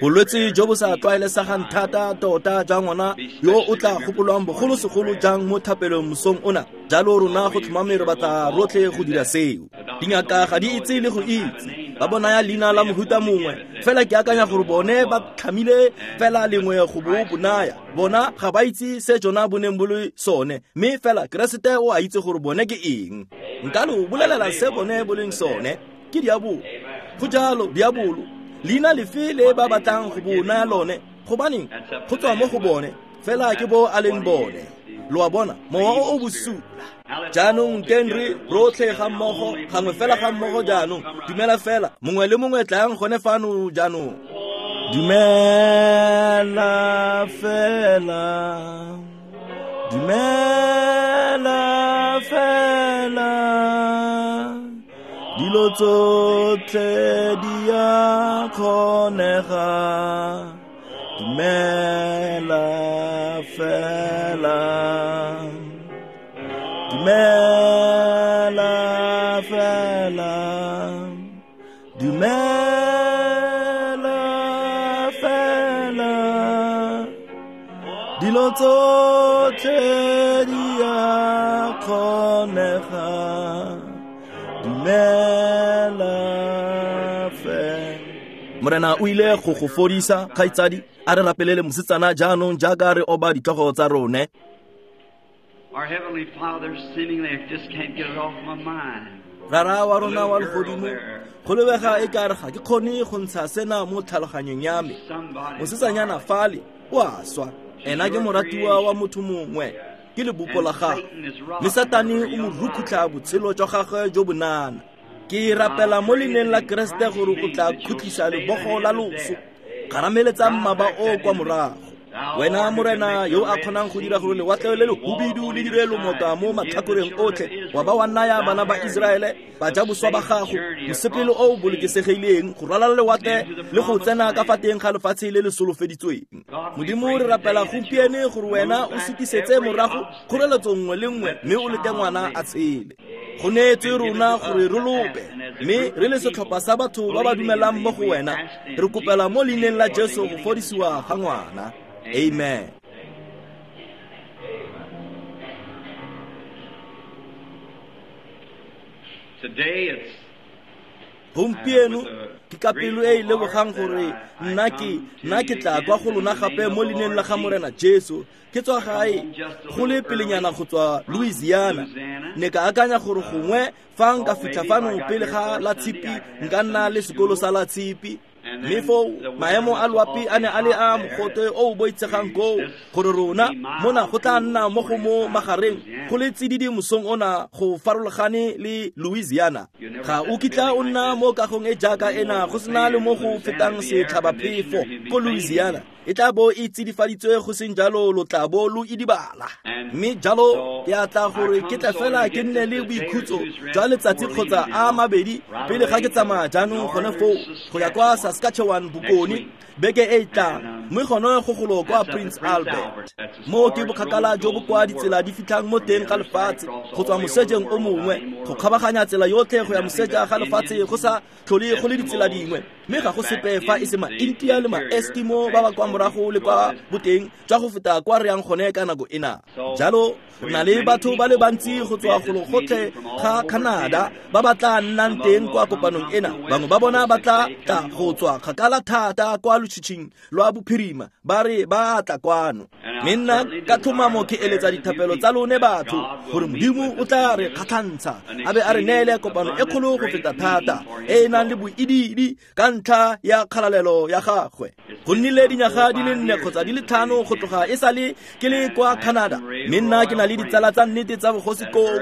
Bolwetse jo bo sa tlwaelesegang thata tota jwa ngwana yo o tla gopolwang bogolosegolo jang mo thapelong mosong ona. Jalo rona go tlhomame re batla rotlhe go dira seo. Dingaka ga di itse le go itse, ba bonaya leina la mohuta mongwe, fela ke akanya gore bone ba tlhamile fela lengwe go bo bonaya. Bona ga ba itse se jona bo neng bo le sone, mme fela Keresete o a itse gore bone ke eng. Nka lo bolelela se bone bo leng sone, ke diabolo. Go jalo, diabolo. Leina lefe le ba batlang go bo naya lone, gobaneng go tswa mo go bone, fela ke bo a leng bone. Lo a bona, mowa o o bosula. Jaanong teng re rotlhe ga mmogo, gangwe fela ga mmogo jaanong. Dumela fela, mongwe le mongwe tlang gone fano jaanong. Dumela fela, dumela fela, dilo tsotlhe di a kgonega. Dumela fela, dumela fela, dumela fela, dilo tsotlhe di a kgonega. Dumela fela. Morena o ile go go fodisa, kgaitsadi. A re rapelele mosetsana jaanong jaaka re oba ditlhogo tsa rone. Our Heavenly Father, seemingly I just can't get it off my mind. Rara wa rona wa legodimo, go lebega e ka re ga ke kgone go ntsha sena mo tlhaloganyong ya me. Mosetsanyana fale o a swa, ena ke moratiwa wa motho mongwe, ke lebopo la gagwe, mme Satane o mo rukhutlha botshelo jwa gagwe jo bonana. Ke rapela mo leineng la Keresete gore o tla khutlisa lebogo la loso, kgarameletsa mmaba o kwa morago. Wena Morena yo a kgonang go dira gore lewatle le lehubidu le dire lomota mo matlhakoreng otlhe, wa ba wa naya bana ba Iseraele bajaboswa ba gago mosepele o o bolokesegileng go ralala lewatle le go tsena ka fa teng ga lefatshe le le solofeditsweng. Modimo, re rapela gompieno gore wena o sutisetse morago kgoreletso nngwe le nngwe mme o lete ngwana a tshele. Go neetswe rona gore re lope, mme re le setlhopha sa batho ba ba dumelang mo go wena, re kopela mo leineng la Jesu go fodisiwa ga ngwana. Amen. Today it's Gompieno ke ka pelo e e lebogang gore nna ke tla kwa go lona gape mo leineng la ga Morena Jesu. Ke tswa gae go le pelenyana go tswa Louisiana. Ne ka akanya gore gongwe fa nka fitlha fano pele ga la tshipi nka nna le sekolo sa la tshipi. Mme foo maemo a loapi a ne a le a mogote o o boitshegang koo, gore rona mona go tla nna mo go mo magareng go le tsididi mosong ona go farologane le Louisiana. Ga o kitla o nna mo kagong e jaaka ena go sena le mo go fetang setlhabaphefo ko Louisiana. E tla bo e tsidifaditswe, go seng jalo lo tla bo lo idibala. Mme jalo ke a tla gore ke tle fela ke nne le boikhutso jwa letsatsi kgotsa a mabedi pele ga ke tsamaya jaanong gone foo go ya kwa Saskatchewan bokone beke e e tlang, mme gone go golo kwa Prince Albert. Mo ke bokgakala jo bo kwa ditsela di fitlhang mo teng ga lefatshe go tswa mosejeng o mongwe go kgabaganya tsela yotlhe go ya moseja ga lefatshe go sa tlhole go le ditsela dingwe, mme ga go sepe fa e se ma-India le ma-Eskimo ba ba kwa morago le kwa boteng jwa go feta kwa re yang gone ka nako ena. Jalo re na le batho ba le bantsi go tswa golo gotlhe ga Canada ba ba tla nnang teng kwa kopanong ena. Bangwe ba bona ba tla tla go tswa kgakala thata kwa lotshitshing lwa bophirima, ba re ba tla kwano. Mme nna ka tlhomamo ke eletsa dithapelo tsa lone batho gore Modimo o tla re kgatlhantsha a be a re neele kopano e kgolo go feta thata e e nang le boidiidi ka ntlha ya kgalalelo ya gagwe. Go nnile dinyaga di le 4 kgotsa di le 5 go tloga e sale ke le kwa Canada, mme nna ke na le ditsala tsa nnete tsa bogosi koo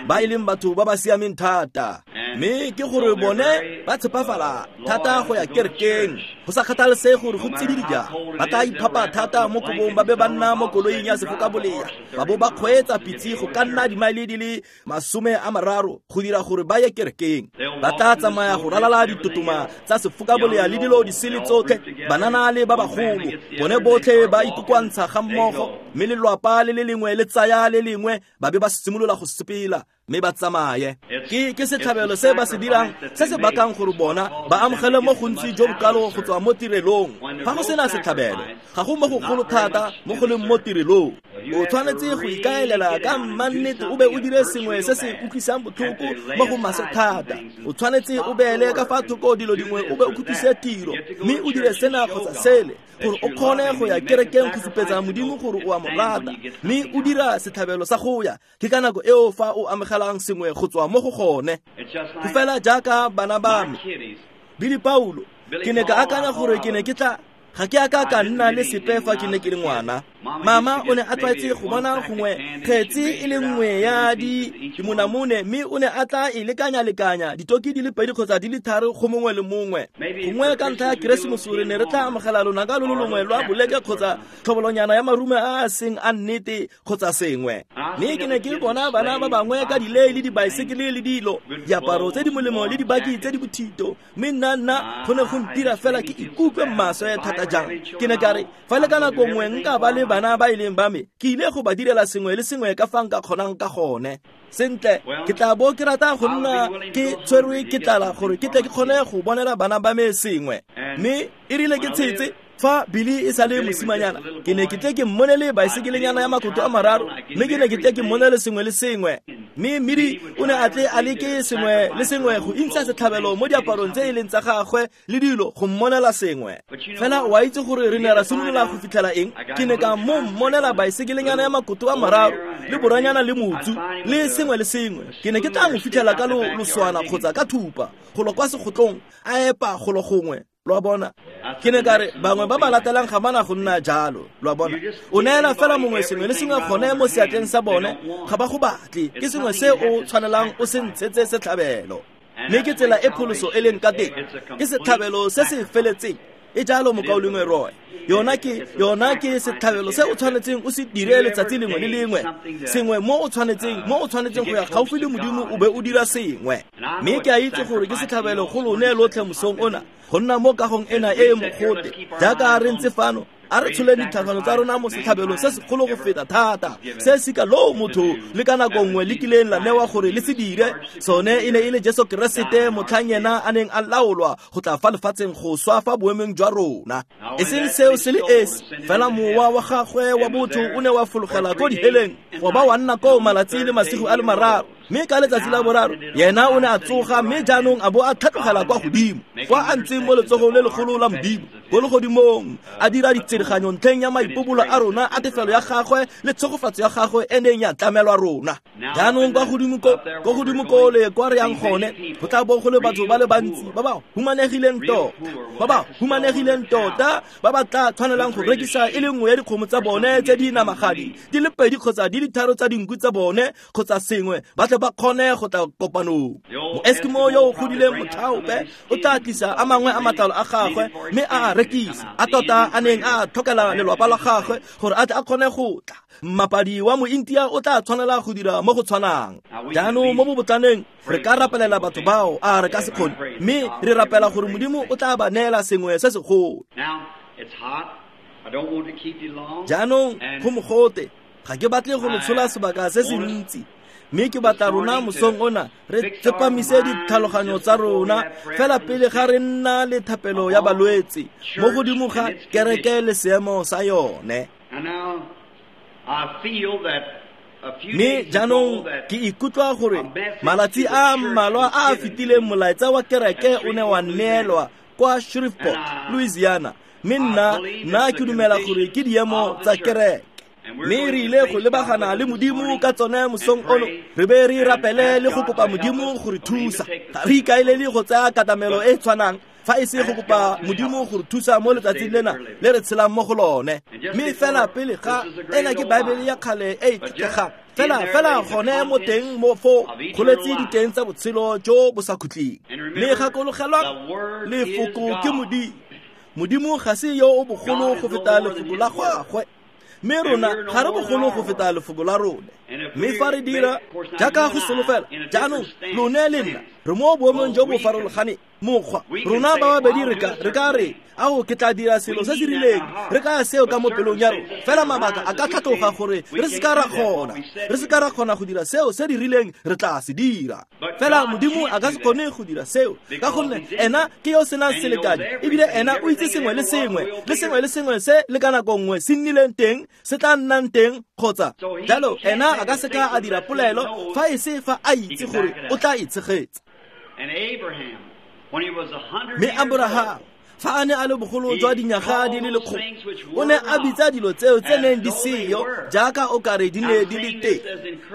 ba e leng batho ba ba siameng thata, mme ke gore bone ba tshepafala thata go ya kerekeng go sa kgathalesege gore go tsididi jang. Ba tla iphapa thata mo kobong ba be ba nna mo koloing ya sefokabolea, ba bo ba kgweetsa pitse go ka nna dimaele di le 30 go dira gore ba ye kerekeng. Ba tla tsamaya go ralala ditotoma tsa sefokabolea le dilo di sele tsotlhe, banana le ba bagolo, bone botlhe ba ikokoantsha ga mmogo, mme lelwapa le le lengwe le tsaya le lengwe ba be ba simolola go sepela. Mme ba tsamaye. Ke setlhabelo se ba se dirang se se bakang gore bona ba amogele mo gontsi jo bokalo go tswa mo tirelong. Fa go sena setlhabelo, ga go mo go golo thata mo go leng mo tirelong. O tshwanetse go ikaelela ka mmannete o be o dire sengwe se se utlwisang botlhoko mo go maswe thata. O tshwanetse o beele ka fa thoko dilo dingwe o be o khutlise tiro, mme o dire sena kgotsa sele gore o kgone go ya kerekeng go supetsa Modimo gore o a mo rata, mme o dira setlhabelo sa go ya. Ke ka nako eo fa o amogelang sengwe go tswa mo go gone. Go fela jaaka bana ba me, Billy Paulo, ke ne ka akanya gore ke ne ke tla ga ke aka ka nna le sepe fa ke ne ke le ngwana. Mama o ne a tlwaetse go bona gongwe kgetsi e le nngwe ya dimonamone, mme o ne a tla e lekanya-lekanya ditoki di le pedi kgotsa di le tharo go mongwe le mongwe. Gongwe ka ntlha ya Keresemose re ne re tla amogela lonaka lo lo longwe lwa boleke kgotsa tlhobolonyana ya marume a a seng a nnete kgotsa sengwe. Mme ke ne ke bona bana ba bangwe ka dilei le dibaesekele le dilo, diaparo tse di molemo le dibaki tse di bothito, mme nna go ne go ntira fela ke ikutlwe maswe thata jang. Ke ne ka re fa le ka nako nngwe nka ba le bana ba e leng ba me, ke ile go ba direla sengwe le sengwe ka fa nka kgonang ka gone. Sentle, ke tla bo ke rata go nna ke tshwerwe ke tlala gore ke tle ke kgone go bonela bana ba me sengwe. Mme e rile ke tshetse fa Billy e sa le mosimanyana, ke ne ke tle ke mmonele baesekelenyana ya makoto a mararo, mme ke ne ke tle ke mmonele sengwe le sengwe. Mme Miri o ne a tle a leke sengwe le sengwe go intsha setlhabelo mo diaparong tse e leng tsa gagwe le dilo go mmonela sengwe. Fela o a itse gore re ne ra simolola go fitlhela eng? Ke ne ka mo mmonela baesekelenyana ya makoto a mararo le boranyana le motsu le sengwe le sengwe. Ke ne ke tla mo fitlhela ka loswana kgotsa ka thupa golo kwa segotlong a epa golo gongwe. Lo a bona? Ke ne ka re bangwe ba ba latelang ga bana go nna jalo. Lo a bona? O neela fela mongwe sengwe le sengwe gone mo seatleng sa bone, ga ba go batle. Ke sengwe se o tshwanelang o se ntshetse setlhabelo. Mme ke tsela e pholoso e leng ka teng. Ke setlhabelo se se feletseng. E jalo mokaulengwe Roy. Yona ke setlhabelo se o tshwanetseng o se dire letsatsi lengwe le lengwe. Sengwe mo o tshwanetseng go ya gaufi le Modimo o be o dira sengwe. Mme ke a itse gore ke setlhabelo go lone lotlhe mosong ona, go nna mo kagong ena e e mogote. Jaaka re ntse fano, a re tsholeng ditlhagano tsa rona mo setlhabelong se segolo go feta thata, se sika loo motho le ka nako nngwe le kileng la newa gore le se dire. Sone e ne e le Jesu Keresete motlhang yena a neng a laolwa go tla fa lefatsheng go swa fa boemong jwa rona. E seng seo se le esi, fela mowa wa gagwe wa botho o ne wa fologela ko diheleng, wa ba wa nna koo malatsi le masigo a le mararo. Mme ka letsatsi la boraro yena o ne a tsoga, mme jaanong a bo a tlhatlogela kwa godimo, kwa a ntseng mo letsogong le legolo la Modimo ko legodimong, a dira ditsereganyo ntlheng ya maipobolo a rona a tefelo ya gagwe le tshegofatso ya gagwe e neng ya tlamelwa rona. Jaanong kwa godimo ko le kwa re yang gone, go tla bo go le batho ba le bantsi ba ba humanegileng tota, ba ba tla tshwanelang go rekisa e le nngwe ya dikgomo tsa bone tse di namagadi di le pedi kgotsa di le tharo tsa dinku tsa bone kgotsa sengwe, ba tle ba kgone go tla kopanong. Moeskimo yo o godileng motlhaope o tla tlisa a mangwe a matlalo a gagwe mme a a rekisa, a tota a neng a tlhokela lelwapa la gagwe gore a tle a kgone go tla. Mmapadi wa mointia o tla tshwanela go dira mo go tshwanang. Jaanong mo bobotlaneng re ka rapelela batho bao, a re ka se kgone, mme re rapela gore Modimo o tla ba neela sengwe se segolo. Jaanong go mogote, ga ke batle go lo tshola sebaka se se ntsi, mme ke batla rona mosong ona re tsepamise ditlhaloganyo tsa rona fela pele ga re nna le thapelo ya balwetse mo godimo ga kereke le seemo sa yone. Mme jaanong ke ikutlwa gore malatsi a mmalwa a a fetileng molaetsa wa kereke o ne wa neelwa kwa Shreveport, Louisiana, mme nna ke dumela gore ke diemo tsa kereke. Mme re ile go lebagana le Modimo ka tsone mosong ono, re be re rapele le go kopa Modimo go re thusa. Ga re ikaelele go tsaya katamelo e tshwanang fa e se go kopa Modimo go re thusa mo letsatsing lena le re tshelang mo go lone. Mme fela pele ga ena ke Baebele ya kgale e e tlotlegang, fela gone mo teng mo fo go letse diteng tsa botshelo jo bo sa khutleng. Mme gakologelwang, lefoko ke Modimo. Modimo ga se yo o bogolo go feta lefoko la gagwe, mme rona ga re bogolo go feta lefoko la rona. Mme fa re dira jaaka go solofela, jaanong lone le nna re mo boemong jo bo farologaneng. Mokgwa rona ba babedi re ka re ao ke tla dira selo se se rileng, re kaya seo ka mo pelong ya rona, fela mabaka a ka tlhatloga gore re se ka ra kgona, re se ka ra kgona go dira seo se dirileng re tla se dira. Fela Modimo a ka se kgone go dira seo, ka gonne ena ke yo senang selekanyo, ebile ena o itse sengwe le sengwe, le sengwe le sengwe se le ka nako nngwe se nnileng teng, se tla nnang teng kgotsa jalo. Ena a ka se ka a dira polelo fa e se fa a itse gore o tla e tshegetsa. Mme Abraham fa a ne a le bogolo jwa dinyaga di le lekgolo, o ne a bitsa dilo tseo tse neng di seyo jaaka o kare di ne di le teng.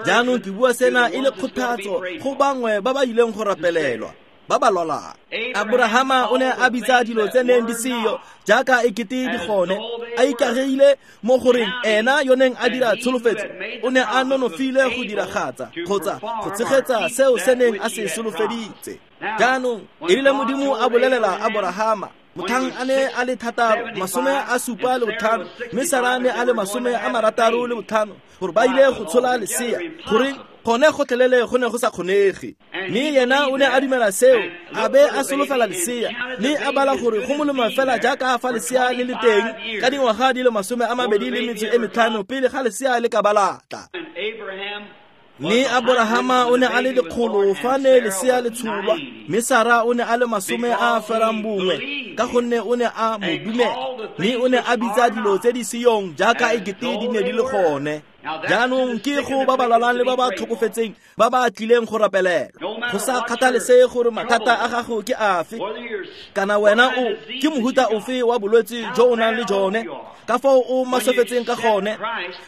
Jaanong ke bua sena e le kgothatso go bangwe ba ba ileng go rapelelwa, ba ba lwalang. Abrahama o ne a bitsa dilo tse neng di seyo jaaka ekete di gone, a ikageile mo goreng ena yo neng a dira tsholofetso o ne a nonofile go diragatsa kgotsa go tshegetsa seo se neng a se solofeditse. Jaanong e rile Modimo a bolelela Abrahama mothang a ne a le 75, mme Sara ne a le 65, gore ba ile go tshola lesea, gore gone gotlhelele go ne go sa kgonege. Mme yena o ne a dumela seo, a be a solofela lesea, mme a bala gore go molemo fela jaaka fa lesea le le teng ka dingwaga di le 25 pele ga lesea le ka balatla. Mme Abrahama o ne a le 100 fa ne lesea le tsholwa, mme Sara o ne a le 91, ka gonne o ne a mo dumela, mme o ne a bitsa dilo tse di seyong jaaka ekete di ne di le gone. Jaanong ke go ba ba lwalang le ba ba tlhokofetseng ba ba tlileng go rapelelwa, go sa kgathalesege gore mathata a gago ke afe, kana wena o ke mohuta ofe wa bolwetse jo o nang le jone, ka foo o maswefetseng ka gone.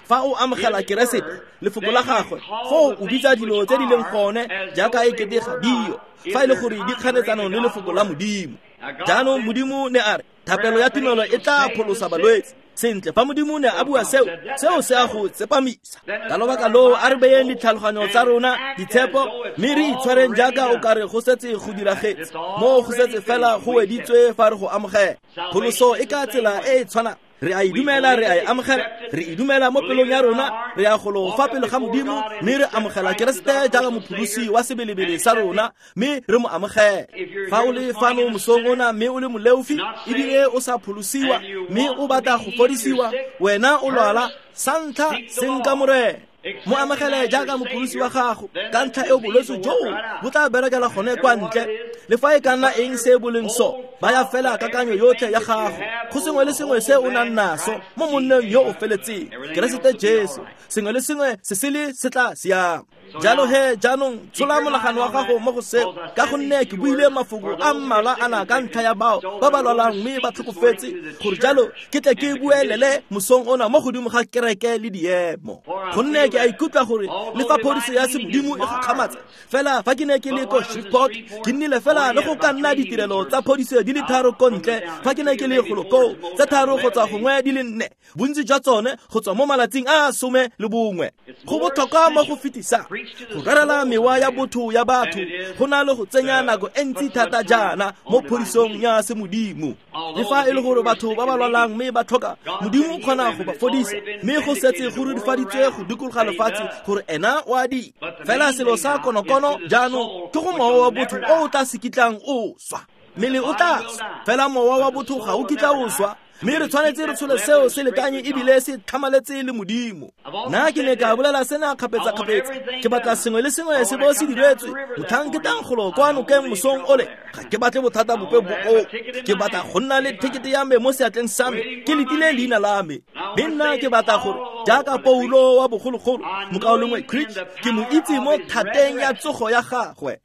Fa o amogela Keresete, lefoko la gagwe, foo o bitsa dilo tse di leng gone jaaka ekete ga dio, fa e le gore di kganetsanong le lefoko la Modimo. Jaanong Modimo ne a re thapelo ya tumelo e tla pholosa balwetse. Sentle, fa Modimo ne a bua seo, seo se a go tsepamisa. Ka lobaka loo a re beyeng ditlhaloganyo tsa rona ditshepo, mme re itshwareng jaaka o kare go setse go diragetse, mo go setse fela go weditswe fa re go amogela. Pholoso e ka tsela e e tshwanang, re a e dumela, re a e amogela, re e dumela mo pelong ya rona, re ya golo fa pele ga Modimo, mme re amogela Keresete jaaka mopholosi wa sebelebele sa rona, mme re mo amogela. Fa o le fano mosong ona mme o le moleofi ebile o sa pholosiwa, mme o batla go fodisiwa, wena o lwala, sa ntlha senka Morena, mo amogele jaaka mopholosi wa gago. Ka ntlha eo bolwetse joo bo tla berekela gone kwa ntle, le fa e ka nna eng se bo leng so, baya fela kakanyo yotlhe ya gago go sengwe le sengwe se o nang naso mo monneng yo o feletseng, Keresete Jesu. Sengwe le sengwe se sele se tla siama. Jalo he jaanong tshola monagano wa gago mo go seo, ka gonne ke buile mafoko a mmalwa ana ka ntlha ya bao ba ba lwalang mme ba tlhokofetse, gore jalo ke tle ke buelele mosong ona mo godimo ga kereke le diemo. Gonne ke a ikutlwa gore le fa phodiso ya semodimo e gakgamatsa, fela fa ke ne ke le ko Shreveport, ke nnile fela le go ka nna ditirelo tsa phodiso di le 3 ko ntle fa ke ne ke le golo koo, tse 3 kgotsa gongwe di le 4, bontsi jwa tsone go tswa mo malatsing a 11. Go botlhokwa mo go fetisang go rerela mewa ya botho ya batho go na le go tsenya nako e ntsi thata jaana mo phodisong ya semodimo. Le fa e le gore batho ba ba lwalang mme ba tlhoka, Modimo o kgona go ba fodisa, mme go setse go rurifaditswe go dikologa lefatshe gore ena o a dira. Fela selo sa konokono jaanong ke go mowa wa botho o o tla se kitlang o swa. Mmele o tla swa, fela mowa wa botho ga o kitla o swa. Mme re tshwanetse re tshole seo se lekanye ebile se tlhamaletse le Modimo. Nna ke ne ka bolela sena kgapetsa-kgapetsa, ke batla sengwe le sengwe se bo se diretswe motlhang ke tlang golo kwa nokeng mosong ole. Ga ke batle bothata bope bo oo, ke batla go nna le thekete ya me mo seatleng sa me, ke letile leina la me. Mme nna ke batla gore jaaka Paulo wa bogologolo, mokaulengwe Creech, ke mo itse mo thateng ya tsogo ya gagwe,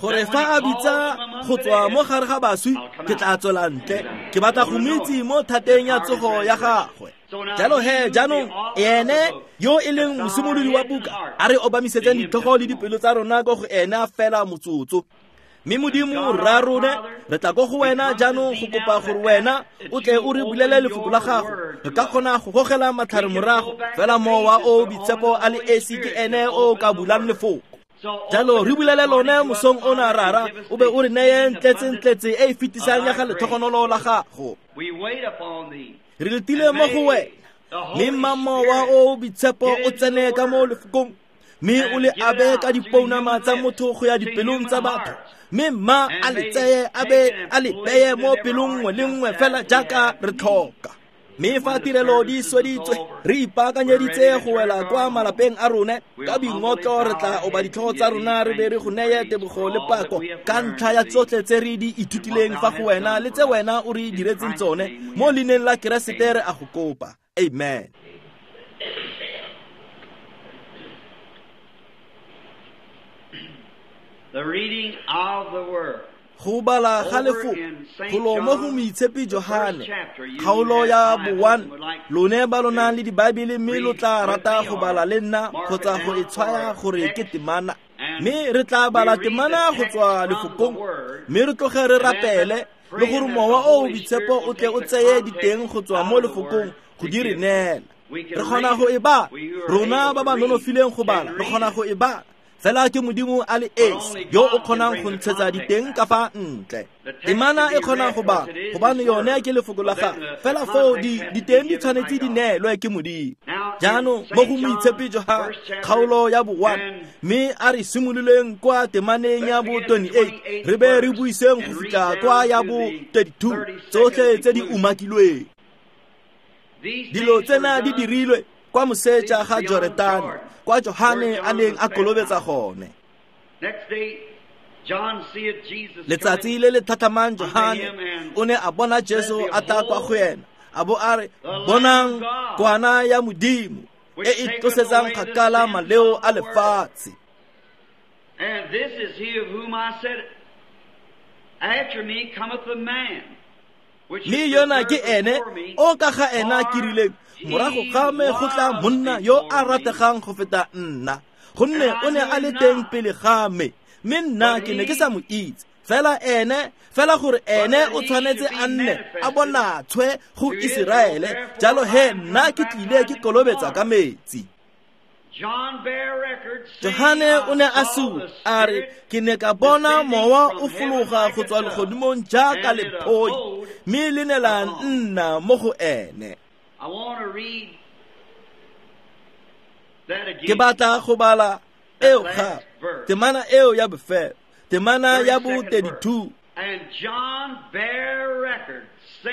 gore fa a bitsa go tswa mo gare ga baswi, ke tla tswela ntle. Ke batla go mo itse mo thateng ya tsogo ya gagwe. Jalo he jaanong ene yo e leng mosimolodi wa buka, a re obamisetseng ditlhogo le dipelo tsa rona ko go ena fela motsotso. Mme Modimo rra rone, re tla ko go wena jaanong go kopa gore wena o tle o re bulele lefoko la gago. Re ka kgona go gogela matlhare morago, fela mowa o boitshepo a le esi ke ene o ka bulang lefoko. Jalo re bulele lone mosong ona, Rara, o be o re neye ntletse-ntletse e e fetisang ya ga letlhogonolo la gago. Re letile mo go wena, mme mma mowa o boitshepo o tsene ka mo lefokong, Mme o le abe ka dipounama tsa motho go ya dipelong tsa batho, mme mma a le tseye a be a le beye mo pelong nngwe le nngwe fela jaaka re tlhoka. Mme fa tirelo di sweditswe, re ipaakanyeditse go wela kwa malapeng a rone ka boingotlo, re tla oba ditlhogo tsa rona re be re go neye tebogo le pako ka ntlha ya tsotlhe tse re di ithutileng fa go wena le tse wena o re diretseng tsone. Mo leineng la Keresete re a go kopa. Amen. The reading of the word. Go bala ga lefoko golo mo go Moitshepi Johane, kgaolo ya bo-1. Lone ba lo nang le dibaebele mme lo tla rata go bala le nna kgotsa go e tshwaya gore ke temana. Mme re tla bala temana go tswa lefokong, mme re tloge re rapele le gore Mowa o o Boitshepo o tle o tseye diteng go tswa mo lefokong go di re neela. Re kgona go e bala, rona ba ba nonofileng go bala, re kgona go e bala. Fela ke Modimo a le esi yo o kgonang go ntshetsa diteng ka fa ntle. Temana e kgona go bala gobane yone ke lefoko la gagwe, fela foo diteng di tshwanetse di neelwe ke Modimo. Jaanong mo go Moitshepi Johane, kgaolo ya bo-1, mme a re simololeng kwa temaneng ya bo-28 re be re buiseng go fitlha kwa ya bo-32, tsotlhe tse di umakilweng. Dilo tsena di dirilwe kwa moseja ga Joretane, kwa Johane a neng a kolobetsa gone. Letsatsi le le tlhatlhamang Johane o ne a bona Jesu a tla kwa go ena, a bo a re, "Bonang kwana ya Modimo e e tlosetsang kgakala maleo a lefatshe." And this is he of whom I said, after me cometh the man. Mme yona ke ene o ka ga ena ke rileng, morago ga me go tla monna yo a rategang go feta nna, gonne o ne a le teng pele ga me, mme nna ke ne ke sa mo itse. Fela ene, fela gore ene o tshwanetse a nne a bonatshwe go Iseraele, jalo he nna ke tlile ke kolobetsa ka metsi. Johane o ne a supa a re, ke ne ka bona mowa o fologa go tswa legodimong jaaka lephoi, mme le ne la nna mo go ene. Ke batla go bala eo gape, temana eo ya bofelo, temana ya bo-32.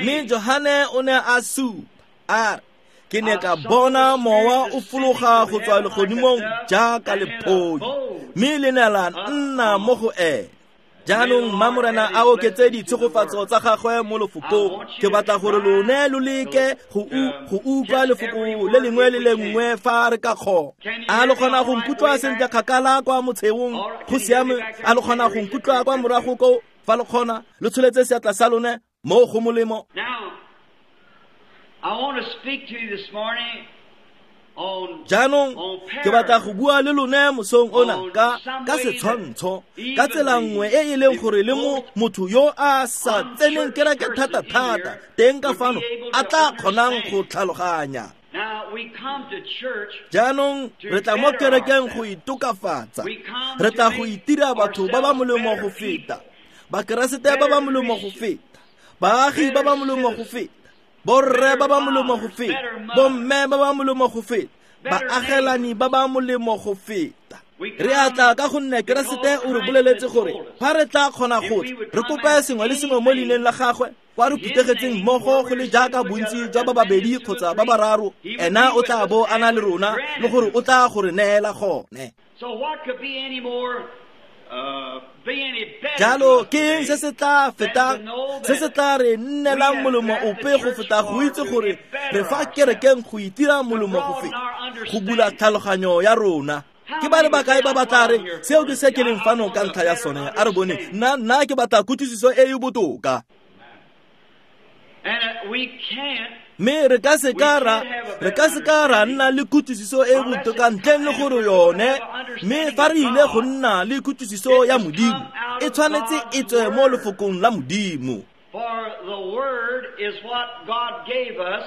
Mme Johane o ne a supa a re, ke ne ka bona mowa o fologa go tswa legodimong jaaka lephoi, mme le ne la nna mo go ene. Jaanong mma Morena a oketse ditshegofatso tsa gagwe mo lefokong. Ke batla gore lone lo leke go utlwa lefoko le lengwe le lengwe fa re ka kgona. A lo kgona go nkutlwa sentle kgakala kwa motsheong? Go siame. A lo kgona go nkutlwa kwa morago ko? Fa lo kgona, lo tsholetse seatla sa lone mo go molemo. I want to speak to you this morning on Jaanong ke batla go bua le lone mosong ona ka setshwantsho, ka tsela nngwe e e leng gore le mo motho yo a sa tseneng kereke thata-thata teng ka fano a tla kgonang go tlhaloganya. Jaanong re tla mo kerekeng go itokafatsa, re tla go itira batho ba ba molemo go feta, Bakeresete ba ba molemo go feta, baagi ba ba molemo go feta, borre ba ba molemo go feta, bomme ba ba molemo go feta, baagelani ba ba molemo go feta. Re a tla ka gonne Keresete o re boleletse gore fa re tla kgona go tla re kope sengwe le sengwe mo leineng la gagwe, kwa re phuthegetseng mmogo go le jaaka bontsi jwa ba babedi kgotsa ba bararo, ena o tla bo a na le rona le gore o tla go re neela gone. Jalo ke eng se se tla fetang, se se tla re nnelang molemo ope go feta go itse gore re fa kerekeng go itira molemo go feta, go bula tlhaloganyo ya rona? Ke ba le bakae ba batla re seo ke se ke leng fano ka ntlha ya sone? A re bone, nna ke batla kutlwisiso e e botoka. Mme re ka se ka ra nna le kutlwisiso e botoka ntleng le gore yone, mme fa re ile go nna le kutlwisiso ya Modimo, e tshwanetse e tswe mo lefokong la Modimo. For the word is what God gave us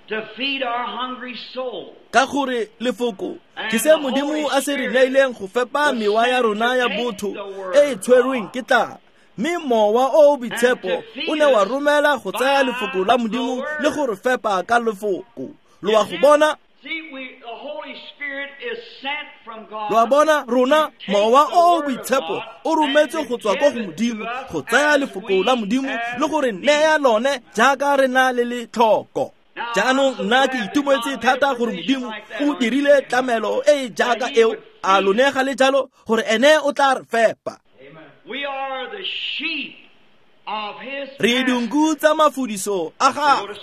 to feed our hungry soul. Ka gore lefoko ke se Modimo a se re neileng go fepa mewa ya rona ya botho e e tshwerweng ke tlala. Mme mowa o o boitshepo o ne wa romela go tsaya lefoko la Modimo le go re fepa ka lefoko. Lo a go bona? See, the Holy Spirit Lo a bona rona mowa o o boitshepo o rometse go tswa ko go Modimo go tsaya lefoko la Modimo le gore neya lone jaaka re na le letlhoko. Jaanong nna ke itumetse thata gore Modimo o dirile tlamelo e e jaaka eo, a lone ga le jalo, gore ene o tla re fepa. Re dinku tsa mafudiso a gagwe.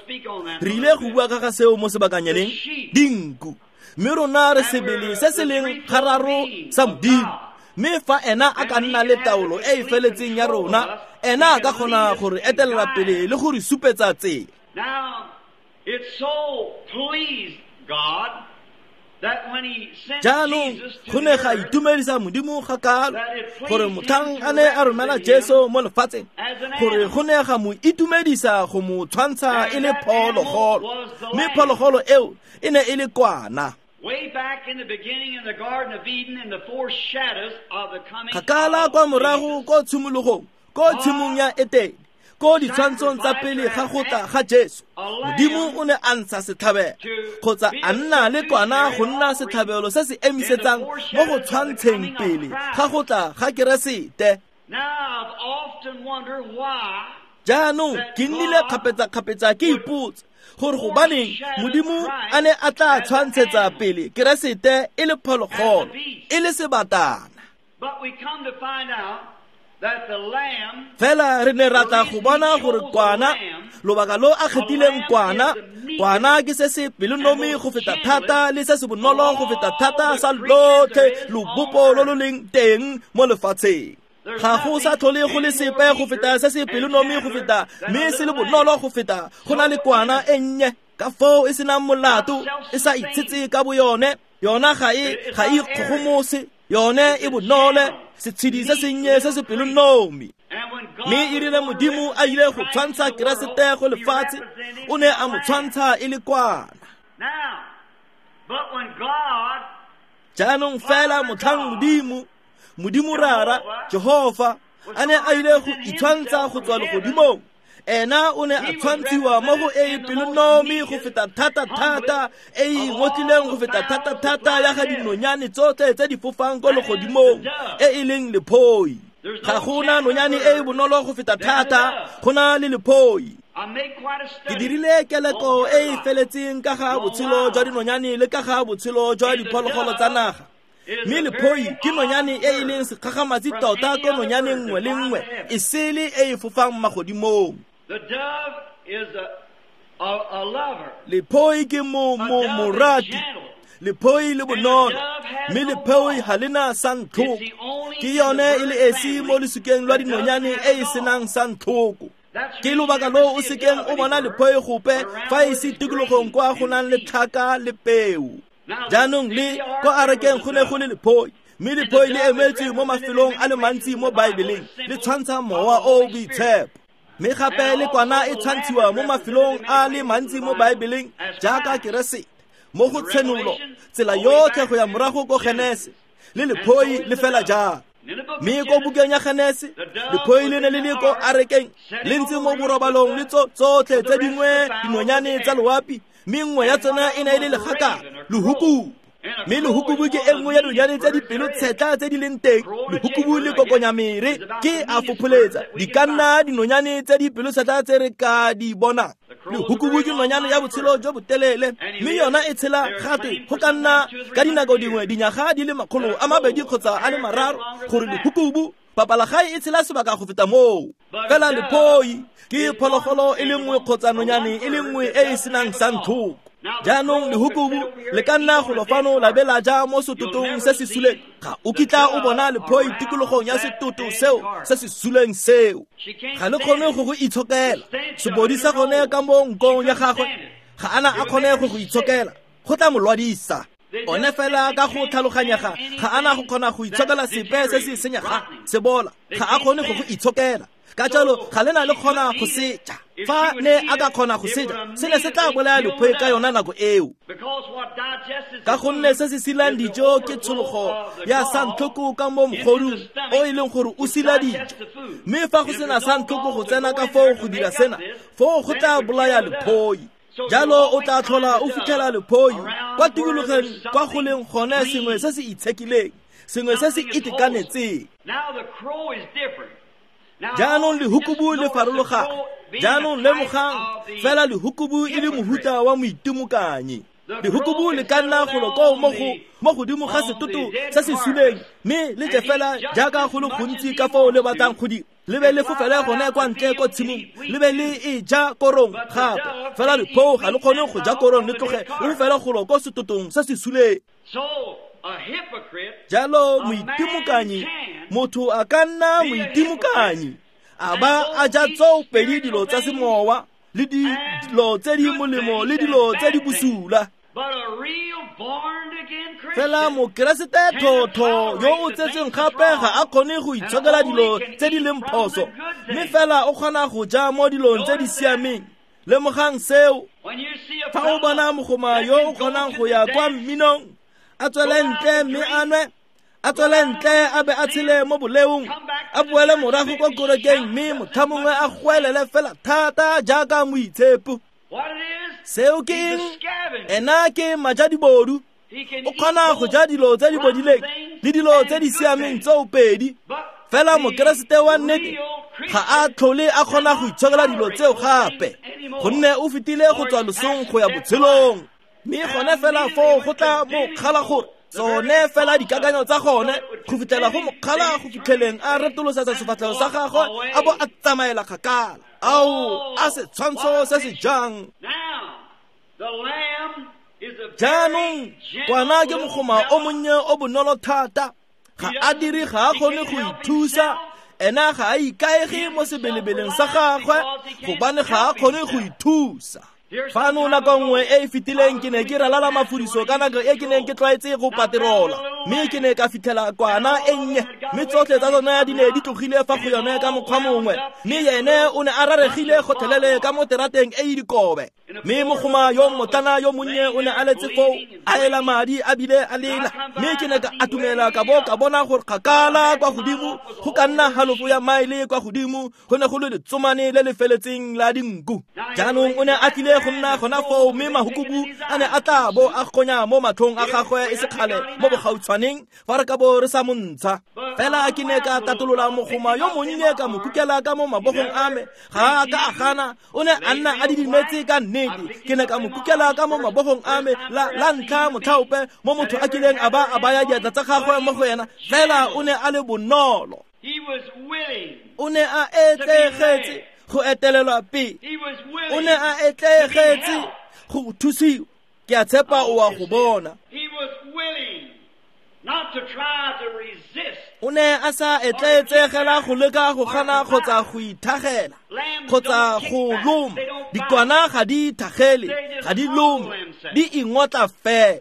Re ile go bua ka ga seo mo sebakanyaneng, dinku. Mme rona re sebele se se leng gararo sa Modimo. Mme fa ena a ka nna le taolo e e feletseng ya rona, ena a ka kgona go re etelela pele le go re supetsa tsela. Jaanong go ne ga itumedisa Modimo ga kalo gore motlhang a ne a romela Jesu mo lefatsheng, gore go ne ga mo itumedisa go mo tshwantsha e le phologolo, mme phologolo eo e ne e le kwana. Kgakala kwa morago ko tshimologong, ko tshimong ya Etene, ko ditshwantshong tsa pele ga go tla ga Jesu, Modimo o ne a ntsha setlhabelo kgotsa a nna le kwana go nna setlhabelo se se emisetsang mo go tshwantsheng pele ga go tla ga Keresete. Jaanong ke nnile kgapetsa-kgapetsa ke ipotsa gore gobaneng Modimo a ne a tla tshwantshetsa pele Keresete e le phologolo, e le sebatana. Fela re ne ra tla go bona gore kwana, lobaka lo a kgethileng kwana, kwana ke se se pelonomi go feta thata le se se bonolo go feta thata sa lotlhe lobopo lo lo leng teng mo lefatsheng. Ga go sa tlhole go le sepe go feta se se pelonomi go feta mme se le bonolo go feta go na le kwana e nnye, ka foo e senang molato, e sa itshetse ka boyone, yona ga e ikgogomose, yone e bonole, setshedi se sennye se se pelonomi. Mme e rile Modimo a ile go tshwantsha Keresete go lefatshe, o ne a mo tshwantsha e le kwana. Jaanong fela motlhang Modimo, Modimo Rara, Jehova, a ne a ile go itshwantsha go tswa legodimong, ena o ne a tshwantshiwa mo go e e pelonomi go feta thata-thata, e e ngotlileng go feta thata-thata ya ga dinonyane tsotlhe tse di fofang ko legodimong, e e leng lephoi. Ga gona nonyane e e bonolo go feta thata go na le lephoi. Ke dirile keleko e e feletseng ka ga botshelo jwa dinonyane le ka ga botshelo jwa diphologolo tsa naga. Mme lephoi ke nonyane e e leng sekgagamatsi tota ko nonyane nngwe le nngwe e sele e e fofang magodimong. Lephoi ke morati, lephoi le bonolo, mme lephoi ga le na santlhoko. Ke yone e le esi mo losukeng lwa dinonyane e e senang santlhoko. Ke lobaka lo o sekeng o bona lephoi gope fa e se tikologong kwa go nang le tlhaka le peo. Jaanong le ko arekeng go ne go le lephoi, mme lephoi le emetswe mo mafelong a le mantsi mo Baebeleng, le tshwantsha mowa o o boitshepo. Mme gape le kwana e tshwantshiwa mo mafelong a le mantsi mo Baebeleng jaaka Keresete, mo go Tshenolo, tsela yotlhe go ya morago ko Genese, le lephoi le fela jang. Mme ko bukeng ya Genese, lephoi le ne le le ko arekeng, le ntse mo borobalong le tsotlhe tse dingwe dinonyane tsa loapi, mme nngwe ya tsona e ne e le legaka, lehukubu. Mme lehukubu ke e nngwe ya dinonyane tse di pelotshetlha tse di leng teng. Lehukubu le kokonyamere ke a fopholetsa, di ka nna dinonyane tse di pelotshetlha tse re ka di bonang. Lehukubu ke nonyane ya botshelo jo botelele, mme yona e tshela gate go ka nna ka dinako dingwe dinyaga di le 200 kgotsa a le 3, gore lehukubu papalagae e tshela sebaka go feta moo. Fela lephoi ke phologolo e le nngwe kgotsa nonyane e le nngwe e e senang santlhoko. Jaanong lehukubu le ka nna golo fano la be la ja mo setotong se se suleng, ga o kitla o bona lephoi tikologong ya setoto seo se se suleng seo. Ga le kgone go go itshokela, sebodi sa gone ka mo nkong ya gagwe ga ana a kgone go go itshokela, go tla mo lwadisa. One fela ka go tlhaloganyega ga ana go kgona go itshokela sepe se se senyegang, se bola, ga a kgone go go itshokela. Ka jalo ga le na le kgona go seja. Fa ne a ka kgona go seja, se ne se tla bolaya lephoi ka yona nako eo. Ka gonne se se silang dijo ke tshologo ya santlhoko ka mo mogodung o e leng gore o sila dijo. Mme fa go sena santlhoko go tsena ka foo go dira sena, foo go tla bolaya lephoi. Jalo o tla tlhola o fitlhela lephoi kwa tikologong kwa go leng gone sengwe se se itshekileng, sengwe se se itekanetseng. Jaanong lehukubu le farologana. Jaanong lemogang fela lehukubu e le mohuta wa moitimokanyi. Lehukubu le ka nna golo koo mo godimo ga setoto se se suleng, mme le je fela jaaka go le gontsi ka foo le batlang go dira. Le be le fofele gone kwa ntle ko tshimong, le be le e ja korong gape. Fela lephoi ga le kgone go ja korong, le tloge le fofele golo ko setotong se se suleng. Jalo moitimokanyi, motho a ka nna moitimokanyi, a ba a ja tsoopedi dilo tsa semowa le dilo tse di molemo le dilo tse di bosula. Fela mokeresete thotho yo o tsetseng gape ga a kgone go itshokela dilo tse di leng phoso, mme fela o kgona go ja mo dilong tse di siameng. Lemogang seo. Fa o bona mogoma yo o kgonang go ya kwa mminong, a tswele ntle mme a nwe, a tswele ntle a be a tshele mo boleong, a boele morago kwa kerekeng mme motlha mongwe a goelele fela thata jaaka moitshepo. Seo ke eng? Ena ke majadibodu. O kgona go ja dilo tse di bodileng le dilo tse di siameng tsoopedi. Fela mokeresete wa nnete ga a tlhole a kgona go itshokela dilo tseo gape, gonne o fetile go tswa losong go ya botshelong. Mme gone fela foo go tla mo kgala gore tsone fela dikakanyo tsa gone go fitlhela go mokgala go fitlheleng a retolosetsa sefatlhego sa gagwe a bo a tsamaela kgakala. Ao, a setshwantsho se se jang. Jaanong kwana ke mogoma o monnye o bonolo thata. Ga a dire, ga a kgone go ithusa. Ena ga a ikaege mo sebelebeleng sa gagwe gobane ga a kgone go ithusa. Fano nako nngwe e e fetileng ke ne ke ralala mafudiso ka nako e ke neng ke tlwaetse go paterola, mme ke ne ka fitlhela kwana e nnye, mme tsotlhe tsa tsone di ne di tlogile fa go yone ka mokgwa mongwe, mme yene o ne a raregile gotlhelele ka mo terateng e e dikobe. Mme mogoma yo motlana yo monnye o ne a letse foo a ela madi a bile a lela, mme ke ne ka atumela ka bo ka bona gore kgakala kwa godimo go ka nna halofo ya maele kwa godimo go ne go le letsomane le le feletseng la dinku. Jaanong o ne a tlile go nna gona foo, mme mahukubu a ne a tla bo a gonya mo matlhong a gagwe e se kgale mo bogautshwaneng fa re ka bo re sa mo ntsha. Fela ke ne ka tatolola mogoma yo monnye ka mo kukela ka mo mabogong a me. Ga a ka a gana, o ne a nna a didimetse ka nnete. Ke ne ka mo kukela ka mo mabogong a me la ntlha motlhaope mo motho a kileng a ba a baya diatla tsa gagwe mo go ena. Fela o ne a le bonolo. O ne a etlegetse go etelelwa pele. O ne a etlegetse go thusiwa. Ke a tshepa o a go bona. O ne a sa etleetsegela go leka go gana kgotsa go ithagela kgotsa go loma. Dikwana ga di ithagele, ga di lome, di ingotla fela.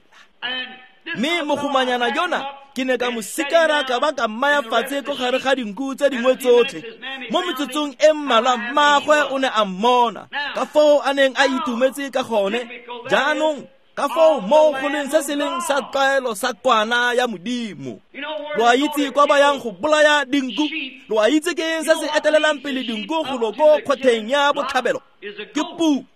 Mme mogomanyana yona ke ne ka mo sikara ka ba ka mmaya fatshe ko gare ga dinku tse dingwe tsotlhe. Mo metsotsong e mmalwa mmaagwe o ne a mmona ka foo a neng a itumetse ka gone. Jaanong ka foo mo go leng se se leng sa tlwaelo sa kwana ya Modimo. Lo a itse kwa ba yang go bolaya dinku? Lo a itse ke eng se se etelelang pele dinku golo ko kgwatheng ya botlhabelo? Ke pudi.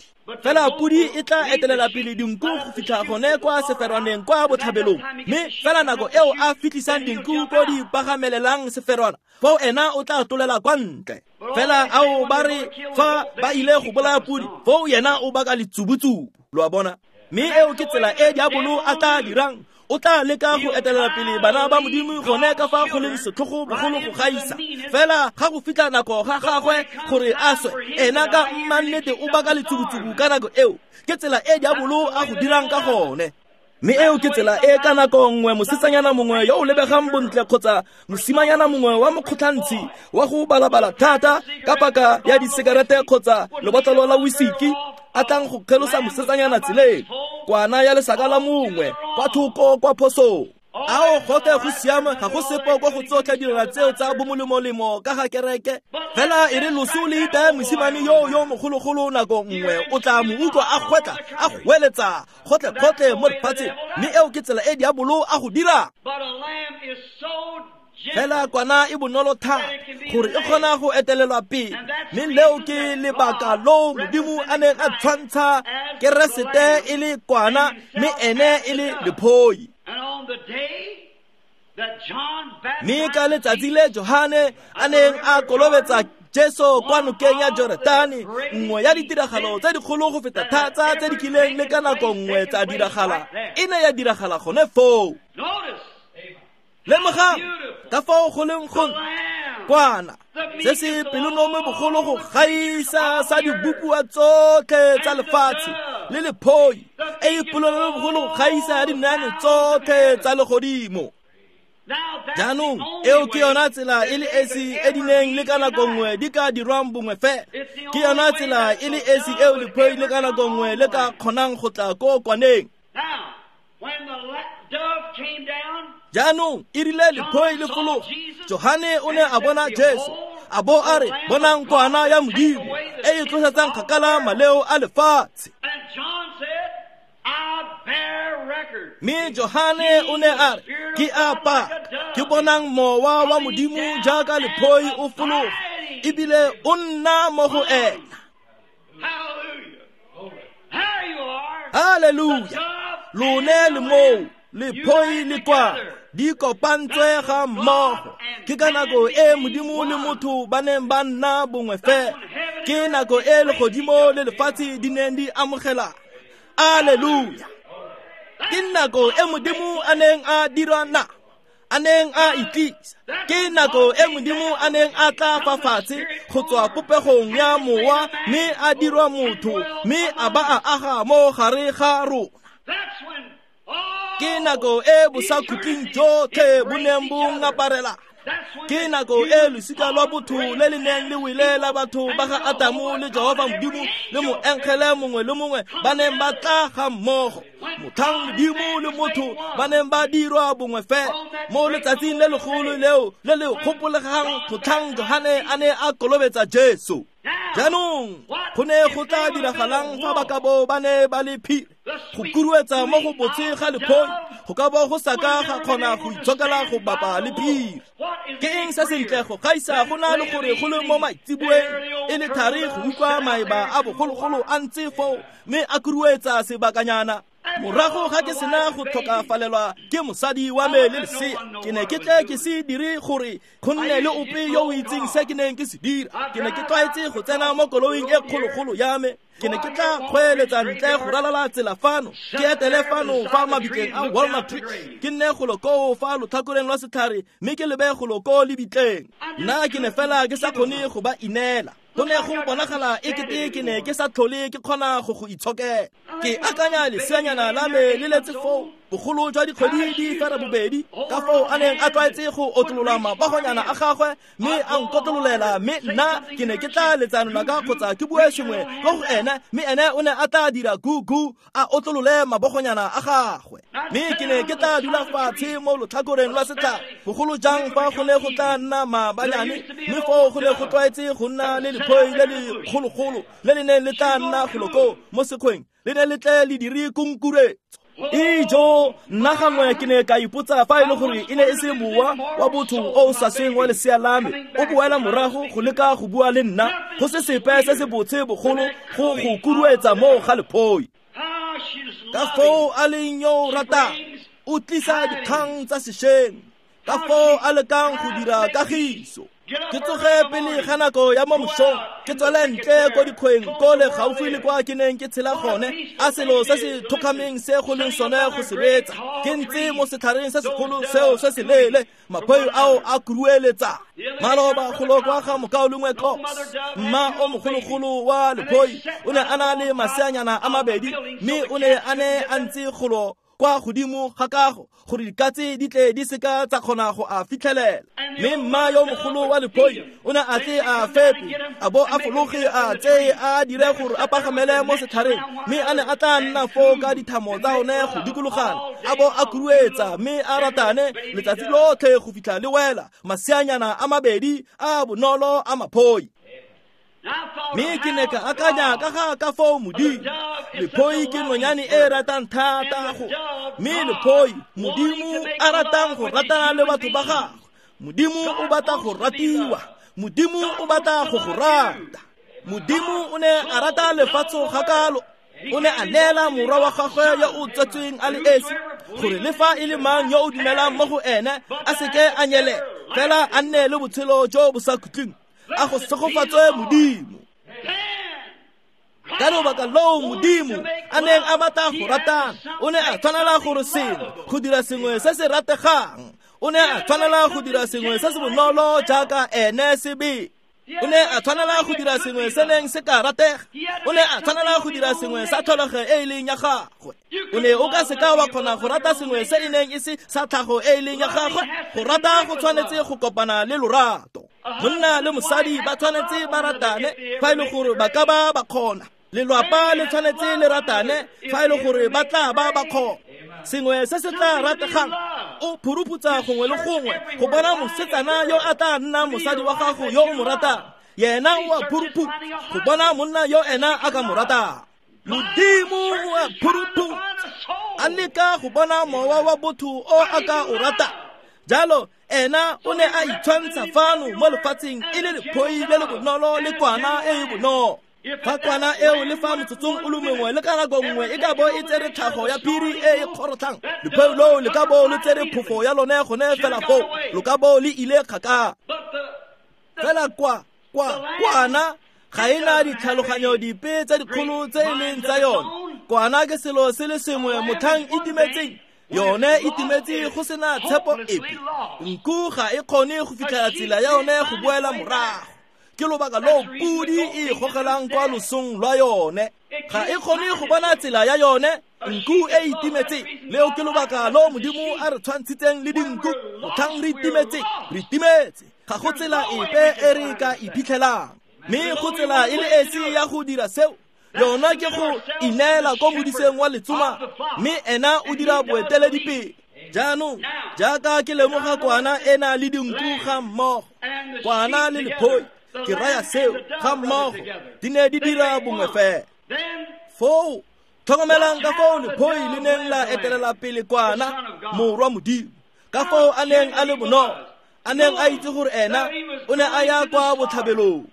Fela pudi e tla etelela pele dinku go fitlha gone kwa seferwaneng kwa botlhabelong. Mme fela nako eo a fitlhisang dinku ko di pagamelelang seferwana, foo ena o tla tlolela kwa ntle. Fela ao ba re fa ba ile go bolaya pudi, foo yena o baka letsubutsubu. Lo a bona? Mme eo ke tsela e diabolo a tla dirang. O tla leka go etelela pele bana ba Modimo gone ka fa go leng setlhogo bogolo go gaisa. Fela ga go fitlha nako ga gagwe gore a swe, ena ka mmannete o baka letsubutsubu ka nako eo. Ke tsela e diabolo a go dirang ka gone. Mme eo ke tsela e ka nako nngwe mosetsanyana mongwe yo o lebegang bontle kgotsa mosimanyana mongwe wa mokgotlhantshi wa go balabala thata ka paka ya disekerete kgotsa lebotlolo la whisky a tlang go kgelosa mosetsanyana tseleng, kwana ya lesaka la mongwe kwa thoko kwa phosong. Ao gotlhe go siame, ga go sepe ko go tsotlhe dira tseo tsa bomolemolemo ka ga kereke. Fela e re loso le itaye mosimane yo mogologolo nako nngwe, o tla mo utlwa a gwetla a goeletsa gotlhe-gotlhe mo lefatsheng. Mme eo ke tsela e diabolo a go dira. Fela kwana e bonolo thata gore e kgona go etelelwa pele, mme leo ke lebaka loo Modimo a neng a tshwantsha Keresete e le kwana mme ene e le lephoi. Mme ka letsatsi le Johane a neng a kolobetsa Jesu kwa nokeng ya Jorodane, nngwe ya ditiragalo tse dikgolo go feta thata tse di kileng le ka nako nngwe tsa diragala e ne ya diragala gone foo. Lemogang ka fao go leng go kwana se se pelonome bogolo go gaisa sa dibopiwa tsotlhe tsa lefatshe le lephoi e e pelonome bogolo go gaisa ya dinane tsotlhe tsa legodimo. Jaanong eo ke yona tsela e le esi e di neng le ka nako nngwe di ka dirwang bongwe fela. Ke yona tsela e le esi eo lephoi le ka nako nngwe le ka kgonang go tla ko kwaneng. Jaanong e rile lephoi le fologa, Johane o ne a bona Jesu a bo a re, bonang kwana ya Modimo e e tlosetsang kgakala maleo a lefatshe. Mme Johane o ne a re, ke a paka, ke bonang mowa wa Modimo jaaka lephoi o fologa ebile o nna mo go ena. Haleluya! Lone le moo lephoi le kwana di kopantswe ga mmogo. Ke ka nako e Modimo le motho ba neng ba nna bongwe fela. Ke nako e legodimo le lefatshe di neng di amogela. Alleluia! Ke nako e Modimo a neng a dirwa na, a neng a itlisa. Ke nako e Modimo a neng a tla fa fatshe go tswa popegong ya mowa mme a dirwa motho mme a ba a aga mo gare ga rona. Ke nako e bosakhutleng jotlhe bo neng bo ngaparela. Ke nako e losika lwa botho le le neng le wele la batho ba ga Adamu le Jehova Modimo le moengele mongwe le mongwe ba neng ba tla ga mmogo. Motlhang Modimo le motho ba neng ba dirwa bongwe fela mo letsatsing le legolo leo le le gopolegang motlhang Johane a ne a kolobetsa Jesu. Jaanong go ne go tla diragalang fa ba ka bo ba ne ba le phiri go kuruetsa mo go botse ga lephoi go ka bo go sa ka ga kgona go itshokela go bapa le phiri. Ke eng se sentle go gaisa go na le gore go le mo maitseboeng e le thari go utlwa maeba a bogologolo a ntse foo mme a kuruetsa sebakanyana. Morago ga ke sena go tlhokafalelwa ke mosadi wa me le lesea, ke ne ke tle ke se dire gore go nne le ope yo o itseng se ke neng ke se dira. Ke ne ke tlwaetse go tsena mo koloing e kgologolo ya me. Ke ne ke tla kgweeletsa ntle go ralala tsela fano, ke etele fano fa mabitleng a Walnut Tree, ke nne golo koo fa lotlhakoreng lwa setlhare mme ke lebe golo koo lebitleng. Nna ke ne fela ke sa kgone go ba inela. Go ne go bonagala e kete ke ne ke sa tlhole ke kgona go go itshokela. Ke akanya leseanyana la me le letse foo bogolo jwa dikgwedi di fera bobedi, ka foo a neng a tlwaetse go otlolola mabogonyana a gagwe mme a nkotlololela, mme nna ke ne ke tla letsa lonaka kgotsa ke bue sengwe ko go ene, mme ene o ne a tla dira gugu a otlolole mabogonyana a gagwe. Mme ke ne ke tla dula fatshe mo lotlhakoreng lwa setlhare, bogolo jang fa go ne go tla nna maabanyane, mme foo go ne go tlwaetse go nna le lephoi le le kgologolo le le neng le tla nna golo koo mo sekgweng, le ne le tle le dire kunkuretso. Ijo, nna gangwe ke ne ka ipotsa fa e le gore e ne e se mowa wa botho o o sa sweng wa lesea la me o boela morago go leka go bua le nna, go se sepe se se botse bogolo go go kuruetsa mo ga lephoi. Ka foo a leng yo o ratang, o tlisa dikgang tsa sešweng, ka foo a lekang go dira kagiso. Ke tsoge pele ga nako ya mo mosong, ke tswele ntle ko dikgweng ko le gaufi le kwa ke neng ke tshela gone, a selo se se thokgameng se go leng sone go se betsa. Ke ntse mo setlhareng se segolo seo se se leele, maphoi ao a kurueletsa. Maloba golo kwa ga mokaulengwe Cox, mma o mogologolo wa lephoi, o ne a na le maseanyana a mabedi, mme o ne a ne a ntse golo kwa godimo ga kago gore dikatse di tle di seka tsa kgona go a fitlhelela. Mme mma yo mogolo wa lephoi o ne a tle a fepe, a bo a fologe a tseye a dire gore a pagamele mo setlhareng, mme a ne a tla nna foo ka dithamo tsa one go dikologana, a bo a kuruetsa mme a ratane letsatsi lotlhe go fitlha le wela maseanyana a mabedi a bonolo a maphoi. Mme ke ne ka akanya ka ga ka foo Modimo, lephoi ke nonyane e ratang thata go, mme lephoi Modimo a ratang go ratana le batho ba gagwe. Modimo o batla go ratiwa. Modimo o batla go go rata. Modimo o ne a rata lefatshe gakalo. O ne a neela morwa wa gagwe yo o tsetsweng a le esi, gore le fa e le mang yo o dumelang mo go ene a seke a nyele, fela a nne le botshelo jo bo sa khutleng. A go segofatswe Modimo. Ka lobaka loo Modimo a neng a batla go ratana, o ne a tshwanela gore sengwe, go dira sengwe se se rategang. O ne a tshwanela go dira sengwe se se bonolo jaaka ene sebe. O ne a tshwanela go dira sengwe se neng se ka ratega. O ne a tshwanela go dira sengwe sa tlholego e e leng ya gagwe. O ne o ka seka wa kgona go rata sengwe se e neng e se sa tlhago e e leng ya gagwe. Go rata go tshwanetse go kopana le lorato. Monna le mosadi ba tshwanetse ba ratane fa e le gore ba ka ba ba kgona. Lelwapa le tshwanetse le ratane fa e le gore ba tla ba ba kgona. Sengwe se se tla rategang, o phuruputsa gongwe le gongwe go bona mosetsana yo a tla nna mosadi wa gago yo o mo ratang. Yena o a phuruputsa go bona monna yo ena a ka mo ratang. Modimo o a phuruputsa a leka go bona mowa wa botho o a ka o ratang. Jalo ena o ne a itshwantsha fano mo lefatsheng e le lephoi le le bonolo le kwana e e bonolo. Fa kwana eo le fa motsotsong o le mongwe le ka nako nngwe e ka bo e tsere tlhago ya phiri e e kgorotlhang, lephoi loo le ka bo le tsere phofo ya lone gone fela foo, lo ka bo le ile kgakala. Fela kwana ga e na ditlhaloganyo dipe tse dikgolo tse e leng tsa yone. Kwana ke selo se le sengwe motlhang e timetseng, yone e timetse go sena tshepo epe. Nku ga e kgone go fitlhela tsela ya yone go boela morago. Ke lobaka loo pudi e gogelang kwa losong lwa yone. Ga e kgone go bona tsela ya yone. Nku e itimetse. Leo ke lobaka loo Modimo a re tshwantshitseng le dinku. Motlhang re itimetse, re itimetse. Ga go tsela epe e re ka iphitlhelang. Mme go tsela e le esi ya go dira seo, yona ke go ineela ko modiseng wa letsoma, mme ena o dira boeteledipele. Jaanong jaaka ke lemoga kwana e na le dinku ga mmogo, kwana le lephoi, ke raya seo ga mmogo, di ne di dira bongwe fela. Foo tlhokomelang ka foo lephoi le neng la etelela pele kwana, morwa Modimo, ka foo a neng a le bonolo, a neng a itse gore ena o ne a ya kwa botlhabelong.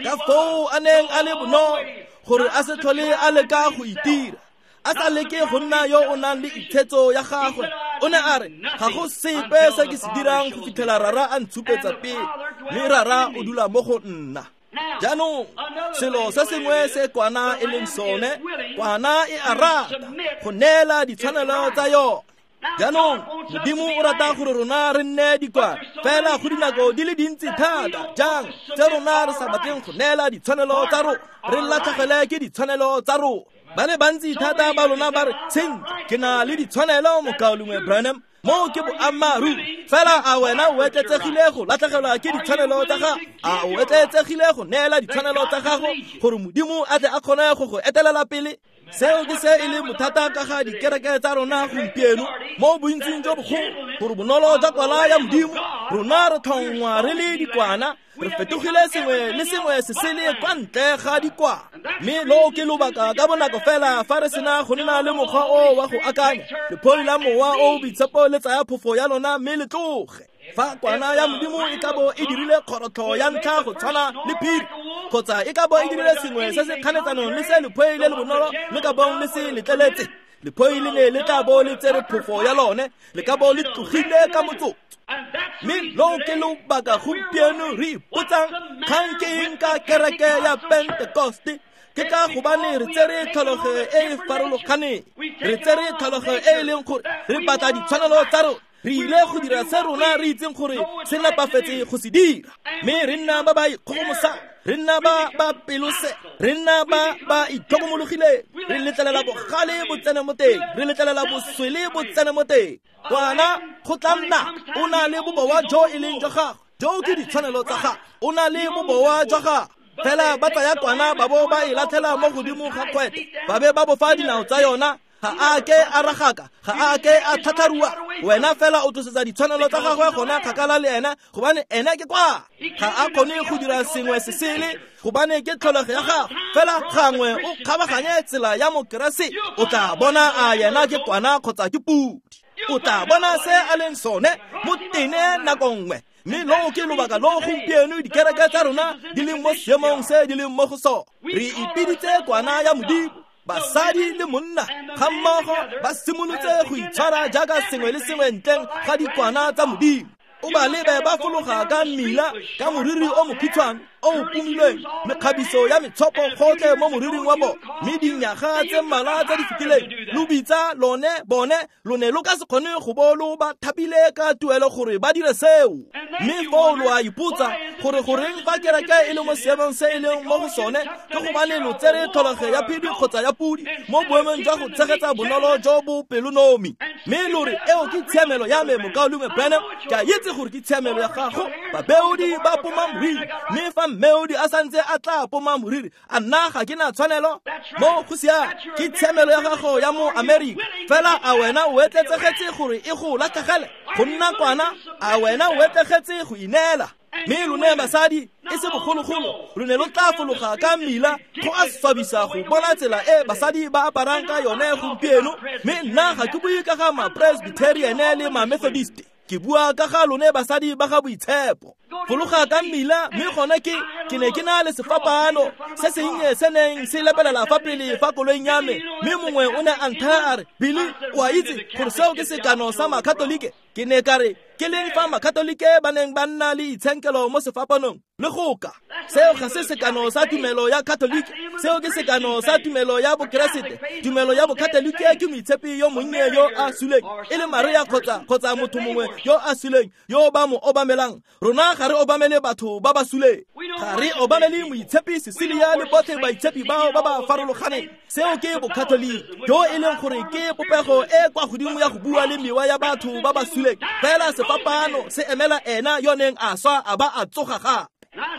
Ka foo a neng a le bonolo gore a se tlhole a leka go itira, a sa leke go nna yo o nang le itshetso ya gagwe. O ne a re, ga go sepe se ke se dirang go fitlhela Rara a ntshupetsa pele, mme Rara o dula mo go nna. Jaanong selo se sengwe se kwana e leng sone, kwana e a rata go neela ditshwanelo tsa yone. Jaanong Modimo o rata gore rona re nne dikwana, fela go dinako di le dintsi thata jang tse rona re sa batleng go neela ditshwanelo tsa rona, re latlhegele ke ditshwanelo tsa rona. Ba le bantsi thata ba lona ba re, sentle, ke na le ditshwanelo mokaulengwe Branham. Moo ke boammaaruri. Fela a wena o etletsegile go latlhegelwa ke ditshwanelo tsa gago? A o etletsegile go neela ditshwanelo tsa gago gore Modimo a tle a kgone go go etelela pele? Seo ke se e leng bothata ka ga dikereke tsa rona gompieno, mo bontsing jo bogolo, gore bonolo jwa kwala ya Modimo, rona re tlhongwa re le dikwana, re fetogile sengwe le sengwe se sele kwa ntle ga dikwana. Mme loo ke lobaka ka bonako fela fa re sena go nna le mokgwa o wa go akanya, lephoi la mowa o o boitshepo le tsaya phofo ya lona mme le tloge. Fa kwana ya Modimo e ka bo e dirile kgorotlho ya ntlha go tshwana le phiri, kgotsa e ka bo e dirile sengwe se se kganetsanong le se lephoi le le bonolo le ka bong le se letleletse, lephoi le ne le tla bo le tsere phofo ya lone, le ka bo le tlogile ka motsotso. Mme loo ke lobaka gompieno re ipotsang kgang ke eng ka kereke ya Pentekoste. Ke ka gobane re tsere tlhologo e e farologaneng, re tsere tlhologo e e leng gore re batla ditshwanelo tsa rona. Re ile go dira se rona re itseng gore se nepafetse go se dira, mme re nna ba ba ikgogomosang, re nna ba ba pelose, re nna ba ba itlhokomologileng, re letlelela bogale bo tsene mo teng, re letlelela boswele bo tsene mo teng. Kwana go tla nna o na le bobowa jo e leng jwa gagwe, jo ke ditshwanelo tsa gagwe, o na le bobowa jwa gagwe. Fela ba tsaya kwana ba bo ba e latlhela mo godimo ga kgwete, ba be ba bofa dinao tsa yona. Ga a ke a ragaka, ga a ke a tlhatlharua. Wena fela o tlosetsa ditshwanelo tsa gagwe gona kgakala le ena, gobane ena ke kwa. Ga a kgone go dira sengwe se sele, gobane ke tlholego ya gagwe. Fela gangwe o kgabaganye tsela ya Mokeresete, o tla bona a yena ke kwana kgotsa ke pudi. O tla bona se a leng sone mo tene nako nngwe. Mme loo ke lobaka lo gompieno dikereke tsa rona di leng mo seemong se di leng mo go sone. Re ipiditse kwana ya Modimo. Basadi le monna ga mmogo ba simolotse go itshwara jaaka sengwe le sengwe ntleng ga dikwana tsa Modimo. O ba lebe ba fologa ka mmila ka moriri o mokhutshwane o o pomilweng, mekgabiso ya metshopo gotlhe mo moriring wa bone. Mme dinyaga tse mmalwa tse di fetileng lo bitsa lone bone lo ne lo ka se kgone go bo lo ba thapile ka tuelo gore ba dire seo. Mme foo lo a ipotsa gore goreng fa kereke e le mo seemong se e leng mo go sone, ke gobane lo tsere tlholego ya phedi kgotsa ya pudi mo boemong jwa go tshegetsa bonolo jo bo pelonomi. Mme lo re eo ke tshiamelo ya me, mokaulengwe Branham, ke a itse gore ke tshiamelo ya gago. Babeodi ba poma moriri, mme fa mmeodi a santse a tla poma moriri, a nna ga ke na tshwanelo mo go siame. Ke tshiamelo ya gago ya mo Amerika. Fela a wena o etletsegetse gore e go latlhegele go nna kwana? A wena o etlegetse go ineela? Mme lone basadi e se bogologolo lo ne lo tla fologa ka mmila go a swabisa go bona tsela e basadi ba aparang ka yone gompieno. Mme nna ga ke bue ka ga ma-Presbyterian le ma-Methodist, ke bua ka ga lone basadi ba ga boitshepo. Fologa ka mmila, mme gone ke ne ke na le sefapano se sennye se neng se lepelela fa pele fa koloing ya me, mme mongwe o ne a nthaya a re, Billy, o a itse gore seo ke sekano sa makatolike? Ke ne ka re, ke leng fa makatolike ba neng ba nna le itshenkelo mo sefapanong le go ka? Seo ga se sekano sa tumelo ya Katolike, seo ke sekano sa tumelo ya Bokeresete. Tumelo ya Bokatolike ke moitshepi yo monnye yo a suleng, e le Maria kgotsa motho mongwe yo a suleng yo ba mo obamelang. Rona ga re obamele batho ba ba suleng, ga re obamele moitshepi Cecilia le botlhe baitshepi bao ba ba farologaneng. Seo ke Bokatolike, jo e leng gore ke popego e kwa godimo ya go bua le mewa ya batho ba ba suleng. Fela sefapano se emela ena yo neng a swa a ba a tsoga gape.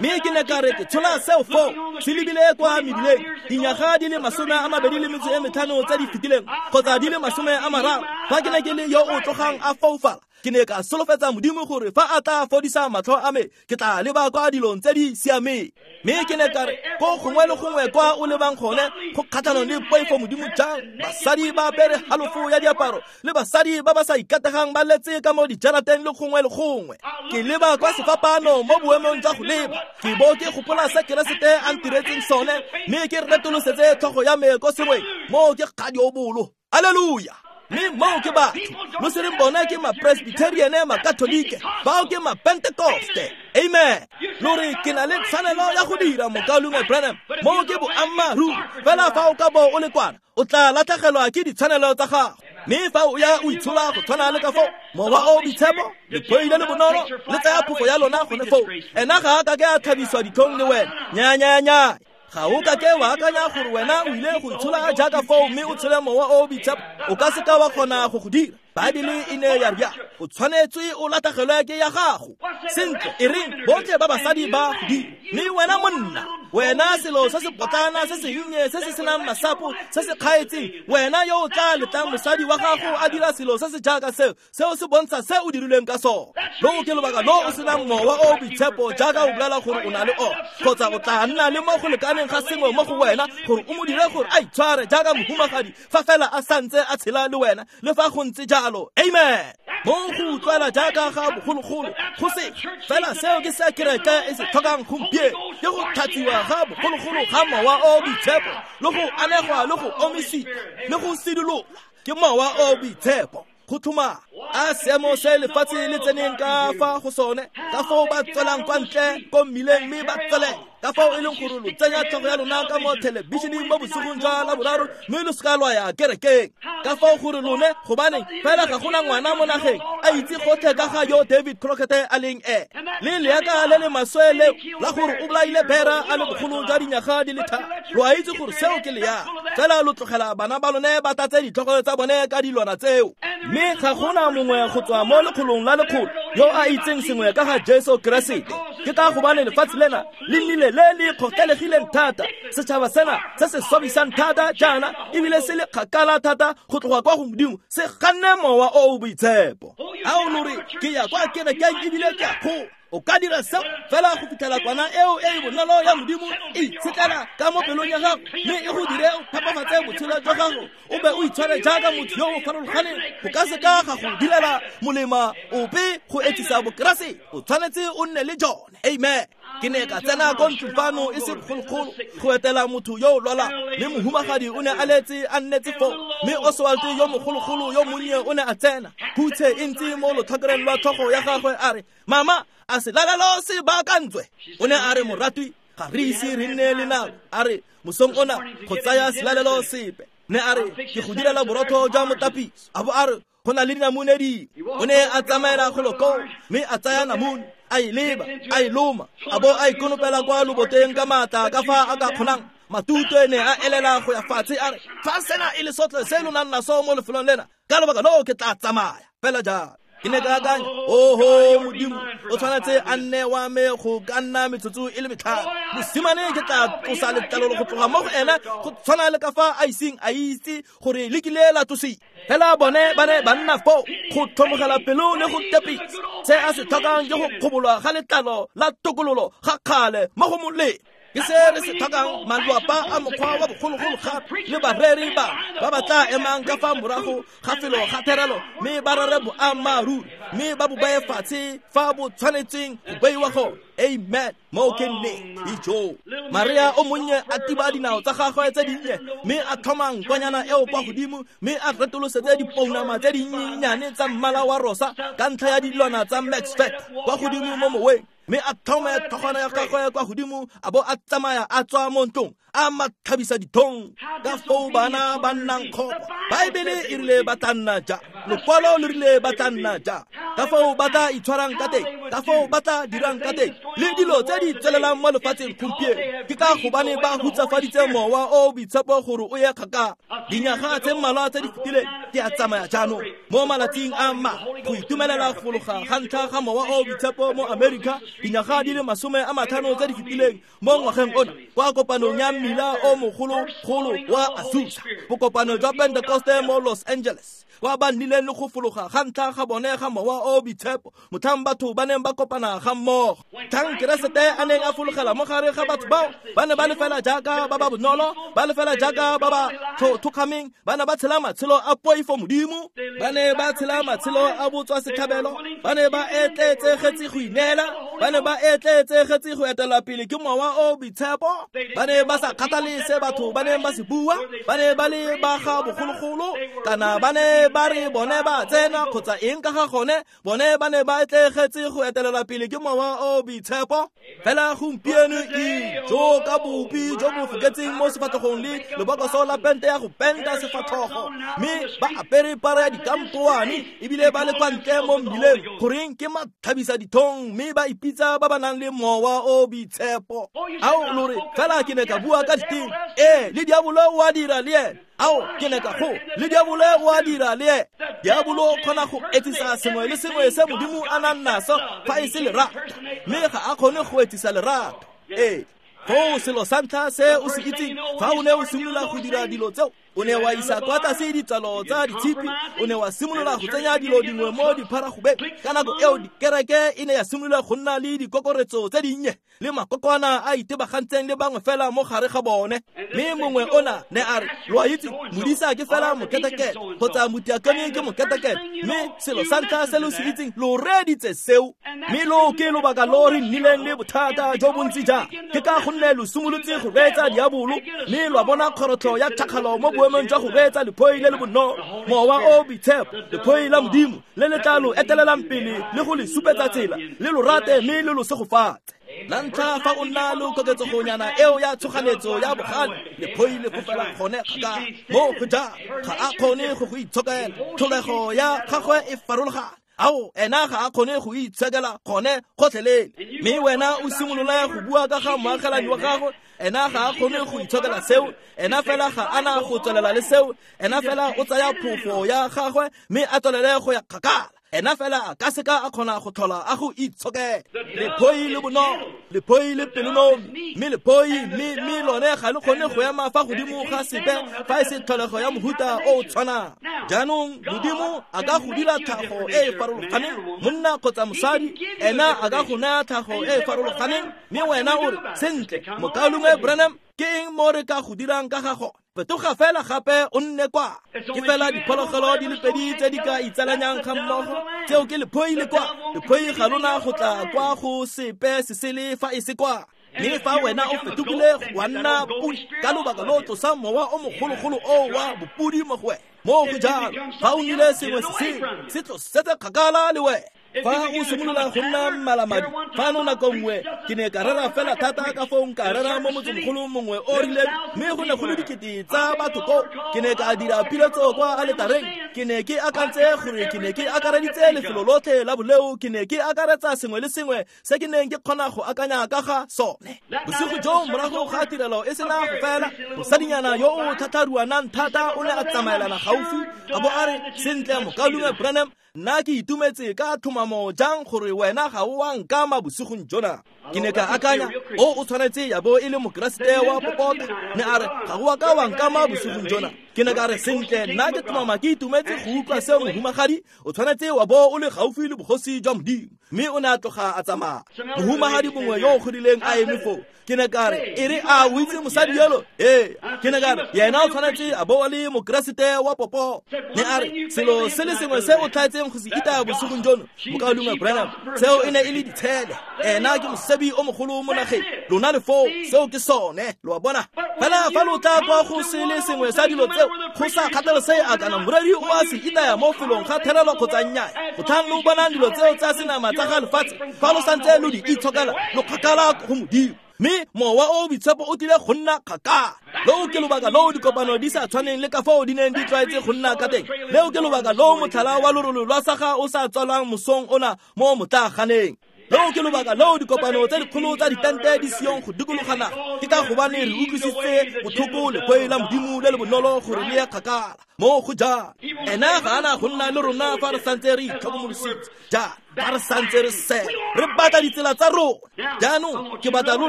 Mme ke ne ka re ke tshola seo foo se lebile kwa mebileng dinyaga di le 25 tse di fetileng kgotsa di le 30, fa ke ne ke le yo o tlogang a foufala. Ke ne ka solofetsa Modimo gore fa a tla fodisa matlho a me, ke tla leba kwa dilong tse di siameng. Mme ke ne ka re ko gongwe le gongwe kwa o lebang gone go kgatlhanong le poifo Modimo jang, basadi ba apere halofo ya diaparo le basadi ba ba sa ikategang ba letse ka mo dijarateng le gongwe le gongwe. Ke leba kwa sefapano mo boemong jwa go leba, ke bo ke gopola se Keresete a ntiretseng sone, mme ke retolosetse tlhogo ya me ko sengweng mo ke kgadiobolo. Alleluia! Mme moo ke batho lo se reng bona ke ma-Presbyterian, ma-Katolike, bao ke ma-Pentecoste. Amen. Lo re ke na le tshwanelo ya go dira, mokaulengwe Branham, moo ke boammaaruri. Fela fa o ka bo o le kwana, o tla latlhegelwa ke ditshwanelo tsa gago. Mme fa o ya o itshola go tshwana le ka foo, mowa o boitshepo, lephoi le le bonolo le tsaya phofo ya lona gone foo. Ena ga a ka ke a tlhabiswa ditlhong le wena. Nya nya nya. Ga o ka ke wa akanya gore wena o ile go itshola jaaka foo mme o tshele mowa o boitshepo, o ka se ka wa kgona go go dira. Baebele e ne ya re o tshwanetswe o latlhegelwe ke ya gago. Sentle, e reng botlhe ba basadi ba go dira, mme wena monna, wena selo se se potlana se sennye se se senang masapo se se kgaetseng, wena yo o tla letlang mosadi wa gago a dira selo se se jaaka seo, seo se bontsha se o dirilweng ka sone. Loo ke lobaka lo o senang mowa o boitshepo jaaka o bolela gore o na le ona, kgotsa o tla nna le mo go lekaneng ga sengwe mo go wena gore o mo dire gore a itshware jaaka mohumagadi fa fela a santse a tshela le wena, le fa go ntse jalo. Amen. Mo go utlwala jaaka ga bogologolo go se fela seo ke se kereke e se tlhokang gompieno, ke go tlhatsiwa ga bogologolo ga mowa o boitshepo le go anegwa le go omisiwa le go sidolola ke mowa o boitshepo. Go tlhoma a seemo se lefatshe le tseneng ka fa go sone, ka foo ba tswelang kwa ntle ko mmileng mme ba tswele, ka fao e leng gore lo tsenya tlhogo ya lona ka mo thelebišeneng mo bosigong jwa Laboraro mme lo seka lwa ya kerekeng, ka fao gore lone gobaneng fela ga gona ngwana mo nageng a itse gotlhe ka ga yo David Crockett a leng e le leaka le le maswe leo la gore o bolaile bera a le bogolo jwa dinyaga di le 3. Lo a itse gore seo ke leaka, fela lo tlogela bana ba lone ba tlatse ditlhogo tsa bone ka dilwana tseo. Mme ga gona mongwe go tswa mo lekgolong la lekgolo yo a itseng sengwe ka ga Jesu Keresete. Ke ka gobane lefatshe lena le nnile le le kgokelegileng thata, setšhaba sena se se swabisang thata jaana ebile se le kgakala thata go tloga kwa go Modimo, se ganne mowa o o boitshepo. A o lo re ke ya kwa kerekeng ebile ke a kgowa, O ka dira seo fela go fitlhela kwana eo e e bonolo ya Modimo e itshetlela ka mo pelong ya gago, mme e go dire o phepafatse botshelo jwa gago, o be o itshware jaaka motho yo o farologaneng. Go ka seka ga go direla molema ope go etsisa Bokeresete. O tshwanetse o nne le jone. Amen. Ke ne ka tsena ko ntlong fano e se bogologolo go etela motho yo o lwalang, mme mohumagadi o ne a letse a nnetse foo, mme Oswald yo mogologolo yo monnye o ne a tsena, hutshe e ntse mo lotlhakoreng lwa tlhogo ya gagwe, a re, "Mama, a selalelo se baakantswe?" O ne a re, "Moratwi, ga re ise re nne le nako," a re, "mosong ona go tsaya selalelo sepe." Ne a re, "Ke go direla borotho jwa motapiso." A bo a re, "Go na le dinamune dingwe." O ne a tsamaela golo koo mme a tsaya namune, a e leba, a e loma, a bo a e konopela kwa loboteng ka maatla ka fa a ka kgonang. Matutwe ne a elela go ya fatshe, a re, "Fa sena e le sotlhe se lo nang naso mo lefelong lena, ka lobaka loo ke tla tsamaya fela jalo." Ke ne ka akanya, "Oho Modimo, o tshwanetse a nne wa me go ka nna metsotso e le 5. Mosimane ke tla tlosa letlalo go tloga mo go ena go tshwana le ka fa a iseng a itse gore le kile la tlosiwa." Fela bone ba ne ba nna foo go tlhomogela pelo le go tepisa. Se a se tlhokang ke go kgobolwa ga letlalo la tokololo ga kgale mo go molemo. Ke se re se tlhokang, malwapa a mokgwa wa bogologolo gape le bareri ba ba tla emang ka fa morago ga felo ga therelo, mme ba rere boammaaruri, mme ba bo baye fatshe fa bo tshwanetseng go beiwa gone. Amen. Moo ke nnete. Ijo. Maria o monnye a tiba dinao tsa gagwe tse dinnye, mme a tlhoma nkwanyana eo kwa godimo, mme a retolosetse dipounama tse dinyenyane tsa mmala wa rosa ka ntlha ya dilwana tsa Max Factor kwa godimo mo moweng, mme a tlhome tlhogwana ya gagwe kwa godimo, a bo a tsamaya a tswa mo ntlong a matlhabisa dithong. Ka foo bana ba nnang kgopo! Baebele e rile ba tla nna ja, lokwalo le rile ba tla nna ja. Ka foo ba tla itshwarang ka teng, ka foo ba tla dirang ka teng, le dilo tse di tswelelang mo lefatsheng gompieno, ke ka gobane ba hutsafaditse Mowa o o Boitshepo gore o ye kgakala. Dinyaga tse mmalwa tse di fetileng, ke a tsamaya jaanong mo malatsing a ma go itumelela go fologa ga ntlha ga Mowa o o Boitshepo mo Amerika, dinyaga di le 50 tse di fetileng mo ngwageng ona, kwa kopanong ya mmila o mogologolo wa Azusa, bokopano jwa Pentekoste mo Los Angeles, kwa ba nnileng le go fologa ga ntlha ga bone ga Mowa o o Boitshepo, motlhang batho ba neng ba kopana ga mmogo. Tlhang Keresete a neng a fologela mo gare ga batho bao, ba ne ba le fela jaaka ba ba bonolo, ba le fela jaaka ba ba thokgameng, ba ne ba tshela matshelo a poifo Modimo, ba ne ba tshela matshelo a botswa setlhabelo, ba ne ba etleetsegetse go ineela, ba ne ba etleetsegetse go etela pele ke Mowa o o Boitshepo, ba ne ba sa kgathale se batho ba neng ba se bua, ba ne ba le ba ga bogologolo, kana ba ne ba re bone ba tsena kgotsa eng ka ga gone, bone ba ne ba etleegetse go etelela pele ke Mowa o o Boitshepo. Fela gompieno ijo ka bopi jo bo foketseng mo sefatlhogong le lebokoso la pente ya go penta sefatlhogo, mme ba apere para ya dikampoane ebile ba le kwa ntle mo mmileng, goreng ke matlhabisa dithong, mme ba ipitsa ba ba nang le Mowa o o Boitshepo. Ao, lo re, "Fela ke ne ka bua ka diteme." Ee, le diabolo o a dira le ene. Ao, ke ne ka go, le diabolo o a dira le ene. Diabolo o kgona go etsisa sengwe le sengwe se Modimo a nang naso fa e se lerato, mme ga a kgone go etsisa lerato. Ee, foo selo sa ntlha se o se itseng, fa o ne o simolola go dira dilo tseo, o ne wa isa kwa tlase ditsalo tsa ditshipi, o ne wa simolola go tsenya dilo dingwe mo dipharagobeng. Ka nako eo dikereke e ne ya simolola go nna le dikokoretso tse dinnye le makokwana a itebagantseng le bangwe fela mo gare ga bone. Mme mongwe ona ne a re, "Lo a itse, modisa ke fela moketekete, kgotsa motiakone ke moketekete." Mme selo sa ntlha se lo se itseng, lo reeditse seo. Mme lo ke lobaka lo re nnileng le bothata jo bontsi jang, ke ka gonne lo simolotse go reetsa diabolo, mme lwa bona kgorotlho ya tšhakgalo mo boemong jwa go reetsa lephoi le le bonolo, Mowa o o Boitshepo, lephoi la Modimo le le tla lo etelelang pele le go le supetsa tsela, le lo rate mme le lo segofatse. La ntlha fa o nna le koketsegonyana eo ya tshoganetso ya bogale, lephoi le fofela gone kgakala mo go jang, ga a kgone go go itshokela, tlholego ya gagwe e farologane. Ao, ena ga a kgone go itshokela gone gotlhelele. Mme wena o simolole go bua ka ga moagelani wa gago, ena ga a kgone go itshokela seo, ena fela ga ana go tswelela le seo, ena fela o tsaya phofo ya gagwe mme a tswelele go ya kgakala. Ena fela a ka seka a kgona go tlhola a go itshokela. Lephoi le bonolo, lephoi le pelonomi, mme lephoi mme lone ga le kgone go ema fa godimo ga sepe fa e se tlholego ya mohuta o o tshwanang. Jaanong Modimo a ka go dira tlhago e e farologaneng, monna kgotsa mosadi, ena a ka go naya tlhago e e farologaneng, mme wena o re, sentle, mokaulengwe Branham, ke eng mo re ka go dirang ka ga gone? Fetoga fela gape o nne kwa. Ke fela diphologolo di le pedi tse di ka itsalanyang ga mmogo, tseo ke lephoi le kwa. Lephoi ga lona go tla kwa go sepe se sele fa e se kwa. Mme fa wena o fetogile wa nna podi ka lobaka lo tlosa mowa o mogologolo o wa bopodi mo go wena. Mo go jalo, fa o nnile sengwe se sengwe se tlosetse kgakala le wena. Fa o simolola go nna mmalamadi, fano nako nngwe ke ne ka rera fela thata ka foo nka rera mo motsemogolo mongwe o rileng, mme go ne go le dikete tsa batho koo. Ke ne ka dira piletso kwa aletareng. Ke ne ke akantse gore ke ne ke akareditse lefelo lotlhe la boleo, ke ne ke akaretsa sengwe le sengwe se ke neng ke kgona go akanya ka ga sone. Bosigo joo morago ga tirelo e sena go fela, mosadinyana yo o tlhatlharuanang thata o ne a tsamaelana gaufi a bo a re, sentle, mokaulengwe Branham, nna ke itumetse ka tlhomamo jang gore wena ga o a nkama bosigong jona. Ke ne ka akanya, o tshwanetse ya bo e le mokeresete wa popota. Ne a re, ga o a ka wa nkama bosigong jona. Ke ne ka re, sentle, nna ke tlhomama ke itumetse go utlwa seo, mohumagadi, o tshwanetse wa bo o le gaufi le bogosi jwa Modimo. Mme o ne a tloga a tsamaya. Mohumagadi mongwe yo o godileng a eme foo. Ke ne ka re, e re a o itse mosadi yolo? Ee. Ke ne ka re, yena o tshwanetse a bo a le mokeresete wa popo. Ne a re, selo se le sengwe se o tlhaetseng go se itaya bosigong jono, mokaulengwe Branham, seo e ne e le ditshele. Ena ke mosebi o mogolo mo nageng. Lona le foo, seo ke sone, lo a bona. Fela fa lo tla kwa go se le sengwe sa dilo tseo, go sa kgathalesege a kana moreri o a se itaya mo felong ga therelo kgotsa nnyaa, gotlhang lo bonang dilo tseo tsa senama tsa ga lefatshe, fa lo santse lo di itshokela, lo kgakala go Modimo. Mme mowa o boitshepo o tlile go nna kgakala. Leo ke lobaka loo dikopano di sa tshwaneng le ka foo di neng di tlwaetse go nna ka teng. Leo ke lobaka loo motlhala wa lorolo lwa saga o sa tswalwang mosong ona mo motlaaganeng. Leo ke lobaka loo dikopano tse dikgolo tsa ditente di seyong go dikologana. Ke ka gobane re utlwisitse botlhoko lephoi la Modimo le le bonolo gore le ye kgakala. Mo go jalo, ena ga ana go nna le rona fa re santse re itlhokomolositse jaana, fa re santse re sela, re batla ditsela tsa rona. Jaanong ke batla lo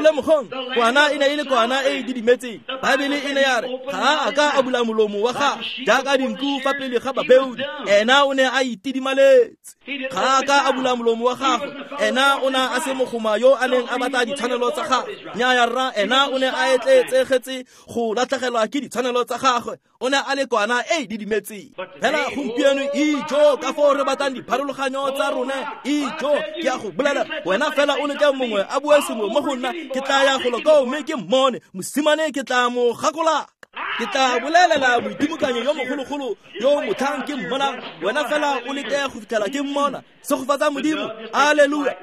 lemogong, kwana e ne e le kwana e e didimetseng. Baebele e ne ya re ga a ka a bula molomo wa gagwe jaaka dinku fa pele ga babeodi. Ena o ne a itidimaletse. Ga a ka a bula molomo wa gagwe. Ena o ne a se mogoma yo a neng a batla ditshwanelo tsa gagwe. Nnyaya rra, ena o ne a etleetsegetse go latlhegelwa ke ditshwanelo tsa gagwe. O ne a le kwana e e didimetseng. Fela gompieno ijo ka foo re batlang dipharologanyo tsa rone, ijo ke a go bolela, wena fela o leke mongwe a bue sengwe mo go nna, ke tla ya golo koo mme ke mmone mosimane, ke tla mo gakolaka. Ke tla bolelela moitimokanyo yo mogologolo yo motlhang ke mmonang, wena fela o leke go fitlhela ke mmona. Segofatsa Modimo, aleluya.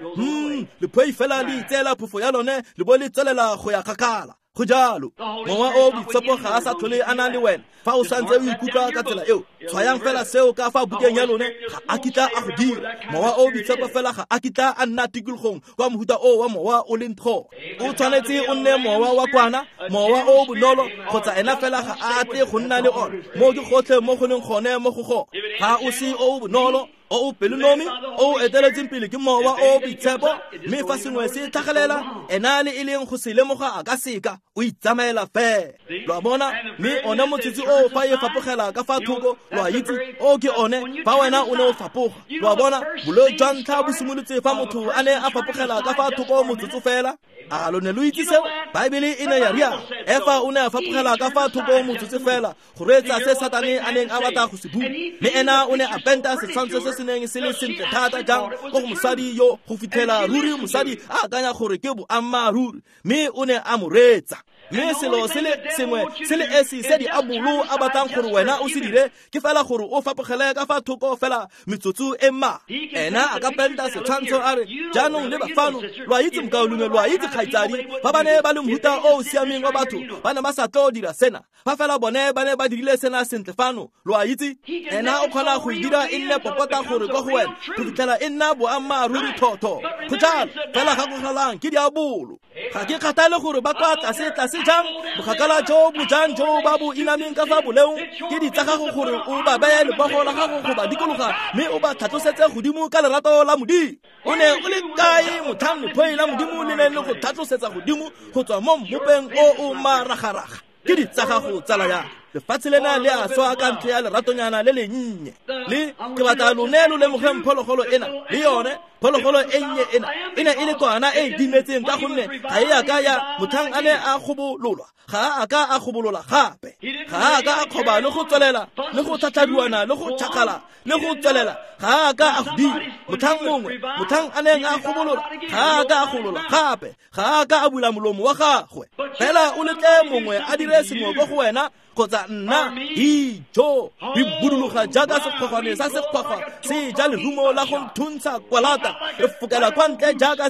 Lephoi fela le itseela phofo ya lone le bo le tswelela go ya kgakala. Go jalo, mowa o boitshepo ga a sa tlhole a na le wena fa o santse o ikutlwa ka tsela eo. Tshwayang fela seo ka fa bukeng ya lone, ga a kitla a go dira. Mowa o boitshepo fela ga a kitla a nna tikologong kwa mohuta o wa mowa o leng tlhogo. O tshwanetse o nne mowa wa kwana, mowa o bonolo, kgotsa ena fela ga a tle go nna le one. Mo ke gotlhe mo go leng gone mo go gone. Ga o se o bonolo, o o pelonomi, o o eteletseng pele ke mowa o boitshepo, mme fa sengwe se tlhagelela, ena le e leng go se lemoga a ka seka, o itsamaela fela. Lo a bona? Mme one motsotsi o fa e fapogela ka fa thoko, lo a itse, o ke one fa wena o ne o fapoga. Lo a bona? Boleo jwa ntlha bo simolotse fa motho a ne a fapogela ka fa thoko motsotso fela. A lo ne lo itse seo? Baebele e ne ya rialo. Efa o ne a fapogela ka fa thoko motsotso fela go reetsa se Satane a neng a batla go se bua. Mme ena o ne a penta setshwantsho se se neng se le sentle thata jang ko go mosadi yo go fitlhela ruri mosadi a akanya gore ke boammaaruri, mme o ne a mo reetsa. Mme selo se le sengwe se le esi se diabolo a batlang gore wena o se dire ke fela gore o fapogele ka fa thoko fela metsotso e mma. Ena a ka penta setshwantsho a re, jaanong leba fano, lo a itse mokaulengwe, lo a itse kgaitsadi, fa ba ne ba le mohuta o o siameng wa batho, ba ne ba sa tlo dira sena. Fa fela bone ba ne ba dirile sena sentle fano, lo a itse, ena o kgona go e dira e nne popota gore kwa go wena go fitlhela e nna boammaaruri thotho. Go jalo, fela gakogelang ke diabolo. Ga ke kgathale gore ba kwa tlase tlase tlase jang, bokgakala jo bo jang jo ba bo inameng ka fa boleong, ke di tsa gago gore o ba beye lebogo la gago go ba dikologa mme o ba tlhatlosetse godimo ka lerato la Modimo. O ne o le kae motlhang lephoi la Modimo le neng le go tlhatlosetsa godimo go tswa mo mmopeng o o maragaraga? Ke di tsa gago tsala ya lefatshe lena le a swa ka ntlha ya leratonyana le lennye. Le ke batla lone lo lemogeng phologolo ena le yone phologolo e nnye ena e ne e le kwana e e dimetseng ka gonne ga e a ka ya motlhang a ne a gobololwa, ga a ka a gobolola gape, ga a ka a kgoba le go tswelela le go tlhatlhaduana le go tšhakgala le go tswelela, ga a ka a go dira. Motlhang mongwe motlhang a neng a gobolola ga a ka a golola gape, ga a ka a bula molomo wa gagwe. Fela o letle mongwe a dire sengwe ko go wena kgotsa nna, ijo di buduluga jaaka sekgwagwane sa sekgwagwa se ja lerumo la go nthuntsha kwalata, re fokela kwa ntle jaaka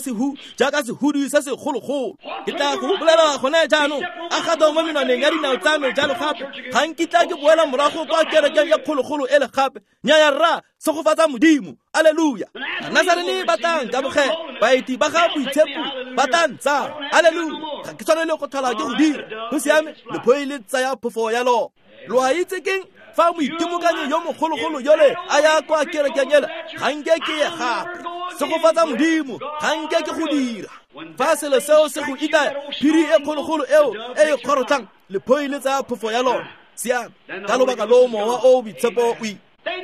jaaka sehudu se segologolo. Ke tla go bolela gone jaanong, a gato mo menwaneng ya dinao tsa me jalo gape, ga nkitla ke boela morago kwa kerekeng ya kgologolo ele gape. Nnyaya rra, segofatsa Modimo, aleluya. Banasarene ba tla nkamogela, baeti ba ga boitshepo ba tla ntsaya, aleluya. Ga ke tshwanele go tlhola ke go dira, go siame, lephoi le tsaya phofo ya lona. Lo a itse keng? Fa moitimokanyi yo mogologolo yole a ya kwa kerekeng ela, ga nke ke ye gape. Segofatsa Modimo, ga nke ke go dira. Fa selo seo se go itaya, phiri e kgologolo eo e e kgorotlhang, lephoi le tsaya phofo ya lona. Siame, ka lobaka loo mowa o o boitshepo o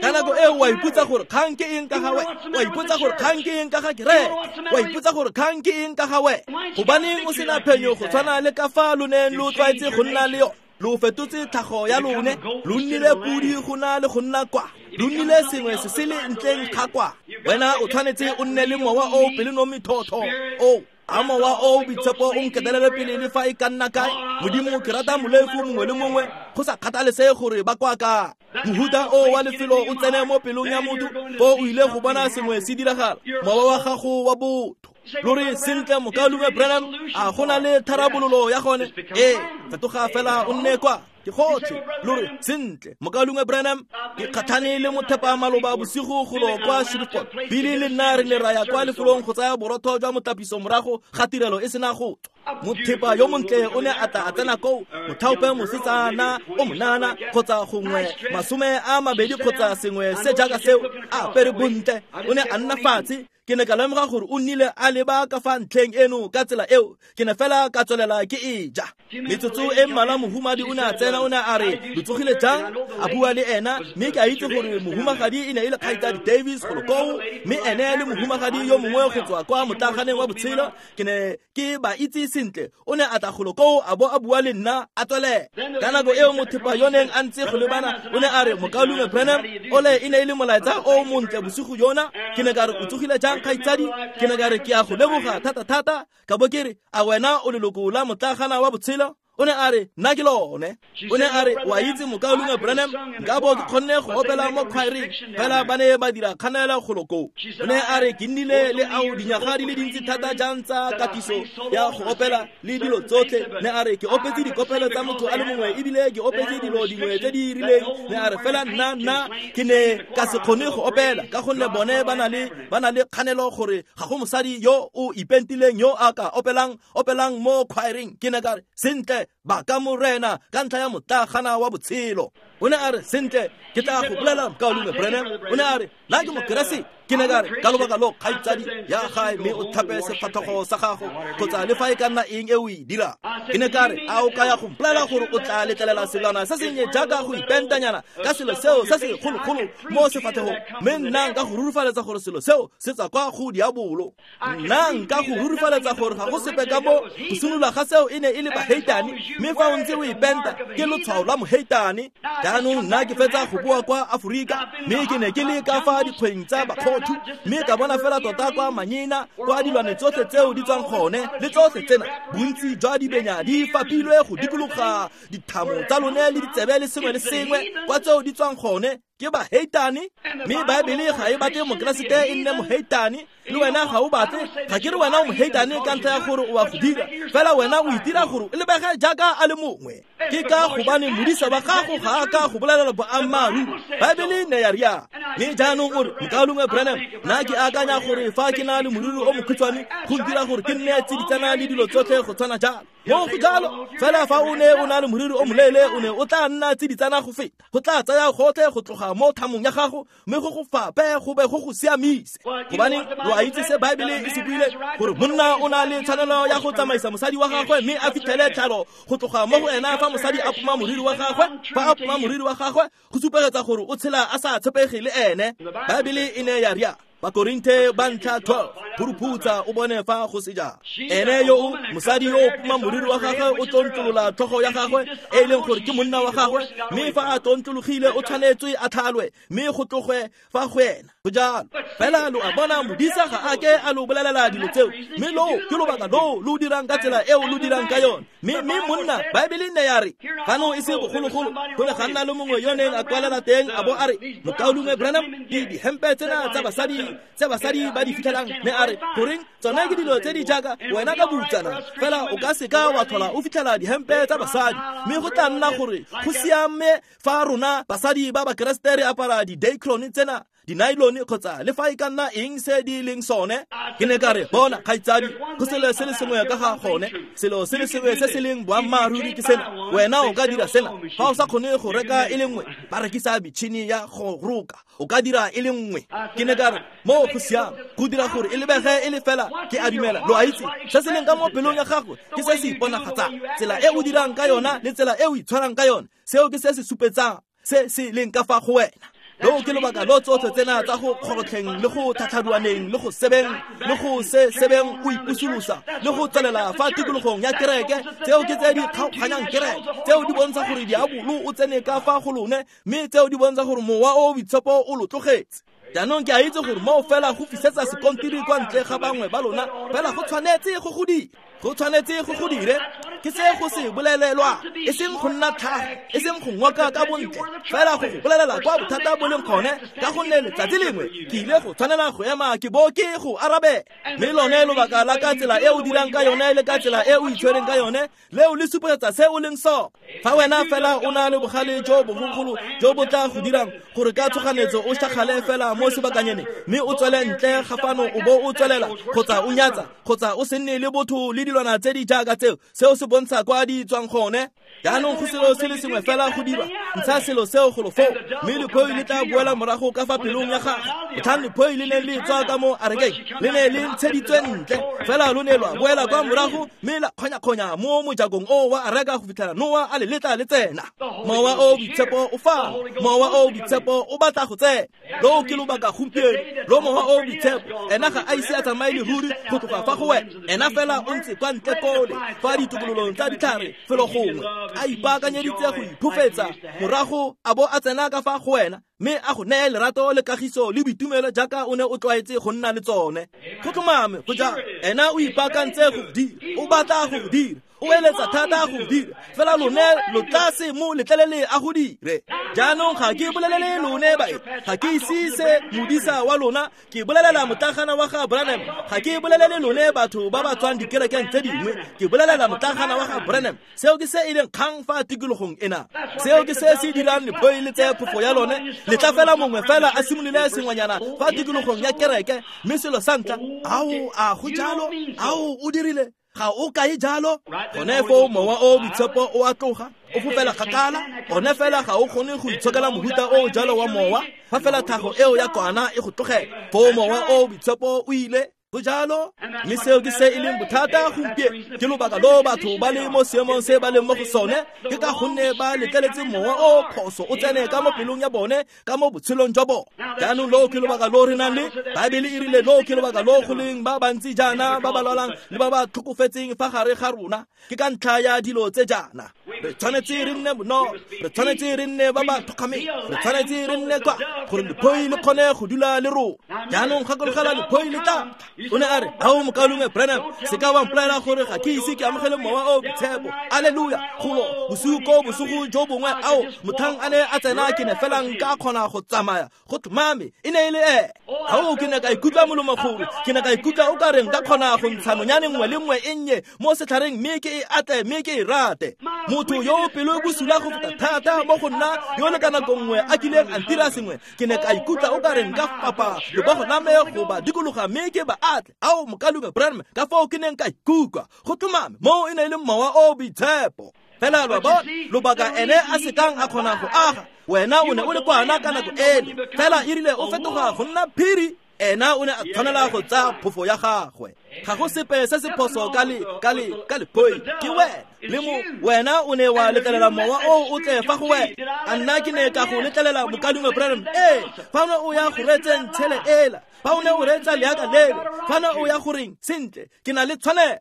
ka nako eo wa ipotsa gore kgang ke eng ka ga wa ipotsa gore kgang ke eng ka ga kereke, wa ipotsa gore kgang ke eng ka ga wena. Gobaneng o sena phenyo go tshwana le ka fa lo neng lo tlwaetse go nna le yone? Lo fetotse tlhago ya lone, lo nnile podi go na le go nna kwa, lo nnile sengwe se se le ntleng ga kwa. Wena o tshwanetse o nne le mowa o pelonomi thotho o a mowa o boitshepo o nketelele pele le fa e ka nna kae. Modimo, ke rata molefu mongwe le mongwe go sa kgathalesege gore ba kwa kae. Mohuta o wa lefelo o tsene mo pelong ya motho, fo o ile go bona sengwe se diragala, mowa wa gago wa botho. Lo re, sentle mokaulengwe Branham, a go na le tharabololo ya gone? Ee, fetoga fela o nne kwa, ke gotlhe. Lo re, sentle mokaulengwe Branham, ke kgatlhane le mothepa maloba bosigo golo kwa Shreveport. Billy le nna re ne ra ya kwa lefelong go tsaya borotho jwa motlapiso morago ga tirelo e sena go tswa. Mothepa yo montle o ne a tla a tsena koo, mothaope mosetsana o monana kgotsa gongwe 20 kgotsa sengwe se jaaka seo, a apere bontle. O ne a nna fatshe. Ke ne ka lemoga gore o nnile a leba ka fa ntlheng eno ka tsela eo, ke ne fela ka tswelela ke e ja. Metsotso e mmalwa mohumadi o ne a tsena, o ne a re, lo tsogile jang? A bua le ena, mme ke a itse gore mohumagadi e ne e le kgaitsadi Davis golo koo, mme ene le mohumagadi yo mongwe go tswa kwa motlaganeng wa botshelo, ke ne ke ba itse sentle. O ne a tla golo koo a bo a bua le nna a tswelela. Ka nako eo mothepa yo neng a ntse go lebana o ne a re, mokaulengwe Branham, ole e ne e le molaetsa o montle bosigo jona. Ke ne ka re, o tsogile jang kgaitsadi? Ke ne ka re, ke a go leboga thata-thata. Ka bo ke re, a wena o leloko la motlagana wa botshelo? O ne a re, nna ke lone. O ne a re, wa itse mokaulengwe Branham, nka bo ke kgonne go opela mo khwaereng, fela ba ne ba dira kganelo golo koo. O ne a re, ke nnile le ao dinyaga di le dintsi thata jang tsa katiso ya go opela le dilo tsotlhe. Ne a re, ke opetse dikopelo tsa motho a le mongwe ebile ke opetse dilo dingwe tse di rileng. Ne a re, fela nna ke ne ka se kgone go opela ka gonne bone ba na le kganelo gore ga go mosadi yo o ipentileng yo a ka opelang mo khwaereng. Ke ne ka re, sentle, ba ka morena ka ntlha ya motlagana wa botshelo. O ne a re, sentle, ke tla go bolela mokaulengwe Branham. O ne a re, nna ke mokeresete. Ke ne ka re, ka lobaka lo kgaitsadi ya gae mme o thape sefatlhego sa gago kgotsa le fa e ka nna eng e o e dirang. Ke ne ka re, a o ka ya go mpolelela gore o tla letlelela selwana se sennye jaaka go ipentanyana ka selo seo se se kgologolo mo sefatlhegong, mme nna nka go rurifaletsa gore selo seo se tswa kwa go diabolo. Nna nka go rurifaletsa gore ga go sepe ka mo go simolola ga seo e ne e le baheitane, mme fa o ntse o ipenta ke lotshwao la moheitane. Jaanong nna ke fetsa go boa kwa Aforika, mme ke ne ke le ka fa dikgweng tsa bakgothu, mme ka bona fela tota kwa manyena kwa dilwane tsotlhe tseo di tswang gone le tsotlhe tsena, bontsi jwa dibenya di fapilwe go dikologa dithamo tsa lone le ditsebe le sengwe le sengwe kwa tseo di tswang gone ke baheitane. Mme Baebele ga e batle mokeresete e nne moheitane, le wena ga o batle. Ga ke re wena o moheitane ka ntlha ya gore o a go dira, fela wena o itira gore o lebege jaaka a le mongwe. Ke ka gobane modisa wa gago ga a ka go bolelela boammaaruri. Baebele ne ya rialo. Mme jaanong o re, Mokaulengwe Branham, nna ke akanya gore fa ke na le moriri o mokhutshwane go dira gore ke nne tsiditsana le dilo tsotlhe go tshwana jalo. Mo go jalo, fela fa o ne o na le moriri o moleele o ne o tla nna tsiditsana go feta. Go tla tsaya gotlhe go tloga mo thamong ya gago mme go go fape go be go go siamise. Gobane lo a itse se Baebele e se buile gore monna o na le tshwanelo ya go tsamaisa mosadi wa gagwe mme a fitlhele tlhalo go tloga mo go ena fa mosadi a poma moriri wa gagwe. Fa a poma moriri wa gagwe go supegetsa gore o tshela a sa tshepege le ene. Baebele e ne ya ria Bakorinthe ba ntlha 12, phuruphutsa o bone fa go se jang. Ene yo mosadi yo o poma moriri wa gagwe o tlontlolola tlhogo ya gagwe e leng gore ke monna wa gagwe, mme fa a tlontlologile o tshwanetswe a tlhalwe mme go tloge fa go ena. Go jalo fela lo a bona modisa ga a ke a lo bolelela dilo tseo, mme lo ke lobaka lo lo dirang ka tsela eo lo dirang ka yone. Mme monna Baebele ne ya re fano e se bogologolo go ne ga nna le mongwe yo neng a kwalela teng a bo a re, Mokaulengwe Branham, dihempe tsena tsa basadi tse basadi ba di fitlhelang, mme a re goreng tsone ke dilo tse di jaaka wena ka boutsana fela o ka seka wa tlhola o fitlhela dihempe tsa basadi, mme go tla nna gore go siame fa rona basadi ba Bakeresete re apara di-dacron tsena, di-nylon kgotsa le fa e ka nna eng se di leng sone. Ke ne ka re, bona kgaitsadi, go selo se le sengwe ka ga gone, selo se le sengwe se se leng boammaaruri ke sena, wena o ka dira sena. Fa o sa kgone go reka e le nngwe, ba rekisa metšhini ya go roka, o ka dira e le nngwe. Ke ne ka re, mo go siame go dira gore e lebege e le fela ke a dumela. Lo a itse se se leng ka mo pelong ya gago ke se se iponagatsang, tsela e o dirang ka yona le tsela e o itshwarang ka yone, seo ke se se supetsang se se leng ka fa go wena. Loo ke lobaka lo tsotlhe tsena tsa go kgorotlheng le go tlhatlhaduaneng le go sebeng le go se sebeng o ipusolosa le go tswelela fa tikologong ya kereke, tseo ke tse di kgaoganyang kereke, tseo di bontsha gore diabolo o tsene ka fa go lone, mme tseo di bontsha gore mowa o boitshepo o lo tlogetse. Jaanong ke a itse gore moo fela go fisetsa sekontiri kwa ntle ga bangwe ba lona, fela go tshwanetse go go dira, go tshwanetse go go dire. Ke se go se bolelelwa, e seng go nna tlhaga, e seng go ngoka ka bontle, fela go go bolelela kwa bothata bo leng gone, ka gonne letsatsi lengwe ke ile go tshwanela go ema ke bo ke go arabe. Mme lone lobaka la ka tsela e o dirang ka yone le ka tsela e o itshwereng ka yone, leo le supegetsa se o leng sone. Fa wena fela o na le bogale jo bogologolo jo bo tla go dirang gore ka tshoganyetso o šakgale fela mo sebakanyane mme o tswele ntle ga fano o bo o tswelela kgotsa o nyatsa kgotsa o se nne le botho le dilwana tse di jaaka tseo, seo se bontsha kwa di tswang gone. Jaanong go selo se le sengwe fela go dirwa, ntsha selo seo golo foo, mme lephoi le tla boela morago ka fa pelong ya gago. Motlhang lephoi le ne le tswa ka mo arekeng, le ne le ntsheditswe ntle, fela lo ne lwa boela kwa morago mme la kgonya-kgonya mo mojakong o wa areka go fitlhela Noa a le letla le tsena. Mowa o boitshepo o fa, mowa o boitshepo o batla go tsena. Loo ke lobaka gompieno lo mowa o boitshepo, ena ga a ise a tsamaye leruri go tloga fa go wena, ena fela o ntse kwa ntle kole fa ditokololong tsa ditlhare felo gongwe, a ipaakanyeditse go iphofetsa morago a bo a tsena ka fa go wena, mme a go neye lerato le kagiso le boitumelo jaaka o ne o tlwaetse go nna le tsone. Go tlhomame go jalo, ena o ipaakantse go dira, o batla go dira, o eletsa thata go dira, fela lone lo tla se mo letlelele a go dire. Jaanong ga ke bolelele lone bae, ga ke ise se modisa wa lona, ke bolelela motlagana wa ga Branham. Ga ke bolelele lone batho ba ba tswang dikerekeng tse dingwe, ke bolelela motlagana wa ga Branham. Seo ke se e leng kgang fa tikologong ena, seo ke se se dirang lephoi le tseye phofo ya lone. Letla fela mongwe fela a simolole sengwanyana fa tikologong ya kereke, mme selo sa ntlha, ao a go jalo, ao o dirile, ga o kae jalo. Gone foo mowa o boitshepo o a tloga, o fofela kgakala. Gone fela ga o kgone go itshokela mohuta o jalo wa mowa, fa fela tlhago eo ya kwana e go tlogela, foo mowa o boitshepo o ile. Go jalo, mme seo ke se e leng bothata gompieno. Ke lobaka lo batho ba le mo seemong se ba leng mo go sone, ke ka gonne ba letleletse mowa o phoso o tsene ka mo pelong ya bone, ka mo botshelong jwa bone. Jaanong loo ke lobaka lo re nang le Baebele e rile loo ke lobaka lo go leng ba bantsi jaana ba ba lwalang le ba ba tlhokofetseng fa gare ga rona, ke ka ntlha ya dilo tse jaana. Re tshwanetse re nne bonolo, re tshwanetse re nne ba ba thokgameng, re tshwanetse re nne kwa gore lephoi le kgone go dula le rona. Jaanong gakologelwa lephoi le tla. O ne a re, ao mokaulengwe Branham, se ka wa mpolelela gore ga ke ise ke amogele mowa o boitshepo. Alleluia! Golo bosigo ko bosigo jo bongwe, ao motlhang a ne a tsena ke ne fela nka kgona go tsamaya go tlhomame, e ne e le ene. Ao ke ne ka ikutlwa molomo gore ke ne ka ikutlwa o ka reng ka kgona go ntsha nonyane nngwe le nngwe e nnye mo setlhareng mme ke e atle mme ke e rate. Motho yo pelo bosula go feta thata mo go nna yo le ka nako nngwe a kileng a ntira sengwe, ke ne ka ikutlwa o ka re nka fapa lebogo la me go ba dikologa mme ke ba atle. Ao mokalume Branham, ka foo ke neng ka ikutlwa go tlhomame moo e ne e le mowa o boitshepo. Fela lo bona lobaka ene a sekang a kgona go aga, wena o ne o le kwana ka nako ele, fela e rile o fetoga go nna phiri, ena o ne a tshwanela go tsaya phofo ya gagwe. Ga go sepe se se phoso ka lephoi, ke wena le mo wena o ne wa letlelela mowa o o tle fa go wena. A nna ke ne ka go letlelela mokalume Branham? Ee, fa o ne o ya go reetseng tshele ela, fa o ne o reetsa leaka lele, fa ne o ya goreng sentle, ke na le tshwanelo.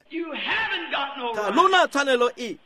Ga lona tshwanelo e,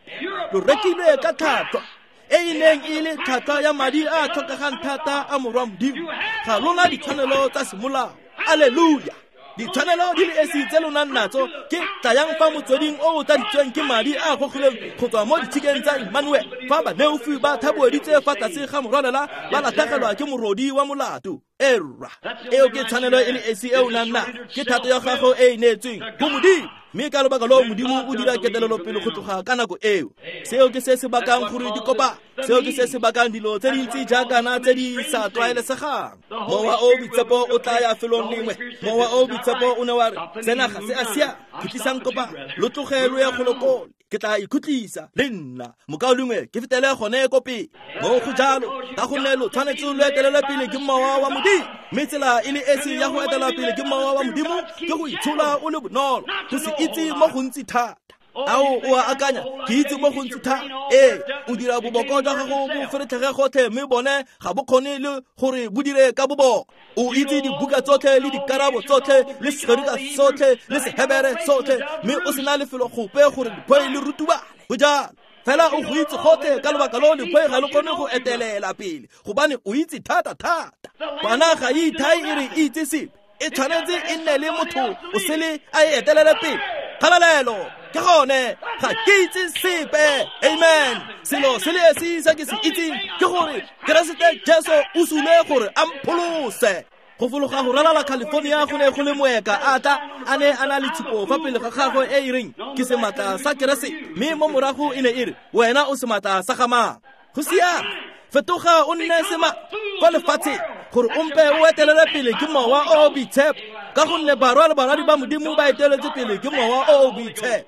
lo rekilwe ka tlhwatlhwa e e neng e le tlhwatlhwa ya madi a tlhokegang thata a morwa Modimo. Ga lona ditshwanelo tsa semolao. Alleluia. Ditshwanelo di le esi tse lo nang natso ke tlayang fa motsweding o o tladitsweng ke madi a gogilweng go tswa mo ditshikeng tsa Emmanuel, fa baleofi ba thaboeditse fa tlase ga morwalela ba latlhegelwa ke morodi wa molato. Erra, eo ke tshwanelo e le esi e o nang nayo, ke thato ya gago e e neetsweng go Modimo. Mme ka lobaka loo Modimo o dira ketelelopele go tloga ka nako eo. Seo ke se se bakang gore dikopa, seo ke se se bakang dilo tse dintsi jaakana tse di sa tlwaelesegang. Mowa o boitshepo o tla ya felong lengwe. Mowa o boitshepo o ne wa re, sena ga se a siama, khutlisang kopa, lo tloge lo ye golokole, ke tla ikhutlisa le nna mokaulengwe, ke fetele gone ko pele. Mo go jalo, ka gonne lo tshwanetse lo etelelwe pele ke mowa wa Modimo. Mme tsela e le esi ya go etelwa pele ke mowa wa Modimo ke go itshola o le bonolo, go se itse mo gontsi thata. Ao o a akanya, ke itse mo gontsi thata. Ee, o dira boboko jwa gago bo feretlhege gotlhe, mme bone ga bo kgone le gore bo dire ka boboko. O itse dibuka tsotlhe le dikarabo tsotlhe le Segerika sotlhe le Sehebere sotlhe, mme o sena lefelo gope gore lephoi le rutubale. Go jalo fela o go itse gotlhe, ka lobaka loo lephoi ga le kgone go etelela pele, gobane o itse thata thata. Kwana ga e ithai e re e itse sepe, e tshwanetse e nne le motho o sele a e etelele pele. Kgalalelo, ke gone, ga ke itse sepe. Amen. Selo se le esi se ke se itseng ke gore Keresete Jesu o sule gore a mpholose. Go fologa go ralala California go ne go le moeka a tla, a ne a na le tshupo fa pele ga gagwe e e reng ke sematla sa Keresete, mme mo morago e ne e re wena o sematla sa ga mang. Go siame, fetoga o nne sema kwa lefatsheng gore o mpe o etelele pele ke mowa o o boitshepo, ka gonne barwa le barwadi ba Modimo ba eteletse pele ke mowa o o boitshepo.